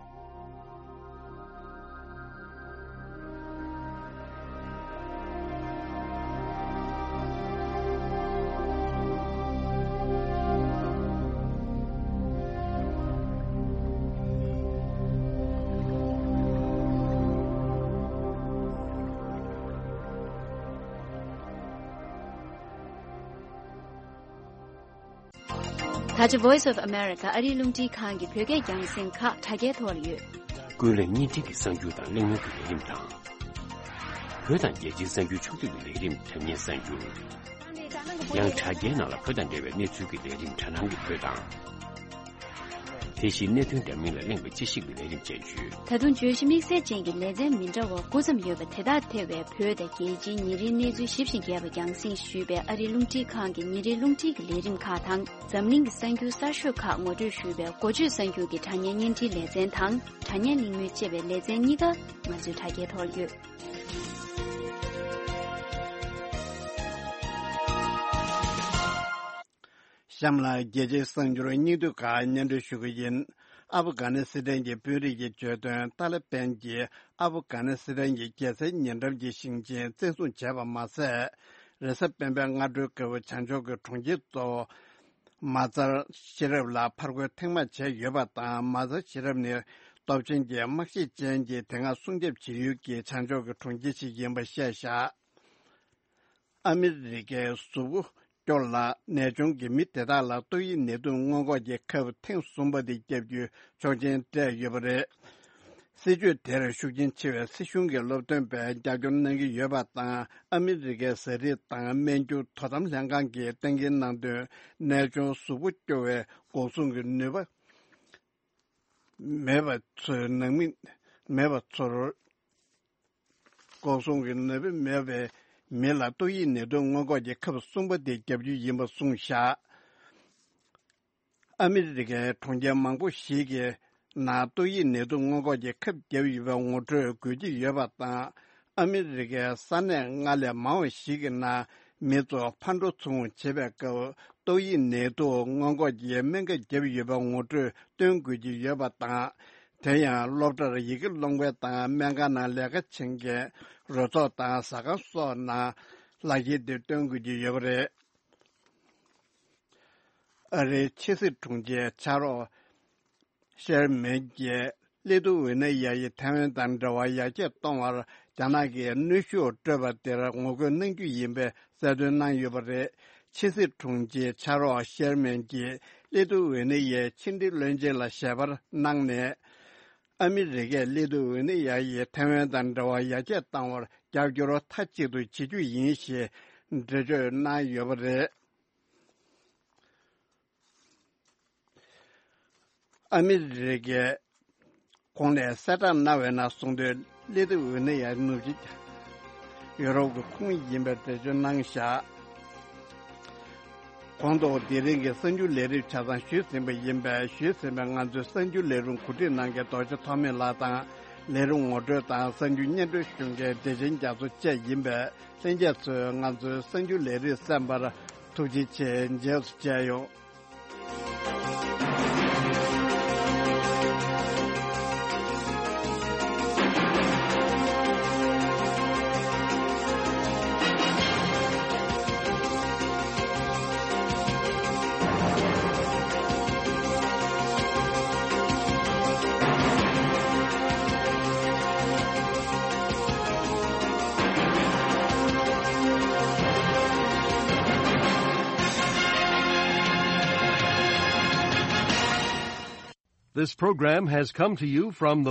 ད་ཆ་Voice of America ཨ་རིའི་རླུང་འཕྲིན་ཁང་གི་བོད་སྐད་རྒྱང་སྲིང་ཁག་དྲ་རྒྱའི་ཐོག་ལ་ཡོད། ཀུན་གླེང་བརྙན་འཕྲིན་གྱི་གསར་འགྱུར་དང་གླེང་མོལ་གྱི་ལས་རིམ་དང་། བོད་དང་རྒྱལ་སྤྱིའི་གསར་འགྱུར་ཕྱོགས་བསྡུས་ཀྱི་ལས་རིམ། དྲ་བརྙན་གསར་འགྱུར། ཡང་དྲ་རྒྱའི་ནང་ལ་བོད་དང་འབྲེལ་བའི་གནས་ཚུལ་གྱི་ལས་རིམ། དྲ་སྣང་གི་བོད་དང་། དེ་བཞིན་གནད་དོན་འདྲ་མིན་ལ་གླེང་བའི་དཔྱད་ཞིབ་ཀྱི་ལས་རིམ་བཅས་ཡོད། ད་དུང་བརྗོད་གཞི་དམིགས་བསལ་ཅན་གྱི་ལེ་ཚན་མི་འདྲ་བ་དགུ་ཙམ་ཡོད་པ་དེ་དག་ཐེ་བའི་བོད་དང་རྒྱལ་སྤྱིའི་ཉིན་རེའི་གནས་ཚུལ་ཞིབ་ཅིང་རྒྱས་པ་རྒྱང་སྲིང་ཞུས་པའི་ཨ་རིའི་རླུང་འཕྲིན་ཁང་གི་ཉིན་རེའི་རླུང་འཕྲིན་གྱི་ལས་རིམ་ཁག་དང་། འཛམ་གླིང་གི་གསར་འགྱུར་གསར་ཤོས་ཁག་ངོ་སྤྲོད་ཞུས་པའི་འགོ་བརྗོད་གསར་འགྱུར་གྱི་དྲ་བརྙན་བརྙན་འཕྲིན་ལེ་ཚན་དང་། དྲ་བརྙན་གླེང་མོལ་ཅེས་པའི་ལེ་ཚན་གཉིས་ཀ་ང་ཚོའི་དྲ་རྒྱའི་ཐོག་ཡོད། གཤམ་ལ་རྒྱལ་སྤྱིའི་གསར་འགྱུར་སྙིང་བསྡུས་ཁག་སྙན་སྒྲོན་ཞུ་གི་ཡིན། ཨབ་གྷ་ནི་སི་ཐན་གྱི་དཔོན་རིགས་ཀྱིས་བརྗོད་དོན། ཏཱ་ལི་བན་གྱིས་ཨབ་གྷ་ནི་སི་ཐན་གྱི་རྒྱལ་སའི་ཉེ་འགྲམ་གྱི་ཞིང་ཆེན་བཙན་བཟུང་བྱས་པ་མ་ཟད། རེས་གཟའ་སྤེན་པའི་སྔ་དྲོའི་སྐབས་བྱང་ཕྱོགས་ཀྱི་གྲོང་ཁྱེར་གཙོ་བོ་མ་ཛར་ཤེ་རབ་ལ་ཕར་རྒོལ་ཐེངས་མང་བྱས་ཡོད་པ་དང་། མ་ཛར་ཤེ་རབ་ནི་སྟོབས་ཆེན་གྱི་དམག་ཤེད་ཅན་གྱི་དེ་སྔ་སྲུང་སྐྱོབ་བྱེད་ཡུལ་གྱི་བྱང་ཕྱོགས་ཀྱི་གྲོང་ཁྱེར་ཞིག་ཡིན་པ་བཤད་བཞག་ཨ་མི་རི་ཀའི་གཟུགས་པོ་སྐྱོར་ལ་ནད་གཅོང་གིས་མི་དེ་དག་ལ་ཏོག་དབྱིབས་ནད་དུག་སྔོན་འགོག་གི་ཁབ་ཐེངས་གསུམ་པ་དེ་བརྒྱབ་རྒྱུའི་ཆོག་མཆན་སྤྲད་ཡོད་པ་རེད། སྲིད་བྱུས་དེར་ཤུགས་རྐྱེན་ཆེ་བའི་སྲིད་གཞུང་གི་སློབ་སྟོན་པས་རྒྱབ་སྐྱོར་གནང་གི་ཡོད་པ་དང་། ཨ་མི་རི་ཀའི་ཟས་རིགས་དང་སྨན་རྒྱུ་དོ་དམ་ལྷན་ཁང་གིས་གཏན་འཁེལ་གནང་དོན། ནད་གཅོང་གཟུགས་པོ་སྐྱོ་བའི་འགོག་སྲུང་གི་ནུས་པ་མེད་པ་ཚོའི་ནང་མི་མེད་པ་ཚོར། འགོག་སྲུང་གི་ནུས་པ་མེད་པའི་མི་ལ་ཏོག་དབྱིབས་ནད་དུག་སྔོན་འགོག་གི་ཁབ་གསུམ་པ་དེ་བརྒྱབ་རྒྱུ་ཡིན་པ་གསུངས་བཞག་ཨ་མི་རི་ཀའི་གྲོང་ཁྱེར་མང་པོ་ཞིག་གི་ནང་ཏོག་དབྱིབས་ནད་དུག་སྔོན་འགོག་གི་ཁབ་བརྒྱབ་ཡོད་པའི་ངོ་སྤྲོད་དགོས་ཀྱི་ཡོད་པ་དང་། ཨ་མི་རི་ཀའི་ས་གནས་ལྔ་ལས་མང་བ་ཞིག་གི་ནང་མི་ཚོ་ཕར་འགྲོ་ཚུར་འོང་བྱེད་པའི་སྐབས་ཏོག་དབྱིབས་ནད་དུག་སྔོན་འགོག་གི་སྨན་ཁབ་བརྒྱབ་ཡོད་པའི་ངོ་སྤྲོད་སྟོན་དགོས་ཀྱི་ཡོད་པ་དང་། དེ་ཡང་སློབ་གྲྭར་ཡི་གེ་སློབ་མཁན་དང་སྨན་ཁང་ནང་ལས་ཀ་བྱེད་མཁན། རོལ་ཚོགས་དང་ཟ་ཁང་སོགས་ནང་ལག་འཁྱེར་དེ་སྟོན་དགོས་ཀྱི་ཡོད་པ་རེད། ཨ་རིའི་ཕྱི་སྲིད་དྲུང་ཆེ་ཕྱག་རོགས་ཤེར་མན་གྱིས་ལི་ཐུ་ཝེ་ནི་ཡ་ཡིས་ཐའེ་ཝན་དང་འབྲེལ་བ་ཡར་རྒྱས་གཏོང་བར་རྒྱ་ནག་གིས་གནོན་ཤུགས་སྤྲོད་པ་དེར་ངོ་རྒོལ་གནང་རྒྱུ་ཡིན་པའི་གསལ་སྟོན་གནང་ཡོད་པ་རེད། ཕྱི་སྲིད་དྲུང་ཆེ་ཕྱག་རོགས་ཤེར་མན་གྱིས་ལི་ཐུ་ཝེ་ནི་ཡའི་ཕྱི་འབྲེལ་བློན་ཆེན་ལ་ཞལ་པར་གནང་ནས། ཨ་མི་རི་ཀས་ལི་ཐུ་ཝེ་ནི་ཡ་ཡིས་ཐའེ་ཝན་དང་འབྲེལ་བ་ཡར་རྒྱས་གཏང་བར་རྒྱབ་སྐྱོར་མཐའ་གཅིག་ཏུ་བྱེད་རྒྱུ་ཡིན་ཞེས་འགྲེལ་བརྗོད་གནང་ཡོད་པ་རེད། ཨ་མི་རི་ཀས་ གོང་ནས་གསལ་བསྒྲགས་གནང་བའི་ནང་གསུངས་དོན། སླེ་ཏི་འོས་ནི་ཡང་ནུབ་ཕྱོགས་ཡུ་རོབ་ཀྱི་ཁོངས་ཡིན་པའི་འགྲེལ་བརྗོད་གནང་བཞག་གོང་དུ་དེ་རིང་གི་གསར་འགྱུར་ལས་རིམ་ཆ་ཚང་ཞུས་ཟིན་པ་ཡིན་པས། ཞུས་ཟིན་པའི་ང་ཚོའི་གསར་འགྱུར་ལས་རིམ་གོ་སྒྲིག་གནང་མཁན་རྡོ་རྗེ་ཐོགས་མེད་ལགས་དང་། ལས་རིམ་ངོ་སྤྲོད་དང་གསར་འགྱུར་སྙན་སྒྲོན་ཞུ་མཁན་བདེ་ཆེན་རྒྱ་མཚོ་བཅས་ཡིན་པས། ལྷན་རྒྱས་ཚོས་ང་ཚོའི་གསར་འགྱུར་ལས་རིམ་གསན་པར་ཐུགས་རྗེ་ཆེ། རྗེས་སུ་མཇལ་ཡོང་། This program has come to you from the